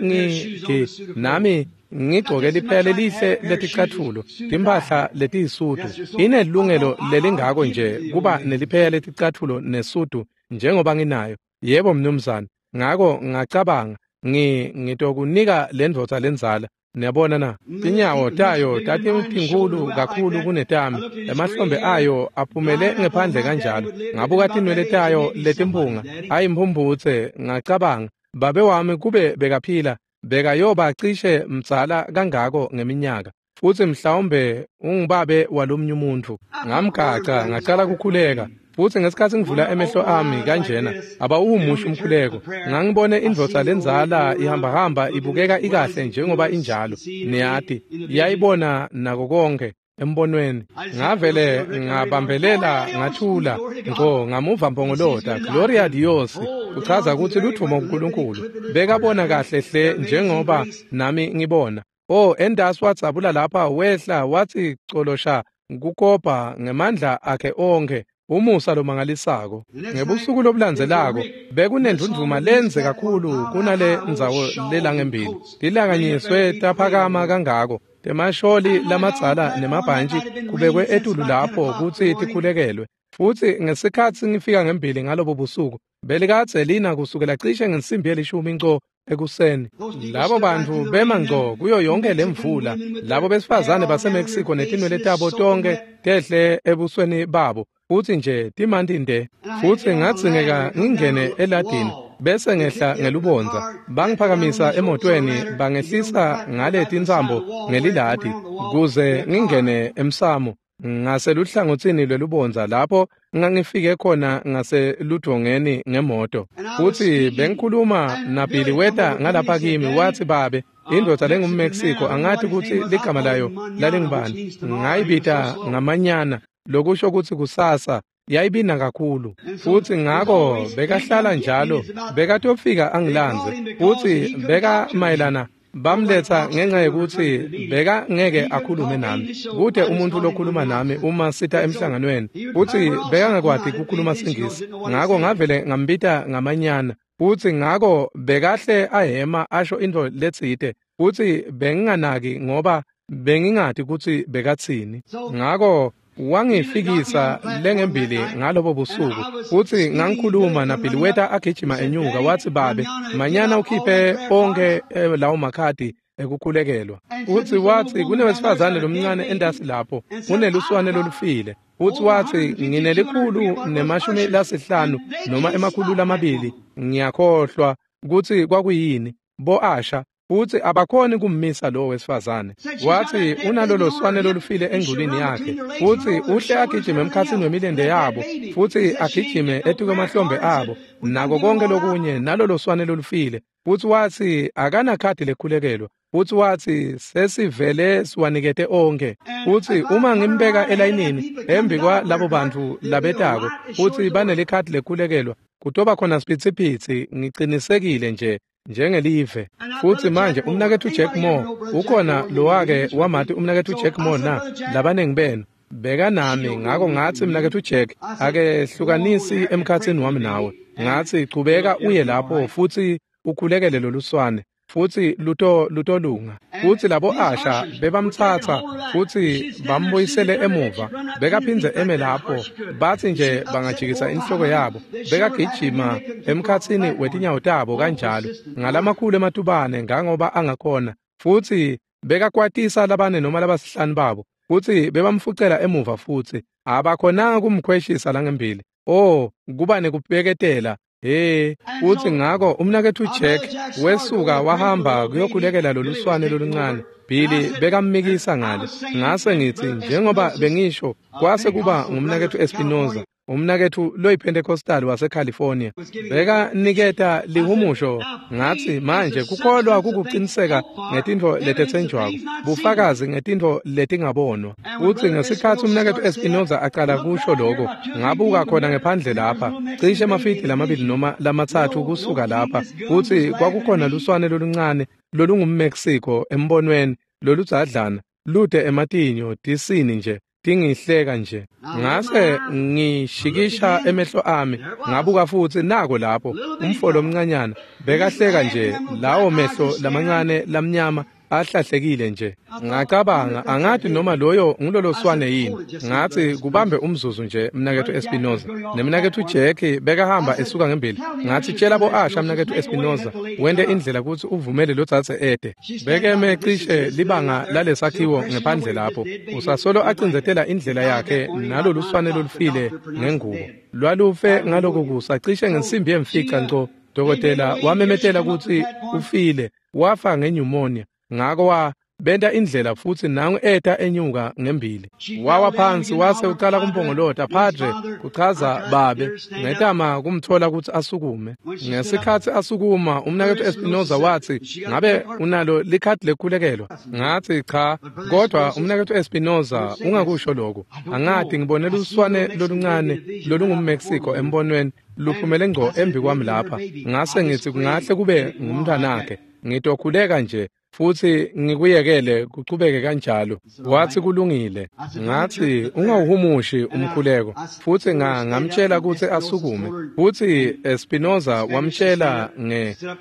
nami ngigcoke liphela lelihle leticatfulo, timphahla letiyisudu. Inelungelo lelingako nje kuba neliphela leticatfulo nesudu njengoba nginayo. Yebo mnumzane. Ngako ngacabanga, ngitokunika lendvodza lendzala. Niyabona na? Tinyawo tayo tatitinkhulu kakhulu kunetami. Emahlombe ayo aphumele ngephandle kanjalo. Ngabuka tinwele tayo letimpunga, ayimphumphutse. Ngacabanga, babe wami kube bekaphila, bekayoba cishe mdzala kangako ngeminyaka, futsi mhlawumbe ungubabe walomnye umuntfu. Ngamgaca ngacala kukhuleka. Futsi ngesikhatsi ngivula emehlo ami kanjena, abawumusho umkhuleko. Ngangibone indvodza lendzala ihambahamba ibukeka ikahle njengoba injalo. Niyati, yayibona nako konke embonweni. Ngavele ngabambelela ngathula ngco ngamuva mpongolota, Gloria Dios, kuchaza kutsi ludvumo kuNkulunkulu. Bekabona kahle hle njengoba nami ngibona. Oh, endasi wadzabula lapha wehla watsi colosha kukopa ngemandla akhe onkhe. Umusa lomangalisako. Ngebusuku lobulandzelako bekunendvundvuma lenze kakhulu kunale ndzawo lelangembili. Tilanganyiswe taphakama kangako. Temasholi lamadzala nemabhantshi kubekwe etulu lapho kutsi tikhulekelwe. Futsi ngesikhatsi ngifika ngembili ngalobo busuku, belikadze lina kusukela cishe ngensimbi yelishumi nco ekuseni. Labo bantfu bema ngco kuyo yonke lemvula. Labo besifazane baseMexico netinwele tabo tonkhe tehle ebusweni babo. Futsi nje timanti nde. Futsi ngadzingeka ngingene eladini bese ngehla ngelubondza. Bangiphakamisa emotweni bangehlisa ngale tintsambo ngeliladi kuze ngingene emsamo ngaseluhlangotsini lwelubondza lapho ngangifike khona ngaseludvongeni ngemoto. Futsi bengikhuluma naBilly weta ngalapha kimi watsi, "Babe, indvodza lenguMexico angati kutsi ligama layo lalingubani. Ngayibita ngamanyana, lokusho kutsi kusasa." Yayibina kakhulu. Futsi ngako bekahlala njalo, bekatofika angilandze. Futsi beka mayelana bamletsa ngenxa yekutsi beka ngeke akhulume nami. Kute umuntu lokhuluma nami uma sita emhlanganweni. Futsi bekangakwati kukhuluma siNgisi. Ngako ngavele ngambita ngamanyana. Futsi ngako bekahle ahema asho intfo letsite. Futsi benginganaki ngoba bengingati kutsi bekatsini. Ngako wangifikisa lengembili ngalobo busuku. Futsi ngangikhuluma naBilly weta agijima enyuka watsi, "Babe, manyana ukhiphe onkhe lawo makhadi ekukhulekelwa." Futsi watsi, "Kunewesifazane lomncane entasi lapho, uneluswane lolufile." Futsi watsi, "150 noma 200, ngiyakhohlwa kutsi kwakuyini, bo-asha." Futsi abakhoni kummisa lowo wesifazane. Watsi unalolo swane lolufile engculwini yakhe. Futsi uhle agijime emkhatsini wemilente yabo, futsi agijime etikwemahlombe abo, nako konke lokunye nalolo swane lolufile. Futsi watsi akanakhadi lekhulekelwa. Futsi watsi sesivele siwanikete onkhe. Futsi uma ngimbeka elayinini embi kwalabo bantfu labetako, futsi banelikhadi lekhulekelwa, kutoba khona siphitsipitsi, ngicinisekile nje njengelive. Futsi manje umnaketfu Jack Moore ukhona lowake wamati umnaketfu Jack Moore na? Labanengi benu bekanami. Ngako ngatsi, "Mnaketfu Jack, akehlukanisi emkhatsini wami nawe." Ngatsi, "Chubeka uye lapho futsi ukhulekele loluswane, futsi lutolunga." Futsi labo asha bebamtsatsa futsi bambuyisele emuva. Bekaphindze eme lapho, batsi nje bangajikisa inhloko yabo, bekagijima emkhatsini wetinyawo tabo kanjalo ngalamakhulu ematubane ngangoba angakhona. Futsi bekakwatisa labane noma labasihlanu babo, futsi bebamfucela emuva futsi abakhonanga kumkhweshisa langembili. Oh, kuba nekubeketela. Hey, futsi ngako umnaketfu Jack wesuka wahamba kuyokhulekela loluswane loluncane. Billy bekammikisa ngale. Ngase ngitsi, njengoba bengisho, kwase kuba ngumnaketfu Espinoza. Umnaketfu loyiPentecostal waseCalifornia beka niketa lihumusho. Ngatsi manje kukholwa kukuqiniseka ngetintfo letetsenjwako, bufakazi ngetintfo letingabonwa. Utsi ngesikhatsi umnaketfu Espinoza aqala kusho lokho, ngabuka khona ngephandle lapha cishe emafidi 2 noma 3 kusuka lapha, kutsi kwakukhona luswane loluncane lolungumMexico embonweni loludzadlana lute ematinyo tisini nje tingihleka nje. Ngase ngishikisha emehlo ami ngabuka futsi nako lapho umfo lomncanyana bekahleka nje, lawo mehlo lamancane lamnyama ahlahlekile nje. Ngacabanga angathi noma loyo ngulolo swane yini. Ngathi kubambe umzuzu nje mnaketfu Espinoza nemnaketfu Jack bekahamba esuka ngembili. Ngathi tshela bo Asha mnaketfu Espinoza wente indlela kutsi uvumele lotsatse ede. Bekeme cishe libanga lalesakhiwo ngephandle lapho usasolo acindzetela indlela yakhe nalolu swane lolufile ngengubo. Lwalufe ngaloko kusa cishe ngensimbi yemfica nco. Dokotela wamemetela kutsi ufile, wafa ngenyumonia. Ngako benta indlela futsi nangu eta enyuka ngembili. Wawa phansi wase uqala kumpongolota, "Padre," kuchaza babe. Ngetama kumthola kutsi asukume. Ngesikhatsi asukuma umnaketfu Espinoza watsi, "Ngabe unalo likhadi lekukhulekelwa?" Ngathi cha, kodwa umnaketfu Espinoza ungakusho lokho. Angathi ngibone luswane loluncane lolungumMexico embonweni luphumele ngco embi kwami lapha. Ngase ngithi kungahle kube ngumntwanakhe. Ngitokhuleka nje futhi ngikuyekele kuchubeke kanjalo. Wathi kulungile. Ngathi ungawuhumushi umkhuleko. Futhi ngamtshela kutsi asukume. Futhi Espinoza wamtshela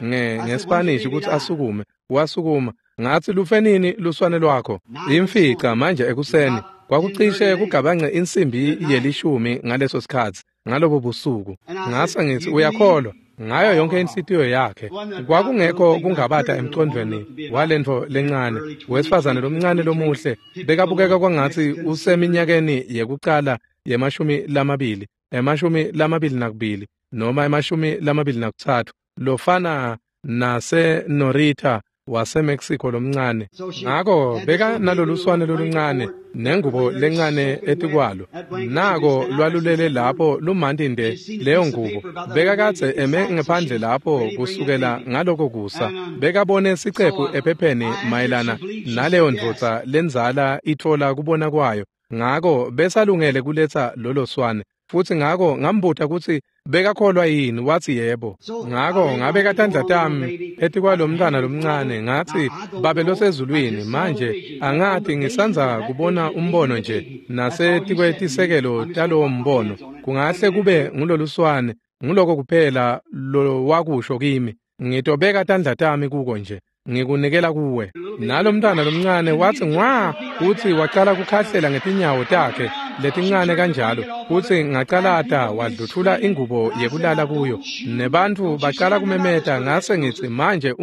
ngeSpanish kutsi asukume. Wasukuma. Ngathi lufenini luswane lwakho? Imfica manje ekuseni. Kwakucishe kugabance insimbi yelishumi ngaleso sikhatsi ngalobo busuku. Ngase ngithi uyakholwa ngayo yonke inhlitiyo yakhe. Kwakungekho kungabata emqondweni walentfo lencane. Wesifazane lomncane lomuhle bekabukeka kwangatsi useminyakeni yekucala ye-20, 22 noma 23, lofana nase Norita waseMexico lomncane. Ngako beka naloluswane loluncane nengubo lencane etikwalo. Nako lwalulele lapho lumanti nde leyo ngubo. Bekakadze eme ngephandle lapho kusukela ngaloko kusa. Bekabone sicephu ephepheni mayelana naleyo ndvodza lendzala itfola kubona kwayo. Ngako besalungele kuletsa lolo swane. Futsi ngako ngambuta kutsi bekakholwa yini, wathi yebo. Ngako ngabeka tandla tami etikwalomntwana lomncane ngathi, "Babe losezulwini, manje angathi ngisandza kubona umbono nje nasetikwetisekelo talowo mbono. Kungahle kube nguloluswane, nguloko kuphela lowakusho kimi. Ngitobeka tandla tami kuko nje, ngikunikela kuwe." Nalomntwana lomncane wathi ngwa, kutsi waqala kukhahlela ngetinyawo takhe letincane kanjalo. Kutsi ngacalata wadluthula ingubo yekulala kuyo. Nebantfu baqala kumemeta. Ngase ngitsi manje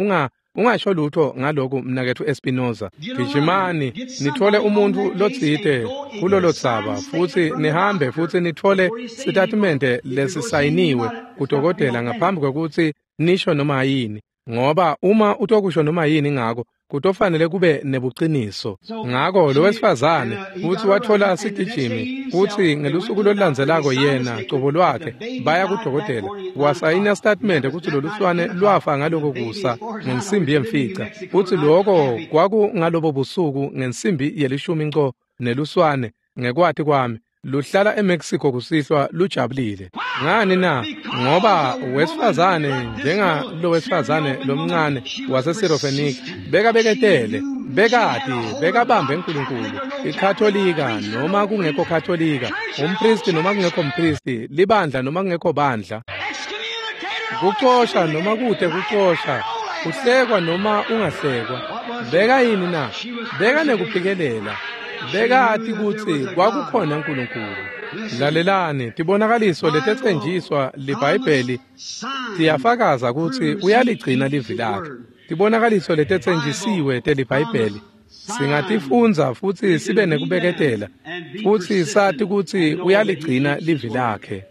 ungasho lutho ngaloku mnaketfu Espinoza. Gijimani nithole umuntfu lotsite kulolo dzaba futsi nihambe futsi nithole sitatimende lesisayiniwe kudokotela ngaphambi kwekutsi nisho noma yini. Ngoba uma utokusho noma yini ngako kutofanele kube nebuqiniso. Ngako lo wesifazane futsi wathola sigijimi kutsi ngelusuku lolulandzelako yena cobo lwakhe baya kudokotela wasayina statement kutsi loluswane lwafa ngaloko kusa ngensimbi yemfica. Futsi loko kwakungalobo busuku ngensimbi yelishumi nco neluswane ngekwati kwami luhlala eMexico kusihlwa lujabulile. Ngani na? Ngoba wesifazane njenga lo wesifazane lomncane waseSirofenike bekabeketele, bekati, bekabambe uNkulunkulu. IKatolika noma kungekho Katolika, umpristi noma kungekho mpristi, libandla noma kungekho bandla, kucosha noma kude kucosha, kuhlekwa noma ungahlekwa. Beka yini na? Beka nekuphikelela. Bekati kutsi kwakukhona uNkulunkulu. Lalelani, tibonakaliso letetsenjiswa liBhayibheli tiyafakaza kutsi uyaligcina livi lakhe. Tibonakaliso letetsenjisiwe teliBhayibheli singatifundza futsi sibe nekubeketela futsi sati kutsi uyaligcina livi lakhe.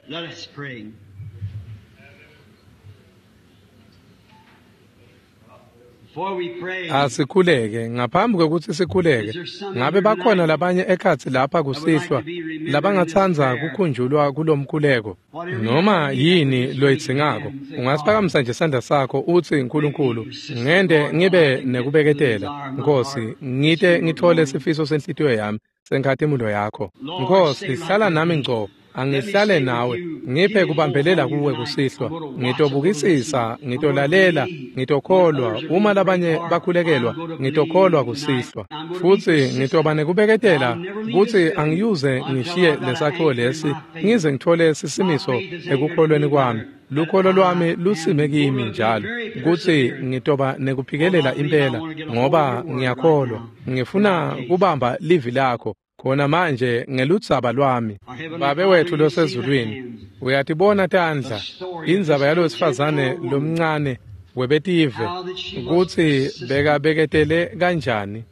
Asikhuleke. Ngaphambi kwekutsi sikhuleke, ngabe bakhona labanye ekhatsi lapha kusihlwa labangatsandza kukhunjulwa kulomkhuleko? Noma yini loyidzingako, ungasiphakamisa nje sandla sakho utsi, "Nkulunkulu, ngente ngibe nekubeketela, Nkosi, ngite ngitfole sifiso senhlitiyo yami senkhatimulo yakho. Nkosi, hlala nami ngco, angihlale nawe, ngiphe kubambelela kuwe kusihlwa. Ngitobukisisa, ngitolalela, ngitokholwa. Uma labanye bakhulekelwa, ngitokholwa kusihlwa. Futsi ngitoba nekubeketela kutsi angiyuze ngishiye lesakhiwo lesi ngize ngitfole sisimiso ekukholweni kwami. Lukholo lwami lusime kimi njalo, kutsi ngitoba nekuphikelela impela, ngoba ngiyakholwa. Ngifuna kubamba livi lakho khona manje ngeludzaba lwami." Babe wethu losezulwini, uyatibona tandla, indzaba yalowesifazane lomncane webetive, kutsi bekabeketele kanjani.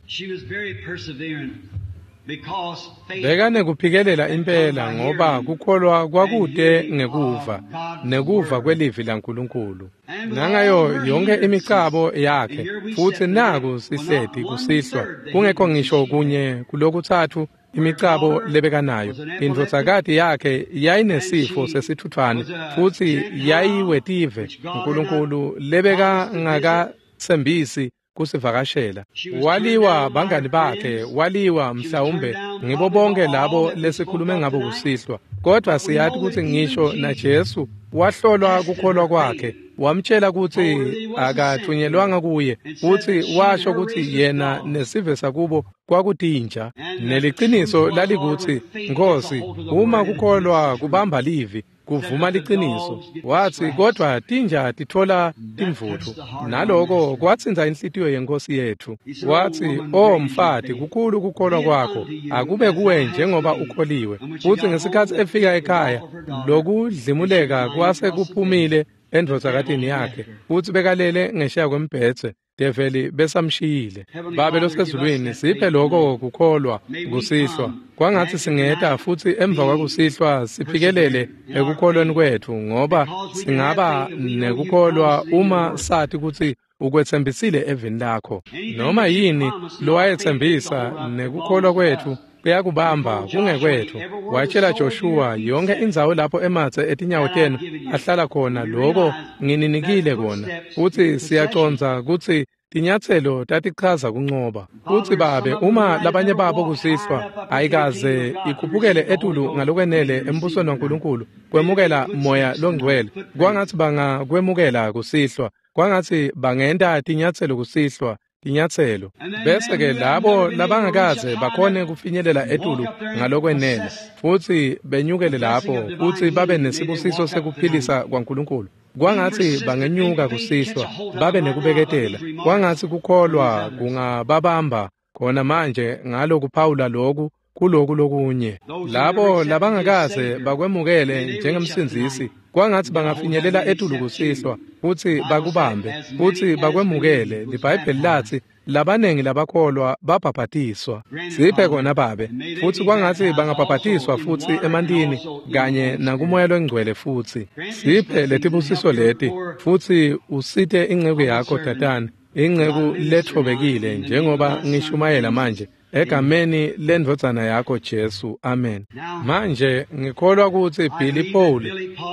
Bekanekuphikelela impela, ngoba kukholwa kwakute ngekuva, nekuva kwelivi laNkulunkulu. Nangayo yonke imicabo yakhe, futsi naku sihleti kusihlwa, kungekho ngisho kunye kulokutsatfu imicabo lebekanayo. Indvodzakati yakhe yayinesifo sesitfutfwane, futsi yayiwetive Nkulunkulu lebekangakatsembisi kusivakashela. Waliwa bangani bakhe, waliwa mhlawumbe ngibo bonke labo lesikhulume ngabo kusihlwa. Kodwa siyati kutsi ngisho naJesu wahlolwa kukholwa kwakhe, wamtshela kutsi akathunyelwanga kuye, futsi washo kutsi yena nesive sakubo kwakutinja. Neliciniso lalikutsi, Nkosi, uma kukholwa kubamba livi, kuvuma liciniso. Watsi, kodwa tinja titfola timvutfu. Naloko kwatsintsa inhlitiyo yenkosi yetfu. Watsi, "O mfati, kukhulu kukholwa kwakho, akube kuwe njengoba ukholiwe." Futsi ngesikhatsi efika ekhaya, lokudlimuleka kwase kuphumile endvodzakatini yakhe, futsi bekalele ngesheya kwembhedze. Develi besamshiyile. Babe losezulwini, siphe loko kukholwa kusihlwa. Kwangatsi singeta futsi emva kwakusihlwa siphikelele ekukholweni kwetfu, ngoba singaba nekukholwa uma sati kutsi ukwetsembisile evini lakho. Noma yini lowayetsembisa, nekukholwa kwetfu kuyakubamba kungekwetfu. Watshela Joshua, "Yonke indzawo lapho ematse etinyawo tenu ahlala khona, loko ngininikile kona." Futsi siyacondza kutsi tinyatselo tatichaza kuncoba. Futsi Babe, uma labanye babo kusihlwa ayikaze ikhuphukele etulu ngalokwenele embusweni waNkulunkulu kwemukela Moya Longcwele, kwangatsi bangakwemukela kusihlwa, kwangatsi bangenta tinyatselo kusihlwa, tinyatselo. Bese-ke labo labangakaze bakhone kufinyelela etulu ngalokwenele futsi benyukele lapho futsi babe nesibusiso sekuphilisa kwaNkulunkulu, kwangatsi bangenyuka kusihlwa babe nekubeketela. Kwangatsi kukholwa kungababamba khona manje ngalokuphawula loku kuloku lokunye. Labo labangakaze bakwemukele njengemsindzisi, kwangatsi bangafinyelela etulu kusihlwa futsi bakubambe futsi bakwemukele. LiBhayibheli latsi labanengi labakholwa babhabhatiswa. Siphe kona, Babe, futsi kwangatsi bangabhabhatiswa futsi emantini kanye nakuMoya Longcwele futsi. Siphe letibusiso leti, futsi usite inceku yakho Tatane, inceku letfobekile, njengoba ngishumayela manje, egameni lendvodzana yakho Jesu. Amen. Manje ngikholwa kutsi Billy Paul,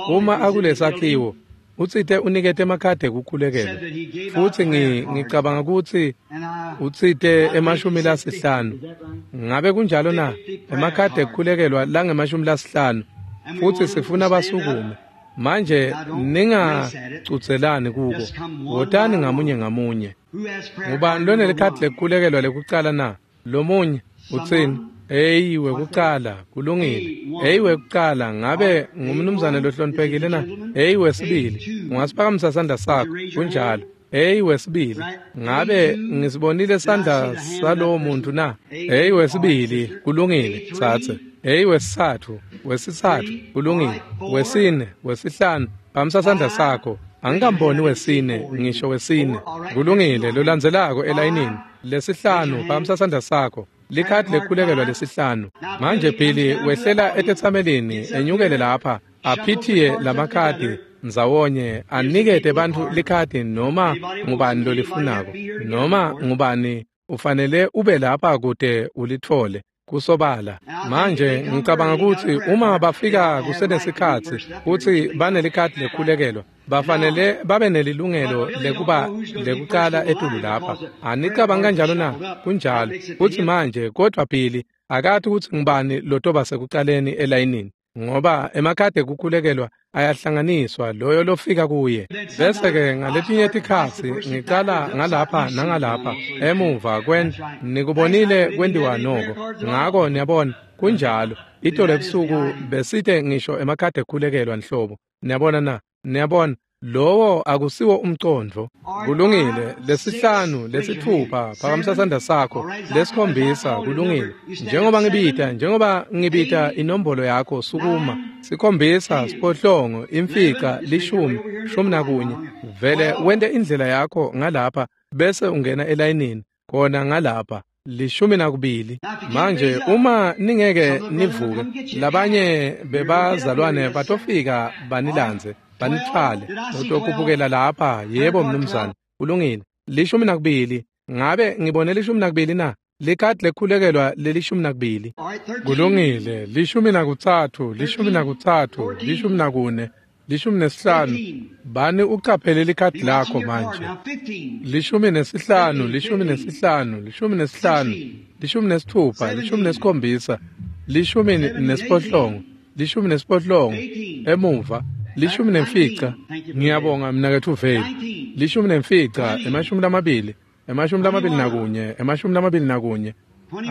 uma akulesakhiwo, utsite unikete emakhadi ekukhulekela, futsi ngicabanga kutsi utsite 50. Ngabe kunjalo na? Emakhadi ekukhulekelwa langema-50, futsi sifuna basukume. Manje ningacudzelani kuko, wotani ngamunye ngamunye. Ngubani lonelikhadi lekukhulekelwa lekucala na? Lomunye utsini? Eyi, wekucala, kulungile. Eyi, wekucala, ngabe ngumnumzane lohloniphekile na? Eyi, wesibili, ungasiphakamisa sandla sakho? Kunjalo. Eyi, wesibili, ngabe ngisibonile sandla salowo muntu na? Eyi, wesibili, kulungile, tsatse. Eyi, wesitsatfu, wesitsatfu, kulungile. Wesine, wesihlanu, phamisa sandla sakho. Angikamboni wesine, ngisho wesine. Kulungile, lolandzelako elayinini. Lesihlanu, phamisa sandla sakho. Likhadi lekukhulekelwa lesihlanu. Manje Billy wehlela etetsamelini, enyukele lapha, aphithiye lamakhadi. ndzawonye anikete bantfu likhadi noma ngubani lolifunako, noma ngubani ufanele ube lapha kute ulitfole. Kusobala. Manje ngicabanga kutsi uma bafika kusenesikhatsi kutsi banelikhadi lekhulekelwa, bafanele babe nelilungelo lekuba lekucala etulu lapha. Anicabangi kanjalo na? Kunjalo. Futsi manje kodvwa Billy akati kutsi ngubani lotoba sekucaleni elayinini, ngoba emakhadi ekukhulekelwa ayahlanganiswa loyo lofika kuye. Bese-ke ngaletinye tikhatsi ngicala ngalapha nangalapha emuva nikubonile kwentiwa noko. Ngako niyabona kunjalo. Itolo ebusuku besite ngisho emakhadi ekukhulekelwa nhlobo. Niyabona na? Niyabona lowo akusiwo umcondvo. Kulungile. 5, 6, phakamisa sandla sakho. 7, kulungile. Njengoba ngibita inombolo yakho, sukuma. 7, 8, 9, 10, 11. Vele wente indlela yakho ngalapha bese ungena elayinini khona ngalapha. 12. Manje uma ningeke nivuke, labanye bebazalwane batofika banilandze, banitfwale. Utokhuphukela lapha. Yebo mnumzane, kulungile. 12. Ngabe ngibone 12 na? Likhadi lekhulekelwa leli-12. Kulungile. 13, 13, 14, 15. Bani ucaphele likhadi lakho manje. 15, 15, 15, 16, 17, 18, 18, emuva. 15. Ngiyabonga mnaketfu Vale. 15, 20, 21, 21.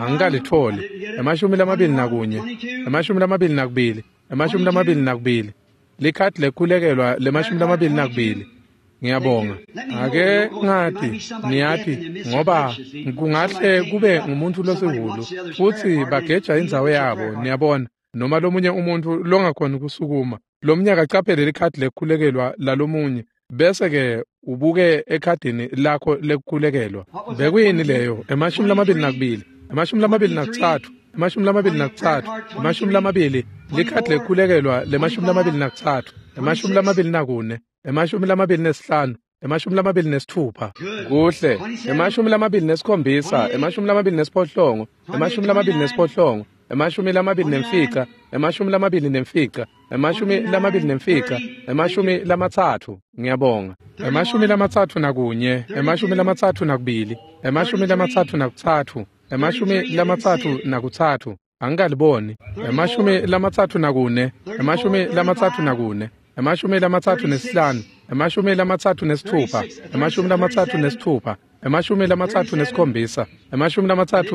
Angikalitfoli. 21, 22, 22. Likhadi lekhulekelwa le-22. Ngiyabonga. Ake ngathi niyathi ngoba kungahle kube ngumuntu losihulu futsi bageja indzawo yabo, niyabona, noma lomunye umuntu longakhoni kusukuma. Lomnyaka caphele likhadi lekukhulekelwa lalomunye bese-ke ubuke ekhadini lakho lekukhulekelwa. Bekuyini leyo? 22, 23, 23, 20. Likhadi lekukhulekelwa le-23, 24, 25, 26. Kuhle. 27, 28, 28, 25, 25, 25, 30. Ngiyabonga. 31, 32, 33, 33. Angikaliboni. 34, 34, 35, 36, 36, 37,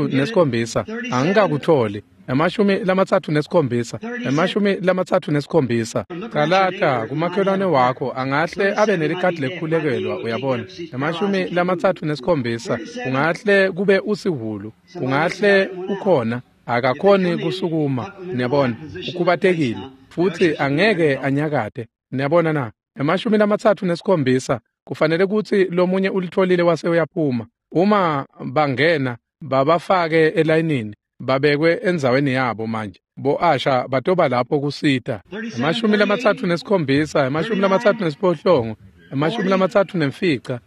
37. Angikakutholi. 37, 37. Calata kumakhelwane wakho angahle abe nelikhadi lekukhulekelwa, uyabona. 37, ungahle kube usihulu, ungahle ukhona akakhoni kusukuma, niyabona, ukhubatekile futhi angeke anyakate, niyabona na? 37, kufanele kutsi lomunye ulitfolile wase uyaphuma. Uma bangena babafake elayinini, babekwe endzaweni yabo manje. Bo-Asha batoba lapho kusita. 37, 38, 35, 40, 41, 42, 43, 43,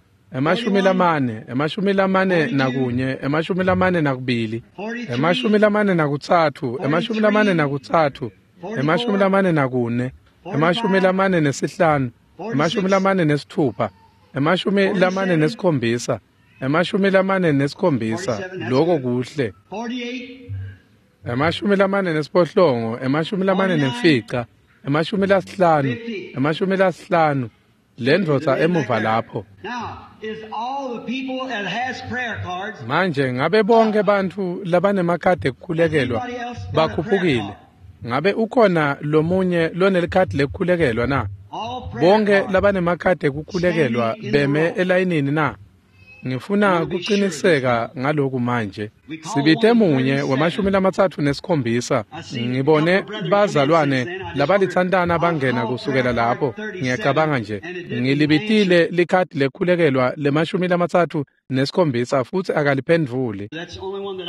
44, 45, 46, 47, 47. Lokho kuhle. 48, 45, 50, 50. Lendvodza emuva lapho. Manje ngabe bonke bantfu labanemakhadi ekukhulekelwa bakhuphukile? Ngabe ukhona lomunye lonelikhadi lekukhulekelwa na? Bonke labanemakhadi ekukhulekelwa beme elayinini na? Ngifuna kuqiniseka ngaloku manje. Sibite munye we-37. Ngibone bazalwane labalithantana bangena kusukela lapho. Ngiyacabanga nje ngilibitile likhadi lekukhulekelwa le-37 futhi akaliphendvuli.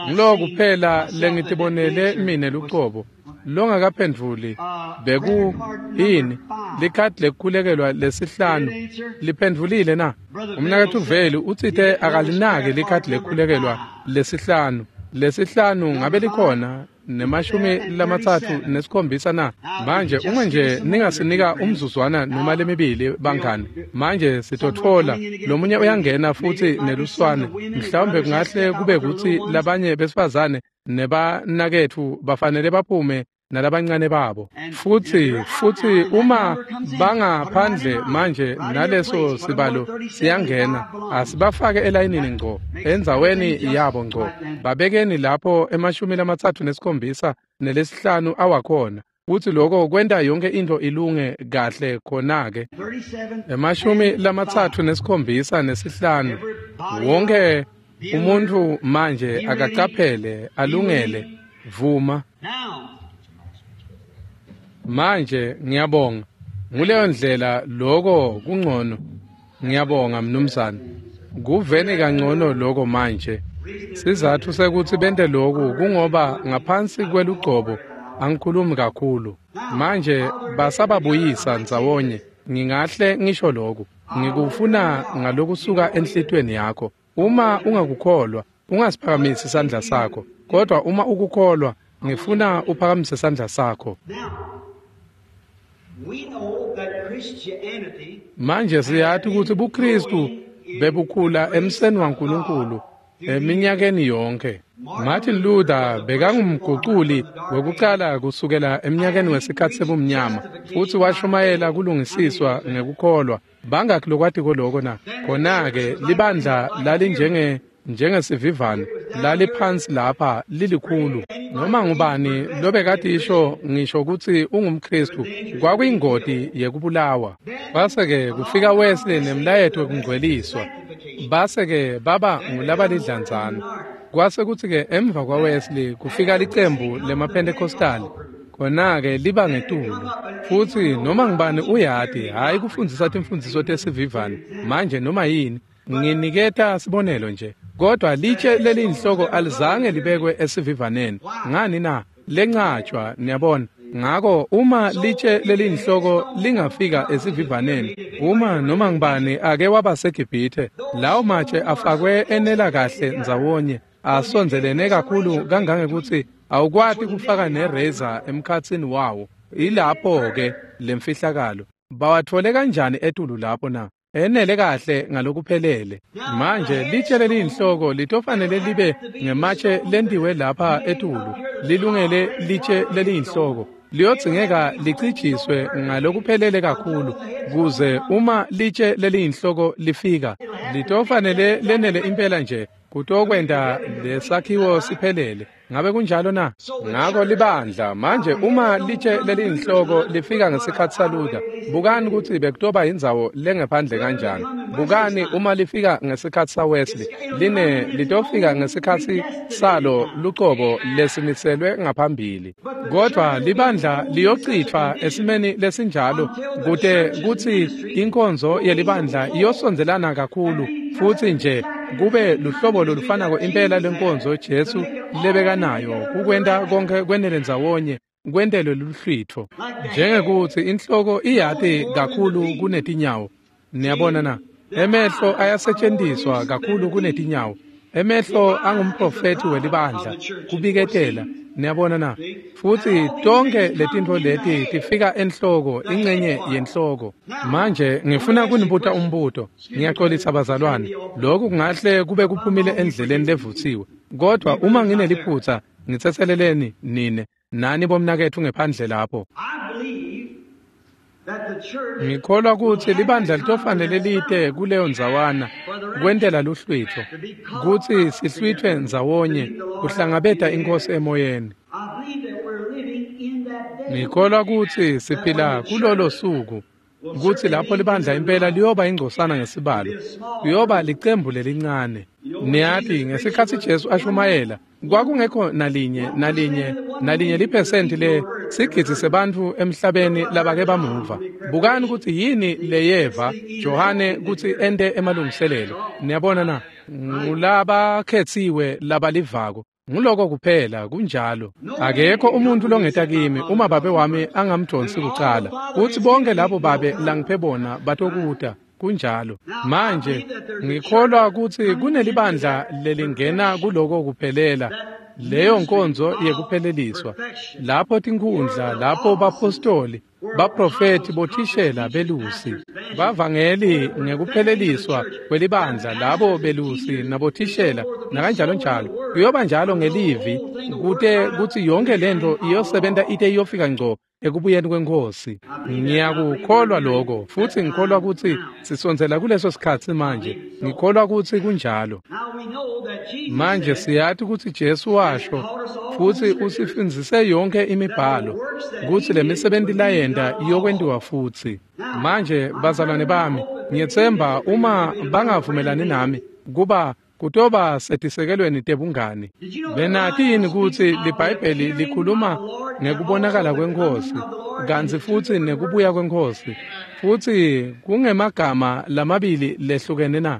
Ngilo kuphela lengitibonele mine lucobo. Longakaphendvuli beku yini? Likhadi lekukhulekelwa lesihlanu liphendvulile na? Umnaketfu Veli utsite akalinaki likhadi lekukhulekelwa lesihlanu. Lesihlanu ngabe likhona ne-37 na? Manje uma nje ningasinika umzuzwana noma lemibili bangani, manje sitotfola lomunye uyangena futsi neluswane. Mhlawumbe kungahle kube kutsi labanye besifazane nebanaketfu bafanele baphume nalabancane babo. Futsi uma bangaphandle manje naleso sibalo siyangena, asibafake elayinini ngco, endzaweni yabo ngco. Babekeni lapho 37 nelesihlanu awakhona. Kutsi lokho kwenta yonke into ilunge kahle khona-ke. 37 nesihlanu. Wonke umuntu manje akacaphele, alungele, vuma. Manje ngiyabonga. Nguleyo ndlela lokho kungcono. Ngiyabonga mnumzane. Kuveni kangcono lokho manje. Sizathu sekuthi bente lokhu kungoba ngaphansi kwelugcobo angikhulumi kakhulu. Manje basababuyisa ndzawonye. Ngingahle ngisho lokhu. Ngikufuna ngalokusuka enhlitiyweni yakho. Uma ungakukholwa, ungasiphakamisi isandla sakho. Kodwa uma ukukholwa, ngifuna uphakamise isandla sakho. Manje siyati ukuthi buKristu bebukhula emseni waNkulunkulu eminyakeni yonke. Martin Luther bekangumguculi wekucala kusukela eminyakeni wesikhatsi sebumnyama, futsi washumayela kulungisiswa ngekukholwa. Bangakhi lokwatiko lokho na? Khona-ke libandla lalinjenge njengesivivane laliphansi lapha lilikhulu. Noma ngubani lobekadisho ngisho kutsi ungumKristu kwakuyingoti yekubulawa. Base-ke kufika Wesley nemlayeto wekungcweliswa. Base-ke baba ngulabalidlanzana. Kwase kutsi-ke emva kwaWesley kufika licembu lemaPentecostal. Khona-ke liba ngetulu. Futsi noma ngubani uyati, hhayi kufundzisa timfundziso tesivivane manje noma yini. Nginiketa sibonelo nje. Kodwa litshe leliyinhloko alizange libekwe esivivaneni. Ngani na? Lencatshwa, niyabona. Ngako uma litshe leliyinhloko lingafika esivivaneni, uma noma ngubani ake waba seGibhithe, lawo matshe afakwe enela kahle ndzawonye, asondzelene kakhulu kangangekutsi awukwati kufaka nereza emkhatsini wawo. Ilapho-ke lemfihlakalo. Bawathole kanjani etulu lapho na? Enele kahle ngalokuphelele. Manje litshe leliyinhloko litofanele libe ngematshe lentiwe lapha etulu, lilungele litshe leliyinhloko. Liyodzingeka licijiswe ngalokuphelele kakhulu kuze uma litshe leliyinhloko lifika, litofanele lenele impela nje kutokwenta lesakhiwo siphelele. Ngabe kunjalo na? Ngako libandla manje uma litshe leliyinhloko lifika ngesikhatsi saLuther, bukani kutsi bekutoba indzawo lengephandle kanjani. Bukani uma lifika ngesikhatsi saWesley, line litofika ngesikhatsi salo lucobo lesimiselwe ngaphambili. Kodwa libandla liyochitfwa esimeni lesinjalo kute kutsi inkonzo yelibandla iyosondzelana kakhulu futsi nje kube luhlobo lolufanako impela lenkonzo Jesu lebekanayo kukwenta konke kwenele ndzawonye kwentelwe luhlwitfo. Njengekutsi inhloko iyati kakhulu kunetinyawo. Niyabona na? Emehlo ayasetjentiswa kakhulu kunetinyawo. Emehlo angumprofethi welibandla kubiketela. Niyabona na? Futsi tonke letintfo leti tifika enhloko, ingcenye yenhloko. Manje ngifuna kunibuta umbuto. Ngiyaxolisa bazalwane. Lokhu kungahle kube kuphumile endleleni levutsiwe. Kodwa uma ngineliphutsa, ngitsetseleleni nine nani bomnaketfu ngephandle lapho. Ngikholwa kutsi libandla litofanele lite kuleyo ndzawana kwentela luhlwitfo, kutsi sihlwitfwe ndzawonye kuhlangabeta iNkhosi emoyeni. Ngikholwa kutsi siphila kulolo suku, kutsi lapho libandla impela liyoba ingcosana ngesibalo, liyoba licembu lelincane. Niyati ngesikhatsi Jesu ashumayela, kwakungekho nalinye liphesenti le sigidzi sebantfu emhlabeni labake bamuva. Bukani kutsi yini leyeva Johane kutsi ente emalungiselelo. Niyabona na? Ngulabakhetsiwe labalivako. Nguloko kuphela, kunjalo. Akekho umuntu longeta kimi uma babe wami angamdonsi kucala. Kuthi bonke labo babe langiphe bona batokuta. Kunjalo. Manje ngikholwa ukuthi kunelibandla lelingena kuloko kuphelela, leyo nkonzo yekupheleliswa, lapho tinkhundla, lapho bapostoli, baprofeti, bothishela, belusi, bavangeli ngekupheleliswa kwelibandla, labo belusi nabothishela nakanjalo njalo. Kuyoba njalo ngelivi kute kutsi yonke lento iyosebenta ite iyofika ngco ekubuyeni kweNkhosi. Ngiyakukholwa lokho, futhi ngikholwa ukuthi sisondzela kuleso sikhatsi manje. Ngikholwa ukuthi kunjalo. Manje siyati ukuthi Jesu washo futhi usifundzise yonke imibhalo ukuthi lemisebenti layenta iyokwentiwa futhi. Manje bazalwane bami, ngiyetsemba uma bangavumelani nami kuba kutoba setisekelweni tebungani. Benati yini ukuthi liBhayibheli likhuluma ngekubonakala kweNkhosi kantsi futhi nekubuya kweNkhosi, futhi kungemagama lamabili lehlukene na?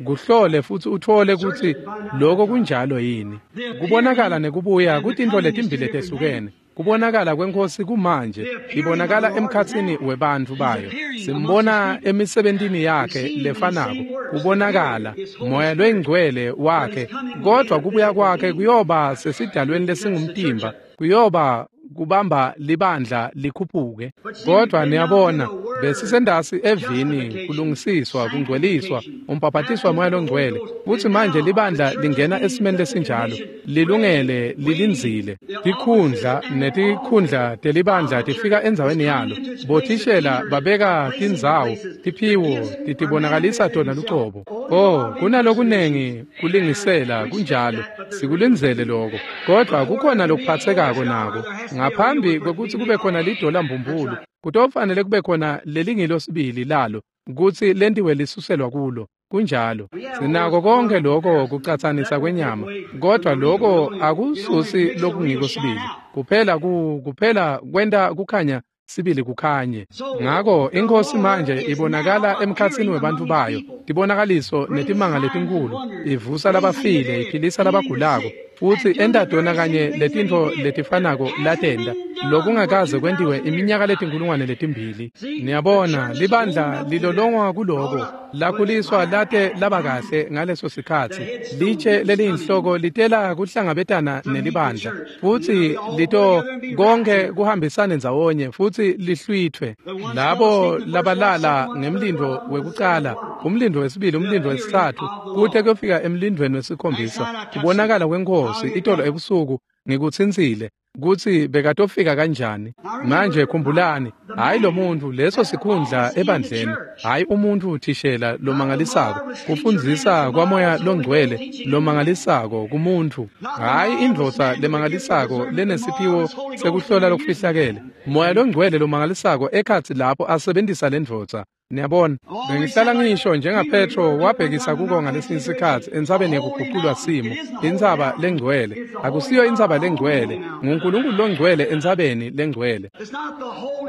Kuhlole futhi uthole ukuthi lokho kunjalo yini. Kubonakala nekubuya kutintfo letimbili letehlukene. Kubonakala kweNkhosi kumanje ibonakala emkhatsini webantfu bayo. Simbona emisebentini yakhe lefanako. Kubonakala moya lwengcwele wakhe, kodwa kubuya kwakhe kuyoba sesidalweni lesingumtimba, kuyoba kubamba libandla likhuphuke. Kodwa niyabona, besisendasi evini, kulungisiswa, kungcweliswa, umbhaphatiswa moya longcwele. Kuthi manje libandla lingena esimeni lesinjalo, lilungele, lilindzile. Tikhundla netikhundla telibandla tifika endzaweni yalo. Bothishela babeka tindzawo, tiphiwo titibonakalisa tona lucobo. Oh, kunalokunengi kulingisela kunjalo, sikulindzele lokho. Kodwa kukhona lokuphatsekako nako. Ngaphambi kwekutsi kube khona lidola mbumbulu, kutofanele kube khona lelingilo sibili lalo kutsi lentiwe lisuselwa kulo. Kunjalo. Sinako konke lokho kucatsanisa kwenyama, kodwa lokho akususi lokungiko sibili. Kuphela kuphela kwenta kukhanya sibili kukhanye. Ngako iNkhosi manje ibonakala emkhatsini webantfu bayo, tibonakaliso netimanga letinkulu, ivusa labafile, iphilisa labagulako, futhi enta tona kanye letintfo letifanako latenta lokungakaze kwentiwe iminyaka letinkulungwane letimbili. Niyabona, libandla lilolongwa kuloko, lakhuliswa late laba kahle ngaleso sikhatsi. Litshe leliyinhloko litela kuhlangabetana nelibandla, futhi lito konke kuhambisane ndzawonye futhi lihlwithwe. Labo labalala ngemlindo wekucala, umlindo wesibili, umlindo wesitsatfu, kute kuyofika emlindweni wesikhombisa. Kubonakala kweNkhosi itolo ebusuku ngikutsintsile kutsi bekatofika kanjani. Manje khumbulani, hayi lo muntu, leso sikhundla ebandleni, hayi umuntu thishela lomangalisako, kufundzisa kwamoya longcwele lomangalisako kumuntu, hayi indvodza lemangalisako lenesiphiwo sekuhlola lokufihlakele, moya longcwele lomangalisako ekhatsi lapho asebentisa lendvodza. Niyabona, bengihlala ngisho njengaPetro wabhekisa kuko ngalesinye isikhatsi entsabeni yekuguqulwa simo, intsaba lengcwele. Akusiyo intsaba lengcwele, nguNkulunkulu longcwele entsabeni lengcwele.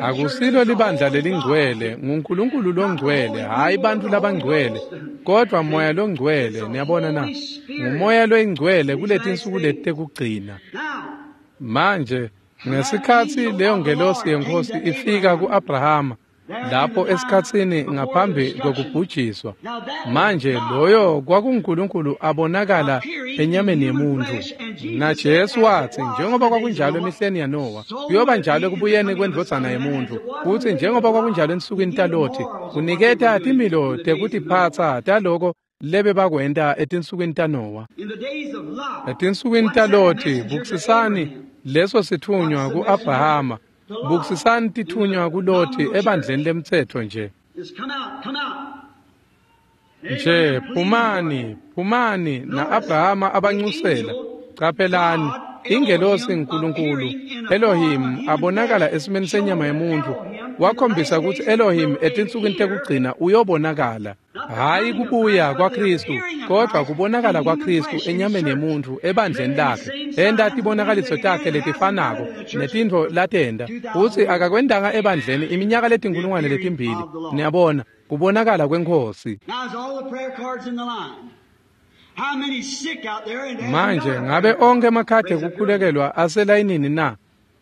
Akusilo libandla lelingcwele, nguNkulunkulu longcwele, hhayi bantfu labangcwele, kodwa moya longcwele. Niyabona na? Ngumoya loyingcwele kuletinsuku leti tekugcina. Manje, ngesikhatsi leyo ngelosi yeNkhosi ifika ku-Abrahama, lapho esikhatsini ngaphambi kwekubhujiswa, manje loyo kwakunguNkulunkulu abonakala enyameni yemuntu. Na Jesu wathi, njengoba kwakunjalo emihleni yaNowa, kuyoba njalo ekubuyeni kwendvodzana yemuntu. Futhi njengoba kwakunjalo ensukwini taLothi, kuniketa timilo tekutiphatsa taloko lebe bakwenta etinsukwini taNowa. Etinsukwini taLothi, bukisisani leso sithunywa ku-Abrahama, bukisisani tithunywa kuLothi ebandleni lemtsetfo nje. Nje phumani, phumani, na-Abrahama abanxusela. Qaphelani, ingelosi nkulunkulu Elohim abonakala esimeni senyama yemuntu, wakhombisa ukuthi Elohim etinsukwini tekugcina uyobonakala. Hhayi kubuya kwaKristu, kodwa kubonakala kwaKristu enyameni yemuntu ebandleni lakhe, enta tibonakaliso takhe letifanako netintfo latenta, futsi akakwentanga ebandleni iminyaka letinkulungwane letimbili. Niyabona, kubonakala kweNkhosi. Now is all the prayer cards in the line? Manje ngabe onke emakhadi ekukhulekelwa aselayinini na?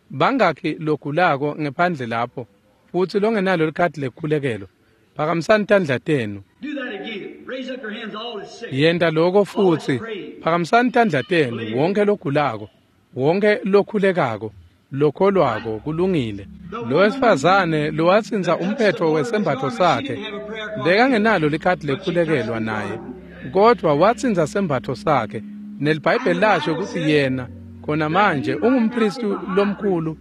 Bangakhi logulako ngephandle lapho futsi longenalo likhadi lekukhulekelwa? Phakamisani tandla tenu. Yenta lokho futsi. Phakamisani tandla tenu, wonke logulako, wonke lokhulekako, lokholwako, kulungile. Lo wesifazane lowatsintsa umphetfo wesembatfo sakhe bekangenalo likhadi lekukhulekelwa naye, kodvwa watsintsa sembatfo sakhe. NeliBhayibheli lasho kutsi yena khona manje ungumphristi lomkhulu.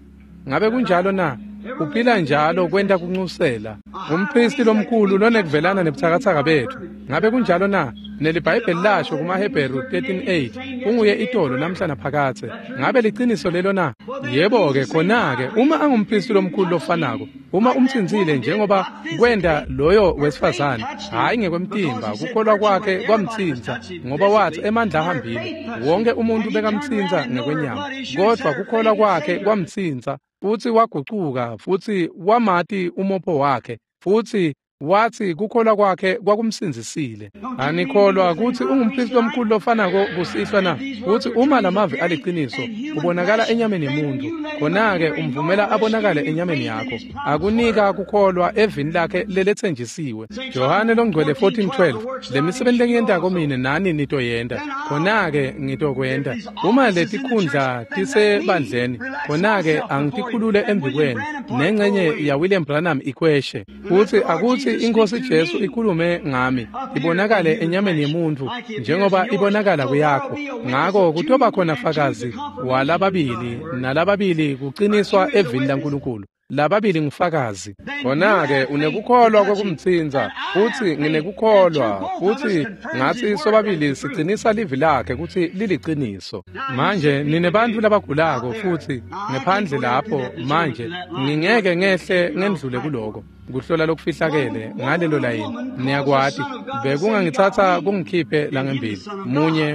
Ngabe kunjalo na? Uphila njalo kwenta kuncusela. Umphristi lomkhulu lonekuvelana nebutsakatsaka betfu. Ngabe kunjalo na? NeliBhayibheli lasho kumaHebheru 13:8 unguye itolo namhla naphakadze. Ngabe liciniso lelo na? Yebo-ke khona-ke uma angumphristi lomkhulu lofanako, uma umtsintsile njengoba kwenta loyo wesifazane, hhayi ngekwemtimba, kukholwa kwakhe kwamtsintsa, ngoba wathi emandla ahambile. Wonke umuntu bekamtsintsa ngekwenyama, kodvwa kukholwa kwakhe kwamtsintsa. Futsi wagucuka futsi wamati umopho wakhe, futsi wathi kukholwa kwakhe kwakumsindzisile. Anikholwa kutsi ungumphristi lomkhulu lofanako kusihlwa na? Futsi uma lamavi aliciniso ubonakala enyameni yemuntu, khona-ke umvumela abonakale enyameni yakho. Akunika kukholwa evini lakhe leletsenjisiwe. Johane longcwele 14:12, lemisebenti lengiyentako mine nani nitoyenta, khona-ke ngitokwenta. Uma letikhundla tisebandleni, khona-ke angitikhulule embikwenu, nengcenye ya William Branham ikhweshe. Futsi akutsi iNkhosi Jesu ikhulume ngami, ibonakale enyameni yemuntu njengoba ibonakala kuyakho. Ngako kutoba khona fakazi walababili nalababili kuqiniswa evini laNkulunkulu. Lababili ngufakazi. Khona-ke unekukholwa kwekumtsintsa, futsi nginekukholwa, futsi ngatsi sobabili sicinisa livi lakhe kutsi liliciniso. Manje nine bantfu labagulako futsi ngephandle lapho manje ngingeke ngehle ngendlule kuloko kuhlola lokufihlakele ngalelo layini. Niyakwati bekungangitsatsa kungikhiphe langembili.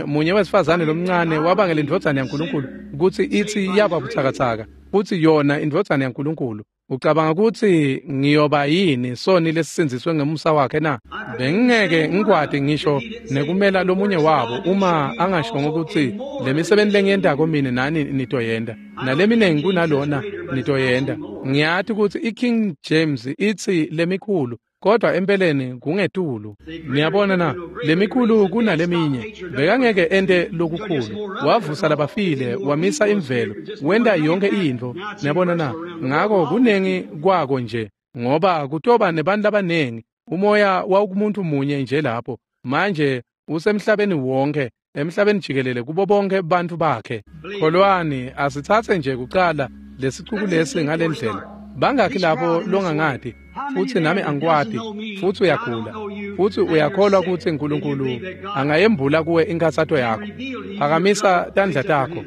Munye wesifazane lomncane wabangela indvodzana yaNkulunkulu kutsi itsi yaba butsakatsaka, futsi yona indvodzana yaNkulunkulu. Ucabanga kutsi ngiyoba yini soni lesisindziswe ngemusa wakhe na? Bengingeke ngikwati ngisho nekumela lomunye wabo uma angashongo kutsi lemisebenti lengiyentako mine nani nitoyenta, naleminengi kunalona nitoyenta. Ngiyati kutsi iKing James itsi lemikhulu, kodwa empeleni kungetulu. Niyabona na? Lemikhulu kunaleminye. Bekangeke ente lokukhulu. Wavusa labafile, wamisa imvelo, wenta yonke intfo. Niyabona na? Ngako kunengi kwako nje, ngoba kutoba nebantu labanengi. Umoya wawukumuntu munye nje lapho. Manje usemhlabeni wonke, emhlabeni jikelele kubo bonke bantfu bakhe. Kholwani, asitsatse nje kucala lesicuku lesi ngalendlela. Bangakhi lapho longangati, futsi nami angikwati, futsi uyagula, futsi uyakholwa kutsi uNkulunkulu angayembula kuwe inkhatsato yakho. Phakamisa tandla takho.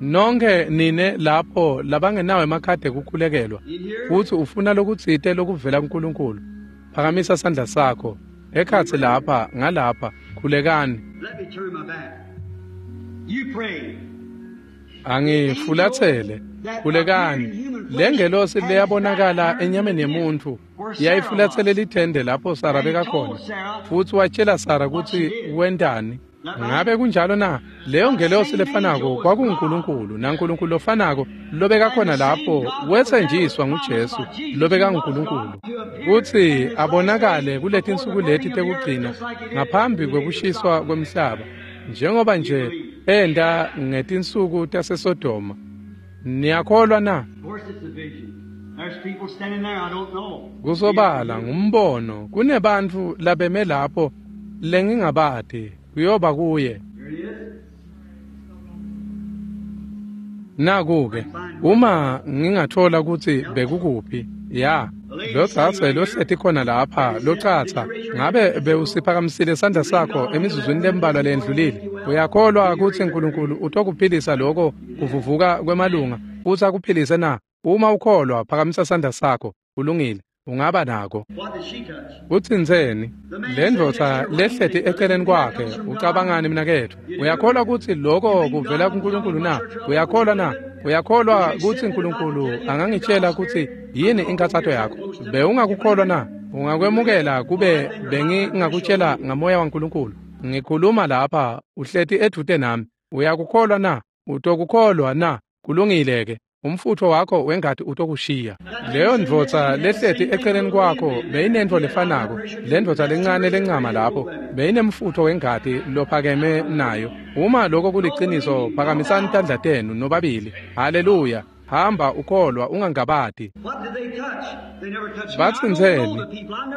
Nonke nine lapho labangenawo emakhadi ekukhulekelwa, futsi ufuna lokutsite lokuvela kuNkulunkulu, phakamisa sandla sakho. Ekhatsi lapha, ngalapha, khulekani. Angifulatsele, khulekani. Lengelosi leyabonakala enyameni yemuntfu yayifulatsele lithende lapho Sara bekakhona, futsi watshela Sara kutsi wentani. Ngabe kunjalo na? Leyo ngelosi lefanako kwakunguNkulunkulu, naNkulunkulu lofanako lobekakhona lapho wetsenjiswa nguJesu lobekanguNkulunkulu kutsi abonakale kuletinsuku leti tekugcina ngaphambi kwekushiswa kwemhlaba, njengoba nje enta ngetinsuku taseSodoma. Niyakholwa na? Kusobala ngumbono, kunebantfu labeme lapho lengingabati, kuyoba kuye. Naku-ke, uma ngingathola kutsi bekukuphi, ya, lodzadze lohleti khona lapha, locatsa, ngabe bewusiphakamisile sandla sakho emizuzwini lembalwa lendlulile? Uyakholwa kutsi uNkulunkulu utokuphilisa loko kuvuvuka kwemalunga, futsi akuphilise na? Uma ukholwa, phakamisa sandla sakho. Kulungile, ungaba nako. Utsintseni lendvodza lehleti eceleni kwakhe? Ucabangani mnaketfu? Uyakholwa kutsi loko kuvela kuNkulunkulu na? Uyakholwa na? Uyakholwa kutsi uNkulunkulu angangitshela kutsi yini inkhatsato yakho? Bewungakukholwa na? Ungakwemukela kube bengingakutshela ngamoya waNkulunkulu. Ngikhuluma lapha, uhleti edvute nami. Uyakukholwa na? Utokukholwa na? Kulungile ke. Umfutho wakho wengati utokushiya. Leyo ndvodza lehleti eceleni kwakho beyinentfo lefanako. Le ndvodza lencane lencama lapho beyinemfutho wengati lophakeme nayo. Uma lokho kuliciniso, phakamisani tandla tenu nobabili. Haleluya. Hamba ukholwa ungangabati. Batsintseni,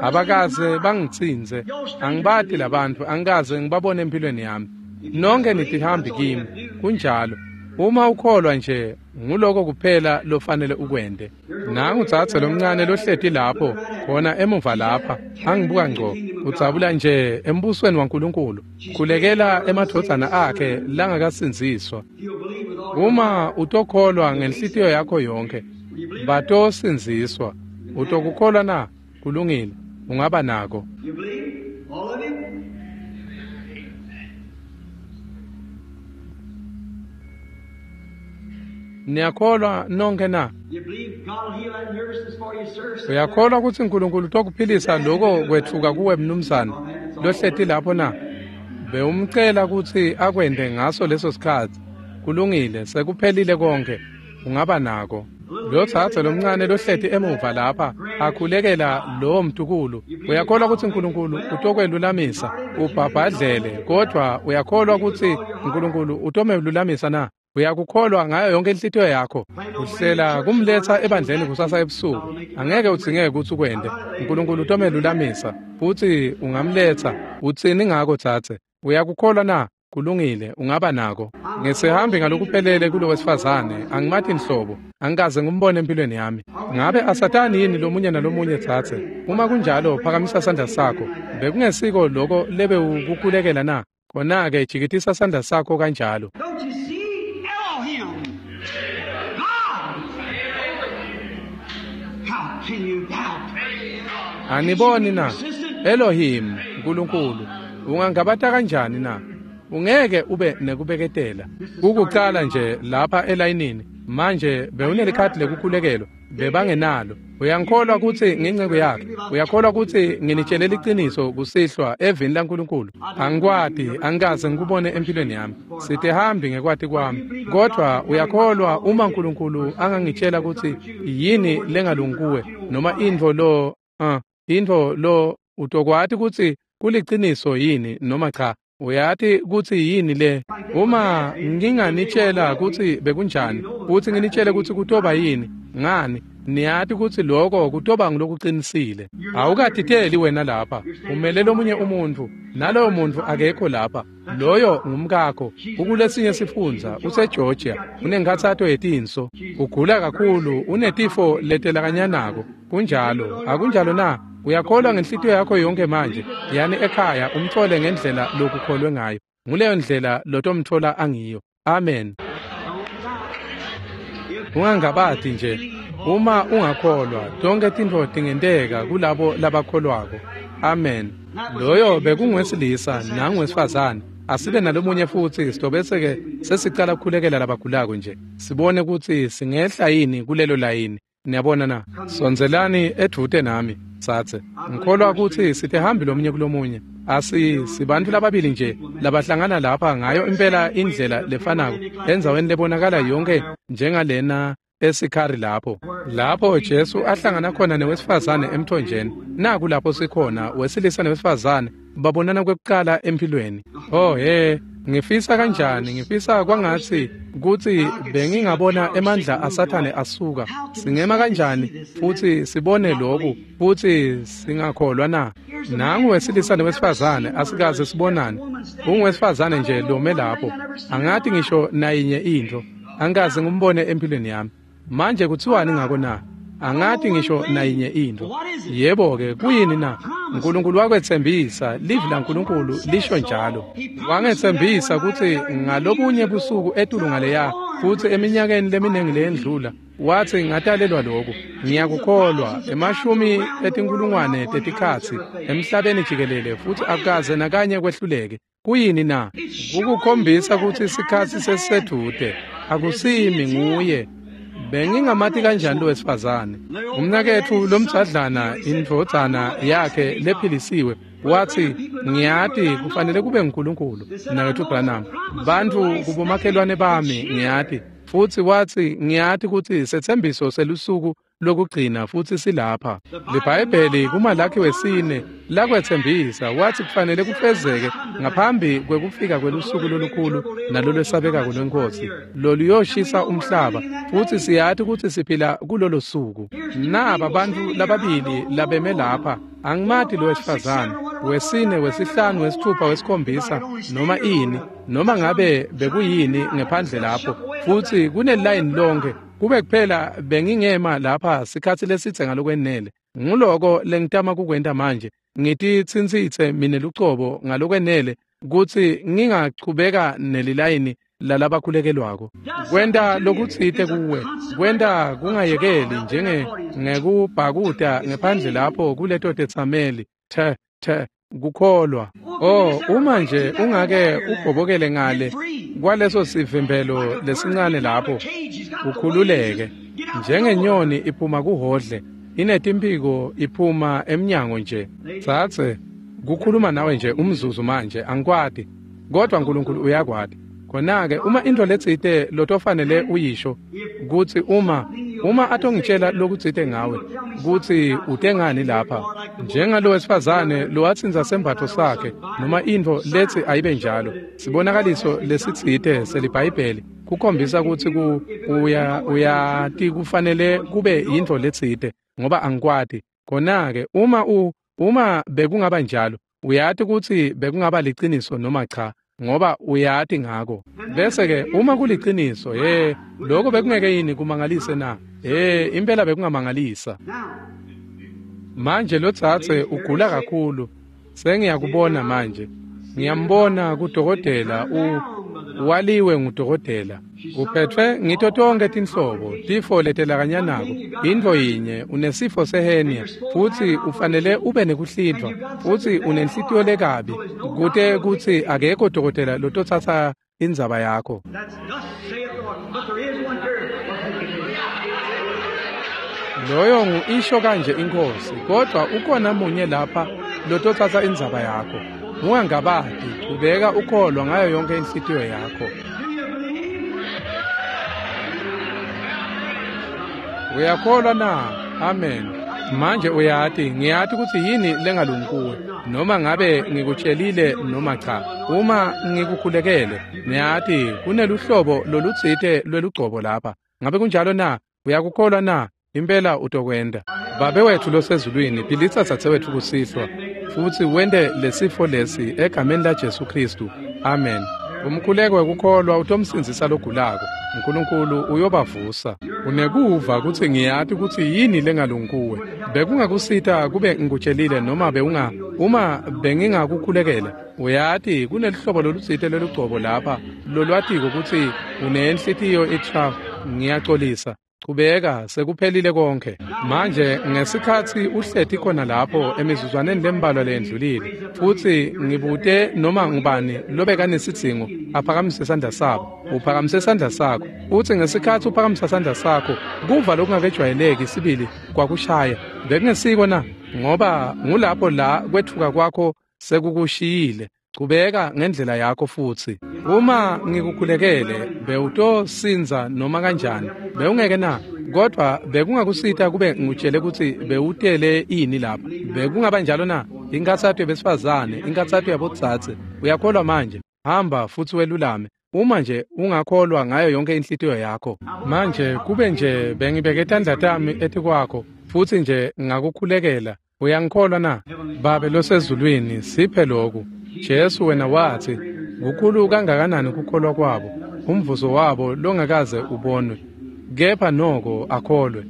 abakaze bangitsintse. Angibati labantfu, angikaze ngibabone empilweni yami. Nonke nitihambi kimi. Kunjalo. Uma ukholwa nje, nguloko kuphela lofanele ukwente. Nangu dzadze lomncane lohleti lapho, khona emuva lapha, angibuka ngco, udzabula nje embusweni waNkulunkulu, khulekela emadvodzana akhe langakasindziswa. Uma utokholwa ngenhlitiyo yakho yonkhe, batosindziswa. Utokukholwa na? Kulungile, ungaba nako. Niyakholwa nonke na? Uyakholwa kutsi uNkulunkulu utokuphilisa loko kwetfuka kuwe mnumzane lohleti lapho na? Bewumcela kutsi akwente ngaso leso sikhatsi. Kulungile, sekuphelile konke. Ungaba nako. Lo dzadze lomncane lohleti emuva lapha akhulekela lowo mtukulu. Uyakholwa kutsi uNkulunkulu utokwelulamisa? Ubhabhadlele, kodvwa uyakholwa kutsi uNkulunkulu utomelulamisa na? Uyakukholwa ngayo yonke inhlitiyo yakho. Uhlela kumletsa ebandleni kusasa ebusuku. Angeke udzingeke kutsi ukwente. uNkulunkulu utomelulamisa futsi ungamletsa. Utsini ngako dzadze? Uyakukholwa na? Kulungile, ungaba nako. Ngisihambi ngalokuphelele kulo wesifazane, angimati nhlobo, angikaze ngimbone empilweni yami. Ngabe asatani yini lomunye nalomunye dzadze? Uma kunjalo, phakamisa sandla sakho. Bekungesiko loko lebewukukhulekela na? Khona-ke jikitisa sandla sakho kanjalo. Aniboni na? Elohim, uNkulunkulu, ungangabata kanjani na? Ungeke ube nekubeketela. Kukucala nje lapha elayinini. Manje bewunelikhadi lekukhulekelwa, bebangenalo. Uyangikholwa kutsi nginceku yakhe? Uyakholwa kutsi nginitshele liciniso kusihlwa evini laNkulunkulu? Angikwati, angikaze ngikubone empilweni yami. Sitihambi ngekwati kwami. Kodvwa uyakholwa uma uNkulunkulu angangitshela kutsi yini lengalungi kuwe noma intfo lo intfo lo, utokwati kutsi kuliciniso yini noma cha? Uyati kutsi yini le? Uma nginganitshela kutsi bekunjani, futsi nginitshele kutsi kutoba yini, ngani, niyati kutsi loko kutoba ngulokuqinisile. Awukatiteli wena lapha, umele lomunye umuntfu, naloyo muntfu akekho lapha. Loyo ngumkakho, ukulesinye sifundza, useGeorgia, unenkhatsato yetinso, ugula kakhulu, unetifo letelakanyanako. Kunjalo, akunjalo na? Uyakholwa ngenhlitiyo yakho yonke manje? Yani ekhaya umthole ngendlela lokukholwe ngayo. Nguleyo ndlela lotomthola angiyo. Amen. Ungangabati nje. Uma ungakholwa, tonke tintfo tingenteka kulabo labakholwako. Amen. Loyo bekunguwesilisa nanguwesifazane. Asibe nalomunye futsi sitobese-ke sesicala kukhulekela labagulako nje. Sibone kutsi singehla yini kulelo layini. Niyabona na? Sondzelani edvute nami, tsatse. Ngikholwa kutsi sitihambi lomunye kulomunye. Sibantfu lababili nje labahlangana lapha ngayo impela indlela lefanako endzaweni lebonakala yonke njengalena eSikhari lapho. Lapho Jesu ahlangana khona newesifazane emthonjeni. Naku lapho sikhona, wesilisa newesifazane babonana kwekucala empilweni. Oh he, ngifisa kanjani, ngifisa kwangatsi kutsi bengingabona emandla aSathane asuka. Singema kanjani futsi sibone lokhu futsi singakholwa na? Nangu wesilisa newesifazane, asikaze sibonane. Unguwesifazane nje lome lapho. Angati ngisho nayinye intfo. Angikaze ngimbone empilweni yami. Manje kutsiwani ngako na? Angati ngisho nayinye intfo. Yebo-ke, kuyini na? uNkulunkulu wakwetsembisa, livi laNkulunkulu lisho njalo. Wangetsembisa kutsi ngalobunye busuku etulu ngaleya, futsi eminyakeni leminingi leyendlula, watsi ngatalelwa lokhu. Ngiyakukholwa, emashumi etinkulungwane tetikhatsi emhlabeni jikelele, futsi akukaze nakanye kwehluleke. Kuyini na? Kukukhombisa kutsi sikhatsi sesisedvute. Akusimi, nguye. Bengingamati kanjani lo wesifazane? Umnaketfu lomdzadlana, indvodzana yakhe lephilisiwe, wathi, ngiyati kufanele kube nguNkulunkulu, mnaketfu Branham. Bantfu kubomakhelwane bami ngiyati. Futsi wathi, ngiyati kutsi setsembiso selusuku lokugcina futsi silapha. LiBhayibheli kuMalakhi wesine lakwetsembisa, wathi kufanele kufezeke ngaphambi kwekufika kwelusuku lolukhulu nalolwesabekako lweNkhosi loluyoshisa umhlaba, futsi siyati kutsi siphila kulolo suku. Naba bantfu lababili labeme lapha, angimati lo wesifazane, wesine, wesihlanu, wesithupha, wesikhombisa, noma ini, noma ngabe bekuyini ngephandle lapho, futsi kunelayini lonke. Kube kuphela bengingema lapha sikhatsi lesitse ngalokwenele. Nguloko lengitama kukwenta manje, ngititsintsitse mine lucobo ngalokwenele kutsi ngingachubeka nelilayini lalabakhulekelwako. Kwenta lokutsite kuwe, kwenta kungayekeli njenge ngekubhakuta ngephandle lapho kuleto tetsameli. The the kukholwa. Oh, uma nje ungake ubhobokele ngale kwaleso sivimbelo lesincane lapho, ukhululeke njengenyoni iphuma kuhodle, inetimphiko iphuma emnyango nje. Tsatse kukhuluma nawe nje umzuzu manje, angikwati, kodwa uNkulunkulu uyakwati. Khona-ke uma intfo letsite lotofanele uyisho, kutsi uma atongitshela lokutsite ngawe, kutsi utengani lapha, njengalo wesifazane lowatsintsa sembatfo sakhe, noma intfo letsi ayibe njalo, sibonakaliso lesitsite seliBhayibheli kukhombisa kutsi uyati kufanele kube yintfo letsite, ngoba angikwati. Khona-ke uma bekungaba njalo, uyati kutsi bekungaba liciniso noma cha, ngoba uyati ngako. Bese-ke uma kuliciniso, lokho bekungeke yini kumangalise na? Impela bekungamangalisa. Manje lotsatse ugula kakhulu, sengiyakubona manje. Ngiyambona kudokotela, waliwe ngudokotela. Uphethwe ngito tonke tinhlobo, tifo letelakanyanako. Intfo yinye, unesifo sehenia, futsi ufanele ube nekuhlindvwa, futsi unenhlitiyo lekabi, kute kutsi akekho dokotela lototsatsa indzaba yakho. Loyo ngu-isho kanje iNkhosi, kodwa ukhona munye lapha lototsatsa indzaba yakho. Ungangabati, ubeka ukholwa ngayo yonke inhlitiyo yakho. Uyakholwa na? Amen. Manje uyati, ngiyati kutsi yini lengalungi kuwe, noma ngabe ngikutshelile noma cha. Uma ngikukhulekele, ngiyati kuneluhlobo lolutsite lwelugcobo lapha. Ngabe kunjalo na? Uyakukholwa na? Impela utokwenta. Babe wetfu losezulwini, philisa dzadzewetfu kusihlwa, futsi wente lesifo lesi egameni laJesu Khristu. Amen. Umkhuleko wekukholwa utomsindzisa logulako. uNkulunkulu uyobavusa. Unekuva kutsi ngiyati kutsi yini lengalungi kuwe. Bekungakusita kube ngikutshelile noma uma bengingakukhulekela. Uyati kunelihlobo lolutsite lolugcobo lapha lolwatiko kutsi unenhlitiyo itraf. Ngiyacolisa. Chubeka, sekuphelile konke. Manje ngesikhatsi uhleti khona lapho emizuzwaneni lembalwa leyendlulile, futsi ngibute noma ngubani lobekanesidzingo aphakamise sandla sabo. Uphakamise sandla sakho. Futsi ngesikhatsi uphakamisa sandla sakho, kuva lokungakejwayeleki sibili kwakushaya. Bekungesiko na? Ngoba ngulapho la kwetfuka kwakho sekukushiyile. Chubeka ngendlela yakho futsi. Uma ngikukhulekele, bewutosinza noma kanjani, bewungeke na? Kodwa bekungakusita kube ngutshele kutsi bewutele ini lapha. Bekungaba njalo na? Inkatsato yabesifazane, inkatsato yabodzadze. Uyakholwa manje? Hamba futsi welulame. Uma nje ungakholwa ngayo yonke inhlitiyo yakho. Manje kube nje bengibeke tandla tami etikwakho futsi nje ngakukhulekela. Uyangikholwa na? Babe losezulwini, siphe lokhu. Jesu wena watsi, kukhulu kangakanani kukholwa kwabo, umvuzo wabo longakaze ubonwe, kepha noko akholwe.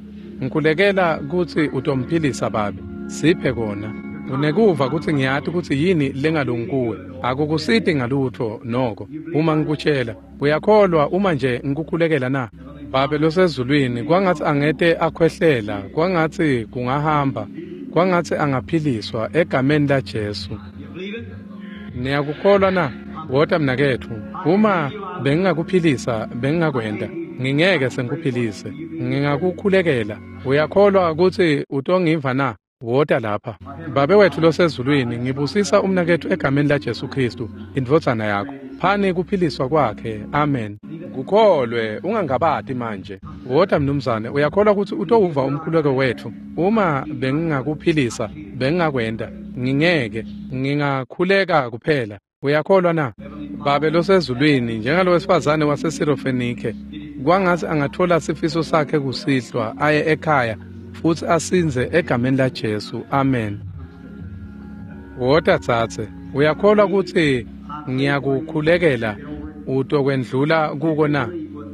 Ngikhulekela kutsi utomphilisa Babe. Siphe kona. Unekuva kutsi ngiyati kutsi yini lengalungi kuwe. Akukusiti ngalutfo noko uma ngikutshela. Uyakholwa uma nje ngikukhulekela na? Babe losezulwini, kwangatsi angete akhwehlela, kwangatsi kungahamba, kwangatsi angaphiliswa egameni laJesu. Niyakukholwa na? Wota mnaketfu. Uma bengingakuphilisa, bengingakwenta. Ngingeke sengikuphilise. Ngingakukhulekela. Uyakholwa ukuthi utongiva na? Wota lapha. Babe wethu losezulwini, ngibusisa umnaketfu egameni laJesu Khristu, indvodzana yakho. Phani kuphiliswa kwakhe. Amen. Kukholwe, ungangabati manje. Wota mnumzane, uyakholwa ukuthi utowuva umkhuleko wetfu. Uma bengingakuphilisa, bengingakwenta. Ngingeke, ngingakhuleka kuphela. Uyakholwa na? Babe losezulwini, njengalowesifazane waseSirofenike, kwangatsi angathola sifiso sakhe kusihlwa aye ekhaya futsi asindze egameni laJesu. Amen. Wota tsatse, uyakholwa kutsi ngiyakukhulekela utokwendlula kuko na?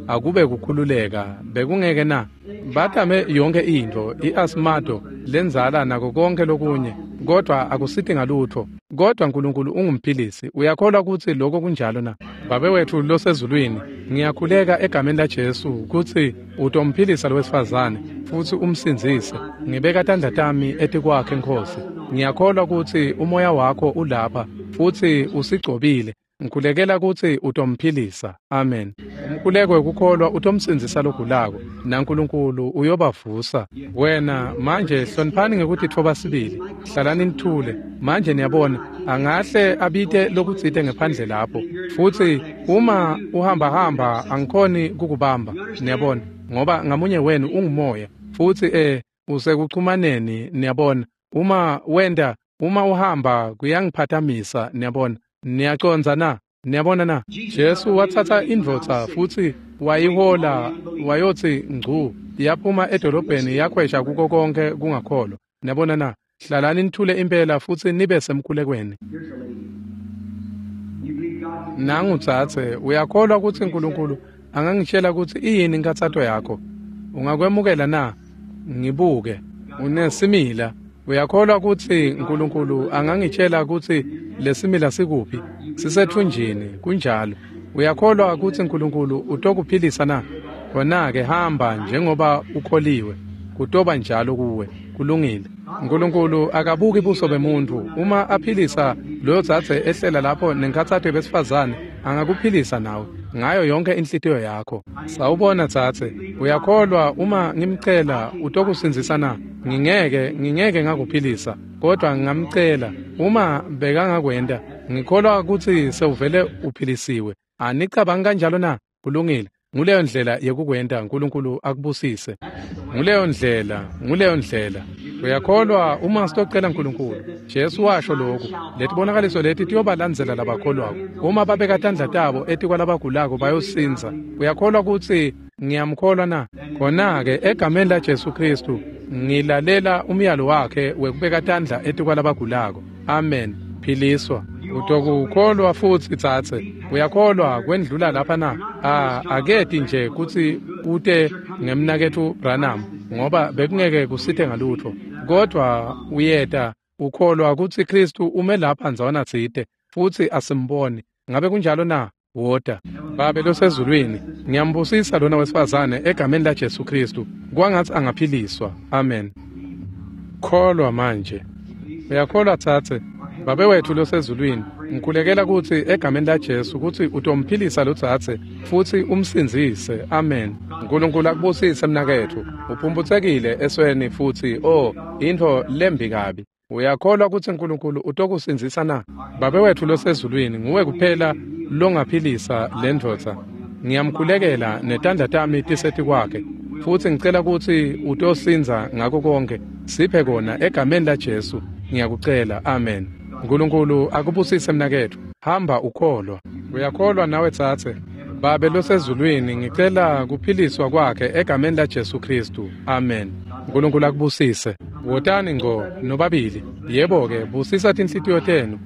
Akube kukhululeka, bekungeke na? Batame yonke intfo, i-asmato, lenzala nako konke lokunye, kodwa akusiti ngalutfo. Kodwa Nkulunkulu ungumphilisi. Uyakholwa kutsi lokho kunjalo na? Babe wetfu losezulwini, ngiyakhuleka egameni laJesu kutsi utomphilisa lowesifazane futsi umsindzise. Ngibeka tandla tami etikwakhe, Nkhosi. Ngiyakholwa kutsi umoya wakho ulapha futsi usigcobile. Ngikhulekela kutsi utomphilisa. Amen. Umkhuleko wekukholwa utomsindzisa logulako, naNkulunkulu uyobavusa. Wena manje hloniphani ngekutitfoba sibili. Hlalani nithule. Manje niyabona, angahle abite lokutsite ngephandle lapho. Futsi uma uhambahamba angikhoni kukubamba, niyabona, ngoba ngamunye wenu ungumoya. Futsi usekuchumaneni, niyabona. Uma wenta, uma uhamba kuyangiphathamisa, niyabona. Niyacondza na? Niyabona na? Jesu watsatsa indvodza futsi wayihola wayotsi ngcu yaphuma edolobheni yakhwesha kuko konke kungakholwa. Niyabona na? Hlalani nithule impela futsi nibe semkhulekweni. Nangu tsatse, uyakholwa kutsi Nkulunkulu angangitshela kutsi iyini inkhatsato yakho? Ungakwemukela na? Ngibuke. Unesimila. Uyakholwa kutsi Nkulunkulu angangitshela kutsi lesimila sikuphi? Sisethunjini, kunjalo. Uyakholwa kutsi Nkulunkulu utokuphilisa na? Khona-ke hamba njengoba ukholiwe. Kutoba njalo kuwe. Kulungile. Nkulunkulu akabuki buso bemuntu. Uma aphilisa loyo dzadze ehlela lapho nenkhatsato yebesifazane, angakuphilisa nawe ngayo yonke inhlitiyo yakho. Sawubona dzadze, uyakholwa uma ngimcela utokusindzisa na? Ngingeke ngakuphilisa, kodwa ngingamcela. Uma bekangakwenta, ngikholwa kutsi sewuvele uphilisiwe. Anicabangi kanjalo na? Kulungile. Nguleyo ndlela yekukwenta. Nkulunkulu akubusise. Nguleyo ndlela, nguleyo ndlela. Uyakholwa uma sitocela Nkulunkulu. Jesu washo lokhu, letibonakaliso leti tiyobalandzela labakholwako. Uma babeka tandla tabo etikwalabagulako bayosindza. Uyakholwa kutsi ngiyamkholwa na? Khona-ke egameni laJesu Khristu ngilalela umyalo wakhe wekubeka tandla etikwalabagulako. Amen. Philiswa. Utokukholwa futsi tsatse. Uyakholwa kwendlula lapha na? Aketi nje kutsi ute ngemnaketfu Branham, ngoba bekungeke kusite ngalutfo. Kodwa uyeta ukholwa kutsi Khristu ume lapha ndzawana tsite futsi asimboni. Ngabe kunjalo na? Wota. Babe losezulwini, ngiyambusisa lona wesifazane egameni laJesu Khristu. Kwangatsi angaphiliswa. Amen. Kholwa manje. Uyakholwa tsatse? Babe wethu losezulwini, ngikhulekela kutsi egameni laJesu kutsi utomphilisa lo dzadze futsi umsindzise. Amen. Nkulunkulu akubusise mnaketfu. Uphumputsekile esweni futsi intfo lembi kabi. Uyakholwa kutsi Nkulunkulu utokusindzisa na? Babe wethu losezulwini, nguwe kuphela longaphilisa lendvodza. Ngiyamkhulekela netandla tami tisetikwakhe futsi ngicela kutsi utosindza ngako konke. Siphe kona egameni laJesu. Ngiyakucela. Amen. Nkulunkulu akubusise mnaketfu. Hamba ukholwa. Uyakholwa nawe tsatse? Babe losezulwini, ngicela kuphiliswa kwakhe egameni laJesu Khristu. Amen. Nkulunkulu akubusise. Wotani ngco nobabili. Yebo-ke, busisa tinhlitiyo tenu.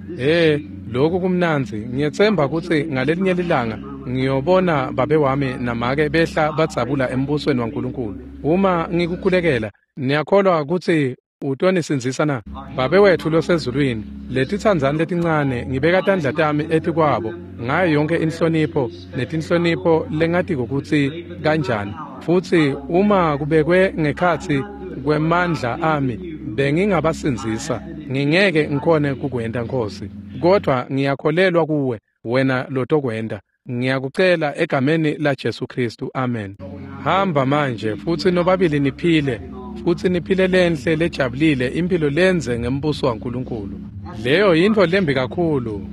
Lokhu kumnandzi. Ngiyetsemba kutsi ngalelinye lilanga ngiyobona babe wami namake behla badzabula embusweni waNkulunkulu. Uma ngikukhulekela, niyakholwa kutsi utonisindzisa na? Babe wetfu losezulwini, letitsandzani letincane ngibeka tandla tami etikwabo ngayo yonke inhlonipho netinhlonipho lengatiko kutsi kanjani. Futsi uma kubekwe ngekhatsi kwemandla ami bengingabasindzisa. Ngingeke ngikhone kukwenta, Nkhosi, kodwa ngiyakholelwa kuwe wena lotokwenta. Ngiyakucela egameni la Jesu Kristu. Amen. Hamba manje futsi nobabili niphile, futsi niphile lenhle lejabulile impilo lenze ngembuso waNkulunkulu. Leyo yintfo lembi kakhulu.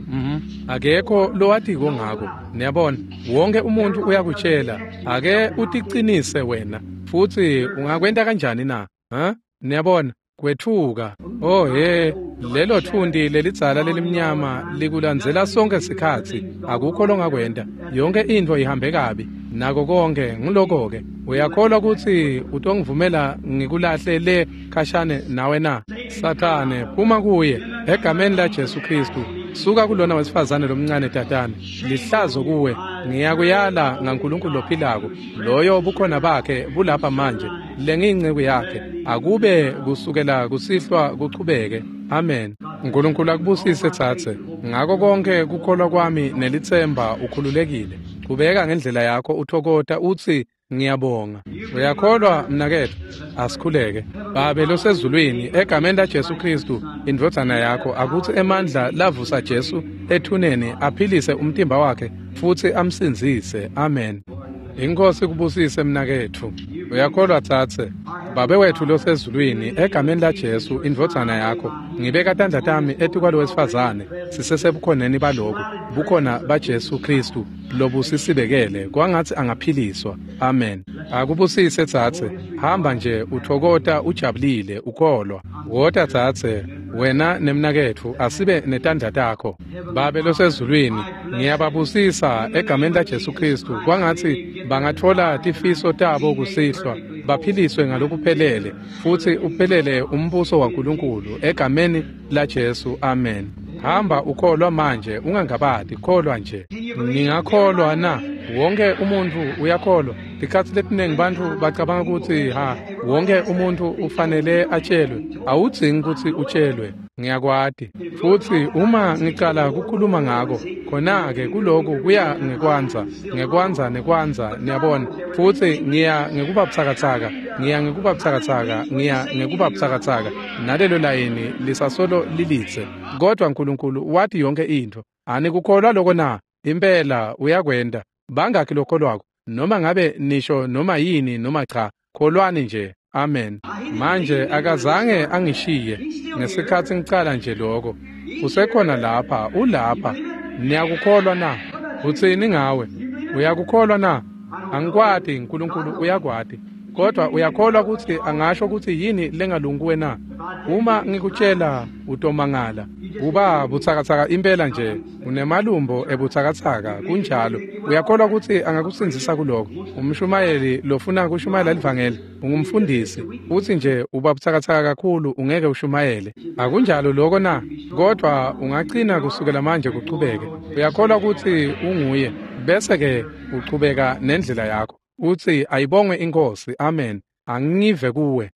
Akekho lowatiko ngako. Niyabona, wonke umuntu uyakutshela, ake uticinise wena. Futsi ungakwenta kanjani na? Ha? Niyabona, kwethuka. Oh he, lelo thunti lelidzala lelimnyama likulandzela sonke sikhatsi. Akukho longakwenta. Yonke intfo ihambe kabi. Nako konke nguloko-ke. Uyakholwa kutsi utongivumela ngikulahle le khashane nawe na? Sathane, phuma kuye egameni la Jesu Kristu. Suka kulona wesifazane lomncane tatane. Lihlazo kuwe. Ngiyakuyala ngaNkulunkulu lophilako. Loyo bukhona bakhe bulapha manje. Lengiyinceku yakhe. Akube kusukela kusihlwa kuchubeke. Amen. Nkulunkulu akubusise tsatse. Ngako konke kukholwa kwami nelitsemba ukhululekile. Qhubeka ngendlela yakho uthokota utsi ngiyabonga. Uyakholwa mnaketfu? Asikhuleke. Babe losezulwini, egameni la Jesu Kristu, indvodzana yakho, akutsi emandla lavusa Jesu ethuneni aphilise umtimba wakhe futsi amsindzise. Amen. Inkosi kubusise mnaketfu. Uyakholwa tsatse? Babe wetfu losezulwini, egameni la Jesu, indvodzana yakho, ngibeka tandla tami etikwalo wesifazane, sisesebukhoneni baloku, bukhona baJesu Kristu lobusisibekele, kwangatsi angaphiliswa. Amen. Akubusise tsatse. Hamba nje uthokota ujabulile ukholwa. Wota tsatse, wena nemnaketfu asibe netandla takho. Babe losezulwini, ngiyababusisa egameni la Jesu Kristu, kwangatsi bangatfola tifiso tabo kusihlwa, baphiliswe ngalokuphelele, futsi uphelele umbuso waNkulunkulu egameni la Jesu. Amen. Hamba ukholwa manje, ungangabati, kholwa nje. Ningakholwa na? Wonke umuntu uyakholwa. Tikhatsi letinengi bantfu bacabanga kutsi ha, wonke umuntu ufanele atshelwe. Awudzingi kutsi utshelwe. Ngiyakwati. Futsi uma ngicala kukhuluma ngako, khona-ke kuloku kuya ngekwanza, ngekwanza nekwanza, niyabona. Futsi ngiya ngekuba butsakatsaka, ngiya ngekuba butsakatsaka, ngiya ngekuba butsakatsaka. Nalelo layini lisasolo lilitse. Kodwa Nkulunkulu wati yonke intfo. Anikukholwa loko na? Impela uyakwenta. Bangakhi lokholwako? Noma ngabe nisho noma yini noma cha, kholwani nje. Amen. Manje akazange angishiye ngesikhatsi ngicala nje lokho. Usekhona lapha, ulapha. Niyakukholwa na? Utsini ngawe? Uyakukholwa na? Angikwati, Nkulunkulu uyakwati. Kodwa uyakholwa kutsi angasho kutsi yini lengalungi na? Uma ngikutshela utomangala. Uba butsakatsaka impela nje, unemalumbo ebutsakatsaka, kunjalo. Uyakholwa kutsi angakusindzisa kuloko? Umshumayeli lofuna kushumayela livangeli, ungumfundisi, utsi nje uba butsakatsaka kakhulu ungeke ushumayele. Akunjalo loko na? Kodwa ungacina kusukela manje kuchubeke. Uyakholwa kutsi unguye, bese ke uchubeka nendlela yakho. Utsi ayibongwe inkosi. Amen. Angive kuwe.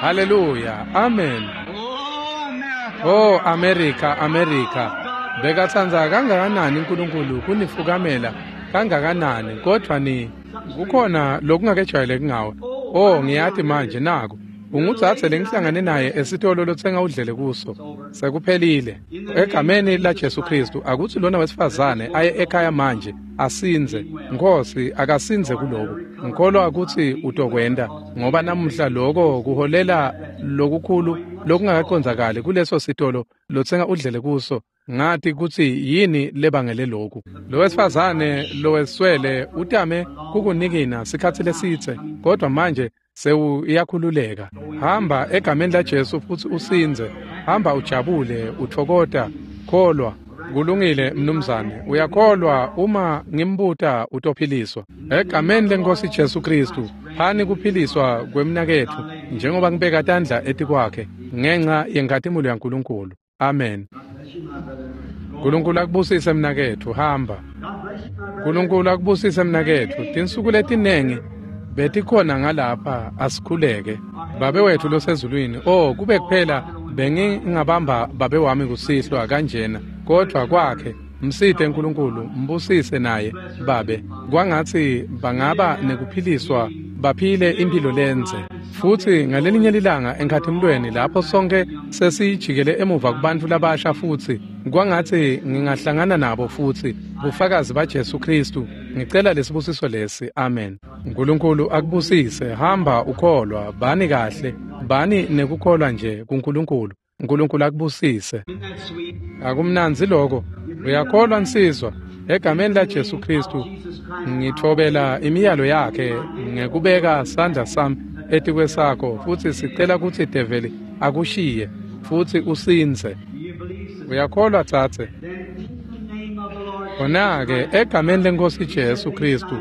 Hallelujah. Amen. Oh America, America. Bekatsandza kangakanani uNkulunkulu kunifukamela kangakanani, kodwa ni kukhona lokungakejwayeleki ngawe. Oh ngiyati manje naku. Ungudzadze lengihlangane naye esitolo lotsenga udlele kuso. Sekuphelile. Egameni la Jesu Kristu, akutsi lona wesifazane aye ekhaya manje asinze. Nkosi akasinze kuloku. Ngikholwa kutsi utokwenta, ngoba namuhla loko kuholela lokukhulu lokungakacondzakali kuleso sitolo lotsenga udlele kuso. Ngati kutsi yini lebangele loku. Lo wesifazane loweswele utame kukunikina sikhatsi lesitse, kodwa manje sewuyakhululeka. Hamba egameni la Jesu futsi usindze. Hamba ujabule, uthokota, kholwa. Kulungile mnumzane, uyakholwa uma ngimbuta utophiliswa. Egameni lenkosi Jesu Kristu, phani kuphiliswa kwemnaketfu njengoba ngibeka tandla etikwakhe ngenxa yenkhatimulo yaNkulunkulu. Amen. Nkulunkulu akubusise mnaketfu, hamba. Nkulunkulu akubusise mnaketfu. Tinsuku letinengi betikhona ngalapha, asikhuleke. Babe wethu losezulwini, oh kube kuphela bengingabamba babe wami kusihlwa kanjena, kodwa kwakhe msite uNkulunkulu, mbusise naye babe. Kwangatsi bangaba nekuphiliswa baphile imphilo lendze. Futsi ngalelinye lilanga enkhathimlweni lapho sonke sesijikele emuva kubantfu labasha futsi kwangatsi ngingahlangana nabo futsi bufakazi baJesu Kristu. Ngicela lesibusiso lesi. Amen. Nkulunkulu akubusise. Hamba ukholwa, bani kahle, bani nekukholwa nje kuNkulunkulu. Nkulunkulu akubusise. Akumnandzi lokho. Uyakholwa nsizwa? Egameni laJesu Kristu ngithobela imiyalo yakhe ngekubeka sandla sami etikwesakho, futsi sicela kutsi develi akushiye futsi usindze. Uyakholwa dzadze? Khona-ke egameni leNkhosi Jesu Kristu,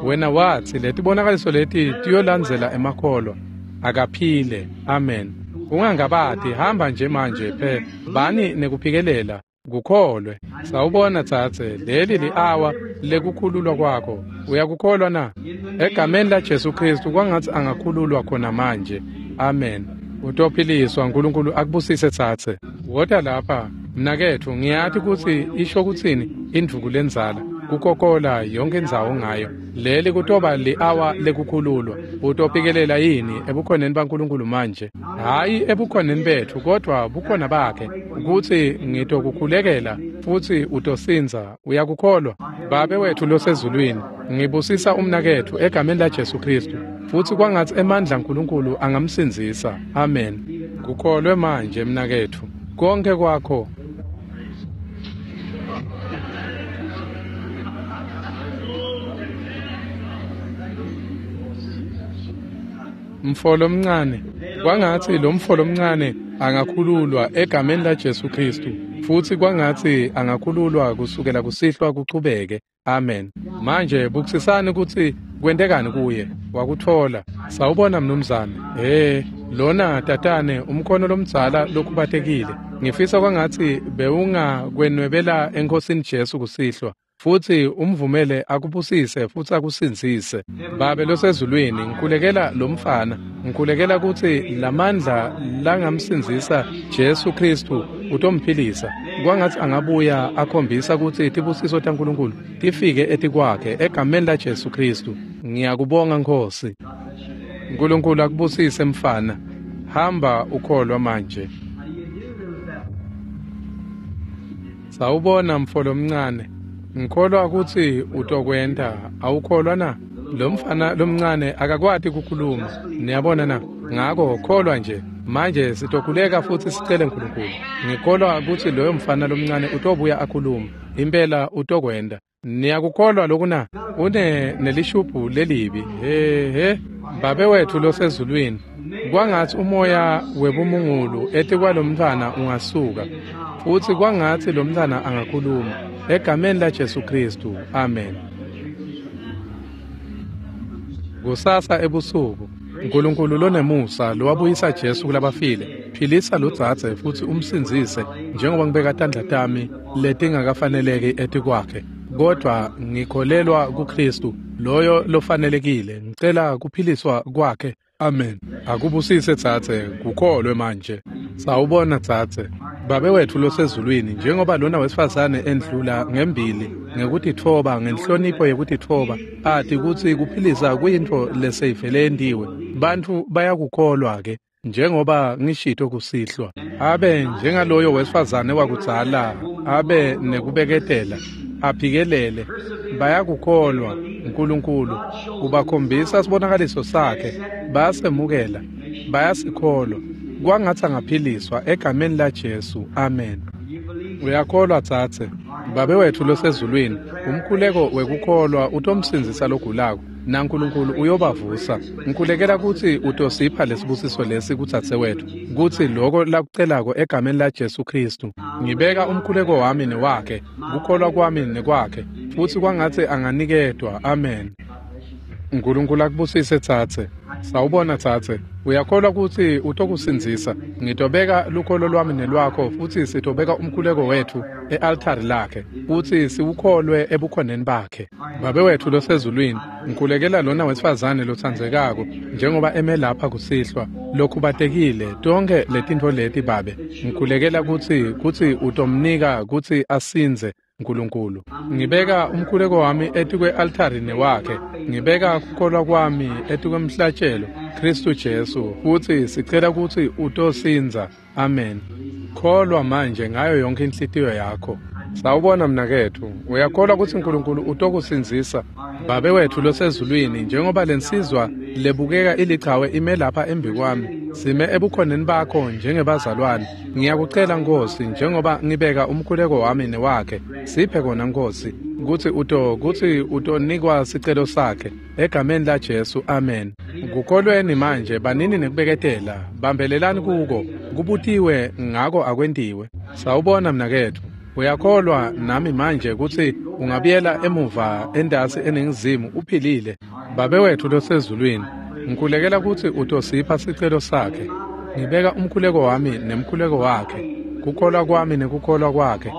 wena watsi letibonakaliso leti tiyolandzela emakholwa. Akaphile. Amen. Ungangabati, hamba nje manje phe, bani nekuphikelela, kukholwe. Sawubona dzadze, leli li-awa lekukhululwa kwakho. Uyakukholwa na? Egameni laJesu Kristu kwangatsi angakhululwa khona manje. Amen. Utophiliswa. Nkulunkulu akubusise dzadze. Wota lapha mnaketfu, ngiyati kutsi isho kutsini indvuku lendzala, kukokola yonke indzawo ngayo. Leli kutoba li-awa lekukhululwa. Utophikelela yini ebukhoneni baNkulunkulu manje? Hhayi ebukhoneni betfu, kodvwa bukhona bakhe, kutsi ngitokukhulekela futsi utosindza. Uyakukholwa? Babe wetfu losezulwini, ngibusisa umnaketfu egameni laJesu Kristu, futsi kwangatsi emandla aNkulunkulu angamsindzisa. Amen. Kukholwe manje mnaketfu, konke kwakho. Mfo lomncane, kwangatsi lo mfo lomncane angakhululwa egameni laJesu Kristu, futsi kwangatsi angakhululwa kusukela kusihlwa kuchubeke. Amen. Manje bukisisani kutsi kwentekani kuye. Wakutfola. Sawubona mnumzane. Lona tatane umkhono lomdzala lokhubatekile. Ngifisa kwangatsi bewungakwenwebela eNkhosini Jesu kusihlwa, futsi umvumele akubusise futsi akusindzise. Babe losezulwini, ngikhulekela lomfana, ngikhulekela kutsi lamandla langamsindzisa Jesu Kristu utomphilisa. Kwangatsi angabuya akhombisa kutsi tibusiso taNkulunkulu tifike etikwakhe egameni laJesu Kristu. Ngiyakubonga Nkhosi. Nkulunkulu akubusise mfana. Hamba ukholwa manje. Sawubona mfo lomncane. Ngikholwa kutsi utokwenta. Awukholwa na? Lo mfana lomncane akakwati kukhuluma. Niyabona na? Ngako kholwa nje. Manje sitokhuleka futsi sicele Nkulunkulu. Ngikholwa kutsi loyo mfana lomncane utobuya akhuluma. Impela utokwenta. Niyakukholwa lokhu na? Une nelishubhu lelibi. He. Babe wetfu losezulwini, kwangatsi umoya webumungulu etikwalomntfwana ungasuka, futsi kwangatsi lomntfwana angakhuluma. Egameni laJesu Kristu. Amen. Kusasa ebusuku, Nkulunkulu lonemusa lowabuyisa Jesu kulabafile, philisa lodzadze futsi umsindzise njengoba ngibeka tandla tami letingakafaneleki etikwakhe. Kodvwa ngikholelwa kuKristu, loyo lofanelekile. Ngicela kuphiliswa kwakhe. Amen. Akubusise dzadze, kukholwe manje. Sawubona dzadze. Babe wetfu losezulwini, njengoba lona wesifazane endlula ngembili ngekutitfoba, ngenhlonipho yekutitfoba, ati kutsi kuphilisa kuyintfo leseyivele yentiwe. Bantfu bayakukholwa ke, njengoba ngishito kusihlwa. Abe njengaloyo wesifazane wakudzala, abe nekubeketela, aphikelele. Bayakukholwa. Nkulunkulu ubakhombisa sibonakaliso sakhe, bayasemukela, bayasikholwa. Kwangatsi angaphiliswa egameni laJesu. Amen. Uyakholwa dzadze? Babe wetfu losezulwini, umkhuleko wekukholwa utomsindzisa logulako, naNkulunkulu uyobavusa. Ngikhulekela kutsi utosipha lesibusiso lesi kudzadze wetfu, kutsi loko lakucelako egameni laJesu Kristu. Ngibeka umkhuleko wami newakhe, kukholwa kwami nekwakhe, futsi kwangatsi anganiketwa. Amen. Nkulunkulu akubusise dzadze. Sawubona dzadze. Uyakholwa kutsi utokusindzisa? Ngitobeka lukholo lwami nelwakho, futsi sitobeka umkhuleko wetfu e-altari lakhe, futsi siwukholwe ebukhoneni bakhe. Babe wetfu losezulwini, ngikhulekela lona wesifazane lotsandzekako, njengoba eme lapha kusihlwa, lokhubatekile, tonkhe letintfo leti, Babe. Ngikhulekela kutsi utomnika kutsi asindze, Nkulunkulu. Ngibeka umkhuleko wami etikwe-altari newakhe. Ngibeka kukholwa kwami etikwemhlatshelo, Khristu Jesu, futsi sicela kutsi utosindza. Amen. Kholwa manje ngayo yonke inhlitiyo yakho. Sawubona mnaketfu, uyakholwa kutsi Nkulunkulu utokusindzisa? Babe wetfu losezulwini, njengoba lensizwa lebukeka ilichawe ime lapha embikwami, sime ebukhoneni bakho njengebazalwane. Ngiyakucela Nkosi, njengoba ngibeka umkhuleko wami newakhe, siphe kona Nkosi, kutsi utonikwa sicelo sakhe. Egameni la Jesu, amen. Kukholweni manje, banini nekubeketela, bambelelani kuko, kubutiwe ngako akwentiwe. Sawubona mnaketfu. Uyakholwa nami manje kutsi ungabuyela emuva entasi eningizimu uphilile? Babe wetfu losezulwini, ngikhulekela kutsi utosipha sicelo sakhe. Ngibeka umkhuleko wami nemkhuleko wakhe, kukholwa kwami nekukholwa kwakhe,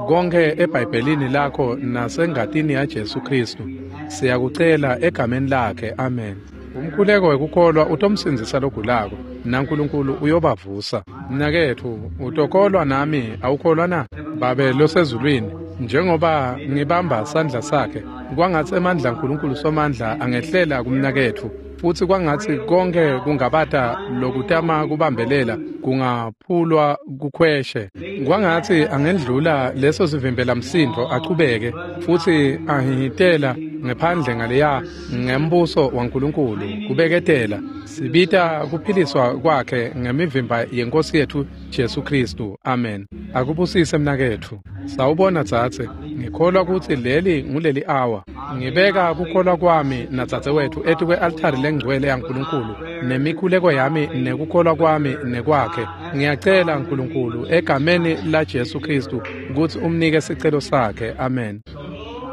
konke eBhayibhelini lakho nasengatini yaJesu Khristu. Siyakucela egameni lakhe, amen. Umkhuleko wekukholwa utomsindzisa logulako, naNkulunkulu uyobavusa. Mnaketfu, utokholwa nami, awukholwa na? Babe losezulwini, njengoba ngibamba sandla sakhe, kwangatsi emandla aNkulunkulu Somandla angehlela kumnaketfu, futsi kwangatsi konke kungabata lokutama kubambelela kungaphulwa kukhweshe. Kwangatsi angendlula leso sivimbela msindvo achubeke, futsi ahihitela ngephandle ngaleya ngembuso waNkulunkulu kubeketela. Sibita kuphiliswa kwakhe ngemivimba yeNkosi yetfu Jesu Khristu. Amen. Akubusise mnaketfu. Sawubona dzadze, ngikholwa kutsi leli nguleli awa. Ngibeka kukholwa kwami nadzadzewetfu etikwe-altari lengcwele yaNkulunkulu, nemikhuleko yami nekukholwa kwami nekwakhe. Ngiyacela Nkulunkulu egameni la Jesu Khristu kutsi umnike sicelo sakhe. Amen.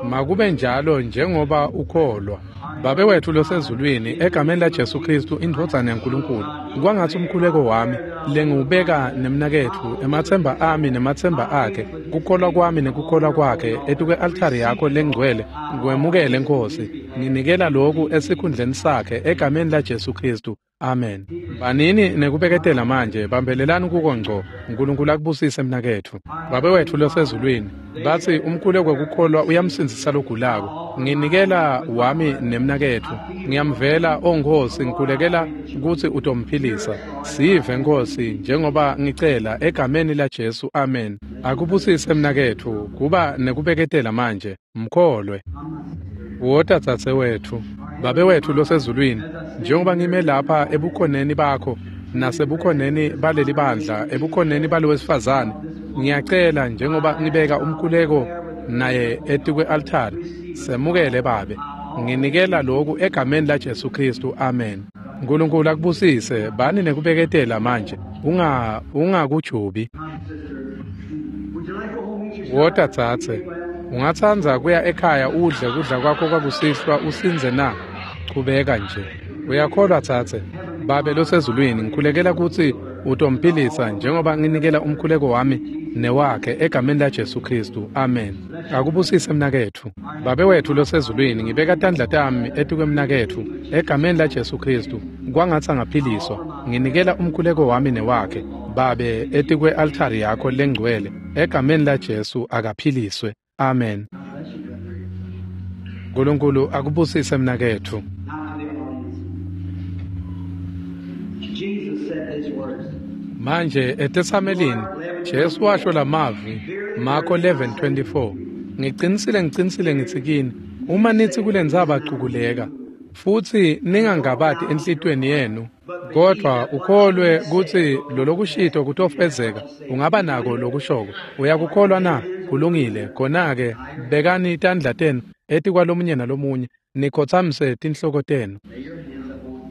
Makube njalo njengoba ukholwa. Babe wetfu losezulwini, egameni la Jesu Khristu indvodzana yaNkulunkulu, kwangatsi umkhuleko wami lengiwubeka nemnaketfu, ematsemba ami nematsemba akhe, kukholwa kwami nekukholwa kwakhe etikwe-altari yakho lengcwele, kwemukele Nkosi. Nginikela loku esikhundleni sakhe egameni la Jesu Khristu. Amen. Banini nekubeketela manje, bambelelani kuko ngco. Nkulunkulu akubusise mnaketfu. Babe wetfu losezulwini, batsi umkhuleko wekukholwa uyamsindzisa logulako. Nginikela wami nemnaketfu. Ngiyamvela, o Nkosi, ngikhulekela kutsi utomphilisa. Sive Nkosi, njengoba ngicela egameni la Jesu. Amen. Akubusise mnaketfu, kuba nekubeketela manje. Mkholwe. Wota dzadzewetfu. Babe wetfu losezulwini, njengoba ngime lapha ebukhoneni bakho nasebukhoneni baleli bandla, ebukhoneni balowesifazane, ngiyacela njengoba ngibeka umkhuleko naye etikwe-altari, semukele Babe. Nginikela loku egameni la Jesu Khristu. Amen. Nkulunkulu akubusise, bani nekubeketela manje, ungakujubi. Wota dzadze, ungatsandza kuya ekhaya udle kudla kwakho kwakusihlwa usindze na? Chubeka nje. Uyakholwa dzadze? Babe losezulwini, ngikhulekela kutsi utomphilisa njengoba nginikela umkhuleko wami newakhe egameni la Jesu Khristu. Amen. Akubusise mnaketfu. Babe wetfu losezulwini, ngibeka tandla tami etikwemnaketfu egameni la Jesu Khristu, kwangatsi angaphiliswa. Nginikela umkhuleko wami newakhe, Babe, etikwe-altari yakho lengcwele egameni la Jesu, akaphiliswe. Amen. Nkulunkulu akubusise mnaketfu. Manje eTesamelini Jesu washo lamavi, Marko 11:24. Ngicinisile, ngicinisile ngitsi kini, uma nitsi kulentsaba cukuleka, futsi ningangabati enhlitiyweni yenu, kodvwa ukholwe kutsi lolokushito kutofezeka, ungaba nako lokushoko. Uyakukholwa na? Kulungile. Khona-ke bekani tandla tenu etikwalomunye nalomunye, nikhotsamise tinhloko tenu.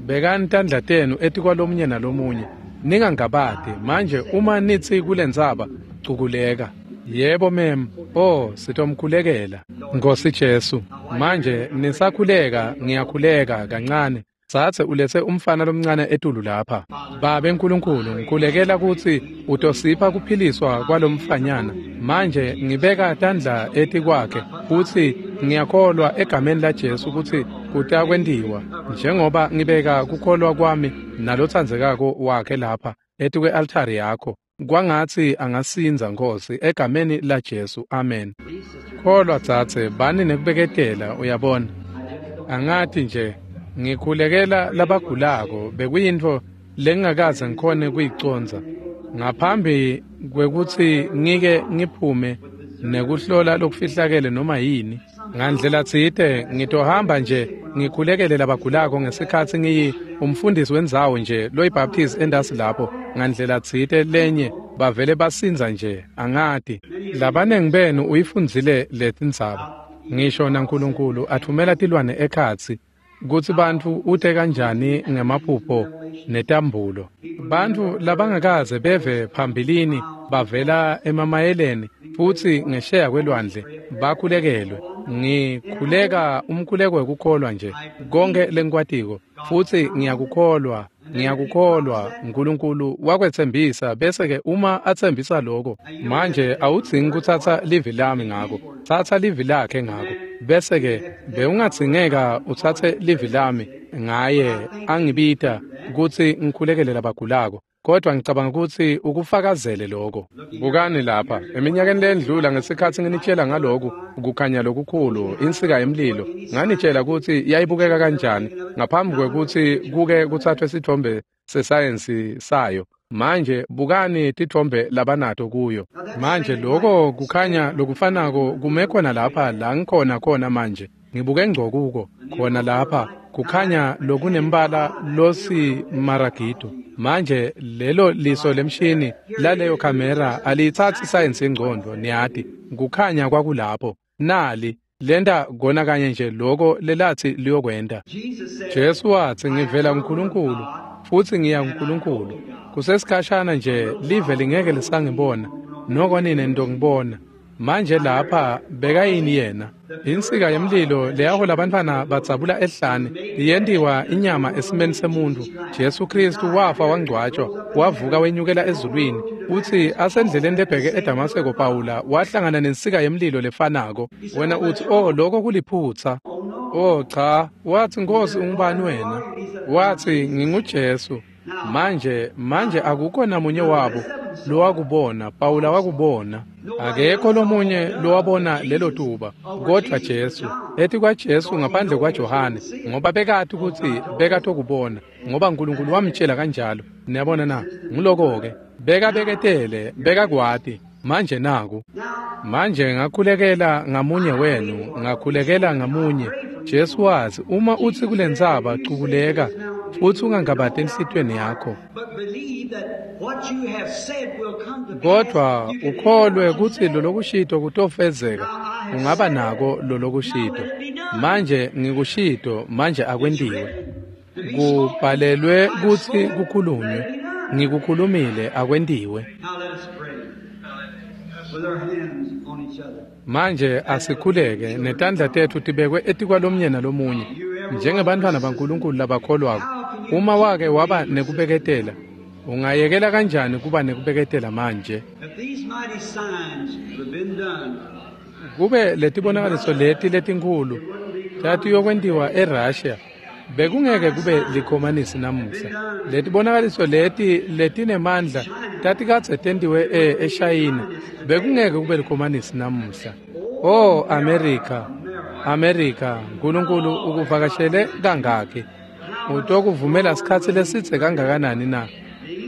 Bekani tandla tenu etikwalomunye nalomunye, ningangabati. Manje uma nitsi kulentsaba cukuleka. Yebo mem, oh, sitomkhulekela. Nkosi Jesu, manje nisakhuleka, ngiyakhuleka kancane. Dzadze uletse umfana lomncane etulu lapha. Babe Nkulunkulu, ngikhulekela kutsi utosipha kuphiliswa kwalomfanyana. Manje ngibeka tandla etikwakhe kutsi ngiyakholwa egameni laJesu kutsi kutakwentiwa, njengoba ngibeka kukholwa kwami nalotsandzekako wakhe lapha etikwe-altari yakho. Kwangatsi angasindza, Nkosi, egameni laJesu. Amen. Kholwa, dzadze, bani nekubeketela, uyabona. Angati nje, ngikhulekela labagulako bekuyintfo lengingakaze ngikhone kuyicondza. Ngaphambi kwekutsi ngike ngiphume nekuhlola lokufihlakele noma yini, ngandlela tsite ngitohamba nje ngikhulekele labagulako ngesikhatsi ngiyi umfundisi wendzawo nje loyiBaptist endasi lapho, ngandlela tsite lenye bavele basindza nje, angati. Labanengi benu uyifundzile letindzaba. Ngisho naNkulunkulu athumela tilwane ekhatsi kutsi bantfu ute kanjani ngemaphupho netambulo. Bantfu labangakaze beve phambilini bavela emamayeleni futsi ngesheya kwelwandle bakhulekelwe. Ngikhuleka umkhuleko wekukholwa nje konke lengikwatiko, futsi ngiyakukholwa, ngiyakukholwa. Nkulunkulu wakwetsembisa, bese-ke uma atsembisa lokho, manje awudzingi kutsatsa livi lami ngako, tsatsa livi lakhe ngako, bese-ke bewungadzingeka utsatse livi lami ngaye angibita kutsi ngikhulekele labagulako. Kodwa ngicabanga kutsi ukufakazele lokho. Bukani lapha, eminyakeni lendlula ngesikhatsi nginitshela ngaloku kukhanya lokukhulu, insika yemlilo, nganitshela kutsi yayibukeka kanjani ngaphambi kwekutsi kuke kuthathwe sitfombe sesayensi sayo. Manje bukani titfombe labanato kuyo. Manje lokho kukhanya lokufanako kume khona lapha la ngikhona khona manje. Ngibuke ngco kuko khona lapha kukhanya lokunembala losimaragido. Manje lelo liso lemshini laleyo kamera aliyitsatsi isayensi yengcondvo, niyati. Kukhanya kwakulapho. Nali lenta kona kanye nje loko lelathi liyokwenta. Jesu watsi, ngivela kuNkulunkulu futsi ngiya kuNkulunkulu. Kusesikhashana nje live lingeke lisangibona, noko nine nitongibona. Manje lapha bekayini yena? Insika yemlilo leyahola abantwana badzabula ehlane iyentiwa inyama esimeni semuntu. Jesu Kristu wafa wangcwatshwa, wavuka wenyukela ezulwini. Utsi asendleleni lebheke eDamaseko Pawula wahlangana nensika yemlilo lefanako. Wena utsi, oh, lokho kuliphutsa. Oh cha, wathi, Nkosi ungubani wena? Wathi, nginguJesu. Manje akukho namunye wabo lowakubona. Pawula wakubona. Akekho lomunye lowabona lelo tuba kodwa Jesu. Ethi kwaJesu ngaphandle kwaJohane, ngoba bekati kutsi bekatokubona, ngoba uNkulunkulu wamtshela kanjalo. Niyabona na? Nguloko-ke. Bekabeketele, bekakwati. Manje naku. Manje ngakhulekela ngamunye wenu, ngakhulekela ngamunye. Jesu wathi, uma utsi kulentsaba cukuleka, futsi ungangabati enhlitiyweni yakho, kodwa ukholwe kutsi lolokushito kutofezeka, ungaba nako lolokushito. Manje ngikushito, manje akwentiwe. Kubhalelwe kutsi kukhulunywe, ngikukhulumile, akwentiwe. Manje asikhuleke netandla tetfu tibekwe etikwalomnye nalomunye njengebantfwana baNkulunkulu labakholwako. Uma wake waba nekubeketela, ungayekela kanjani kuba nekubeketela manje? Kube letibonakaliso leti letinkhulu tatiyokwentiwa eRussia, bekungeke kube likhomanisi namuhla. Letibonakaliso leti letinemandla tatikadze tentiwe eShayina, bekungeke kube likhomanisi namuhla. Oh America, America, uNkulunkulu ukuvakashele kangaki? Utokuvumela sikhatsi lesitse kangakanani na?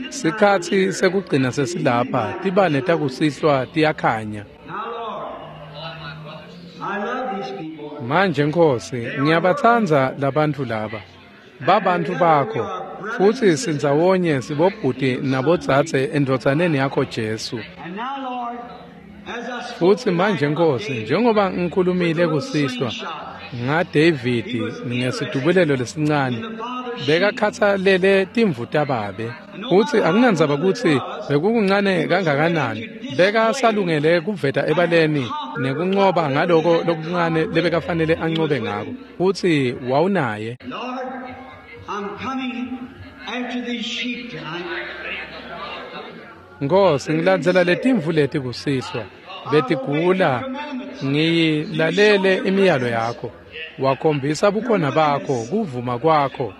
Sikhatsi sekugcina sesilapha, tibane takusihlwa tiyakhanya. Manje Nkosi, ngiyabatsandza labantfu laba. Babantfu bakho, futsi sindzawonye sibobhuti nabodzadze endvodzaneni yakho Jesu. Futsi manje Nkosi, njengoba ngikhulumile kusihlwa ngaDavidi ngesidubulelo lesincane, bekakhatsalele timvu tababe. Futsi akunandzaba kutsi bekukuncane kangakanani, bekasalungele kuveta ebaleni nekuncoba ngaloko lokuncane lebekafanele ancobe ngako. Futsi wawunaye. I'm coming after these sheep tonight. Nkosi, ngilandzela letimvu leti kusihlwa. Betigula, ngiyilalele imiyalo yakho. Wakhombisa bukhona bakho, kuvuma kwakho.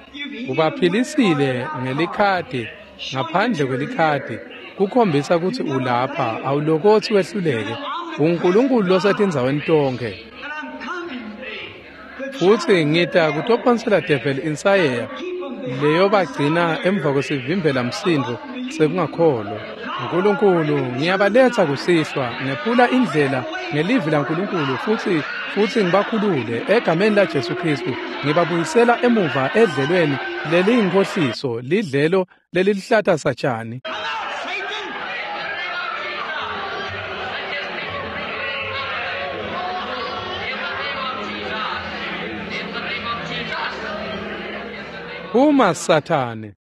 Ubaphilisile ngelikhadi, ngaphandle kwelikhadi, kukhombisa kutsi ulapha, awulokotsi wehluleke. UNkulunkulu losetindzaweni tonkhe. And I'm coming to Futsi ngita kutophonsela devil insayeya leyobagcina emva kwesivimbela msindvo sekungakholwa. Nkulunkulu, ngiyabaletsa kusihlwa, ngephula indlela ngelivi laNkulunkulu futsi ngibakhulule egameni laJesu Khristu. Ngibabuyisela emuva edlelweni leliyinkhohliso, lidlelo leliluhlata satjani. Come out, Satan! Phuma Sathane.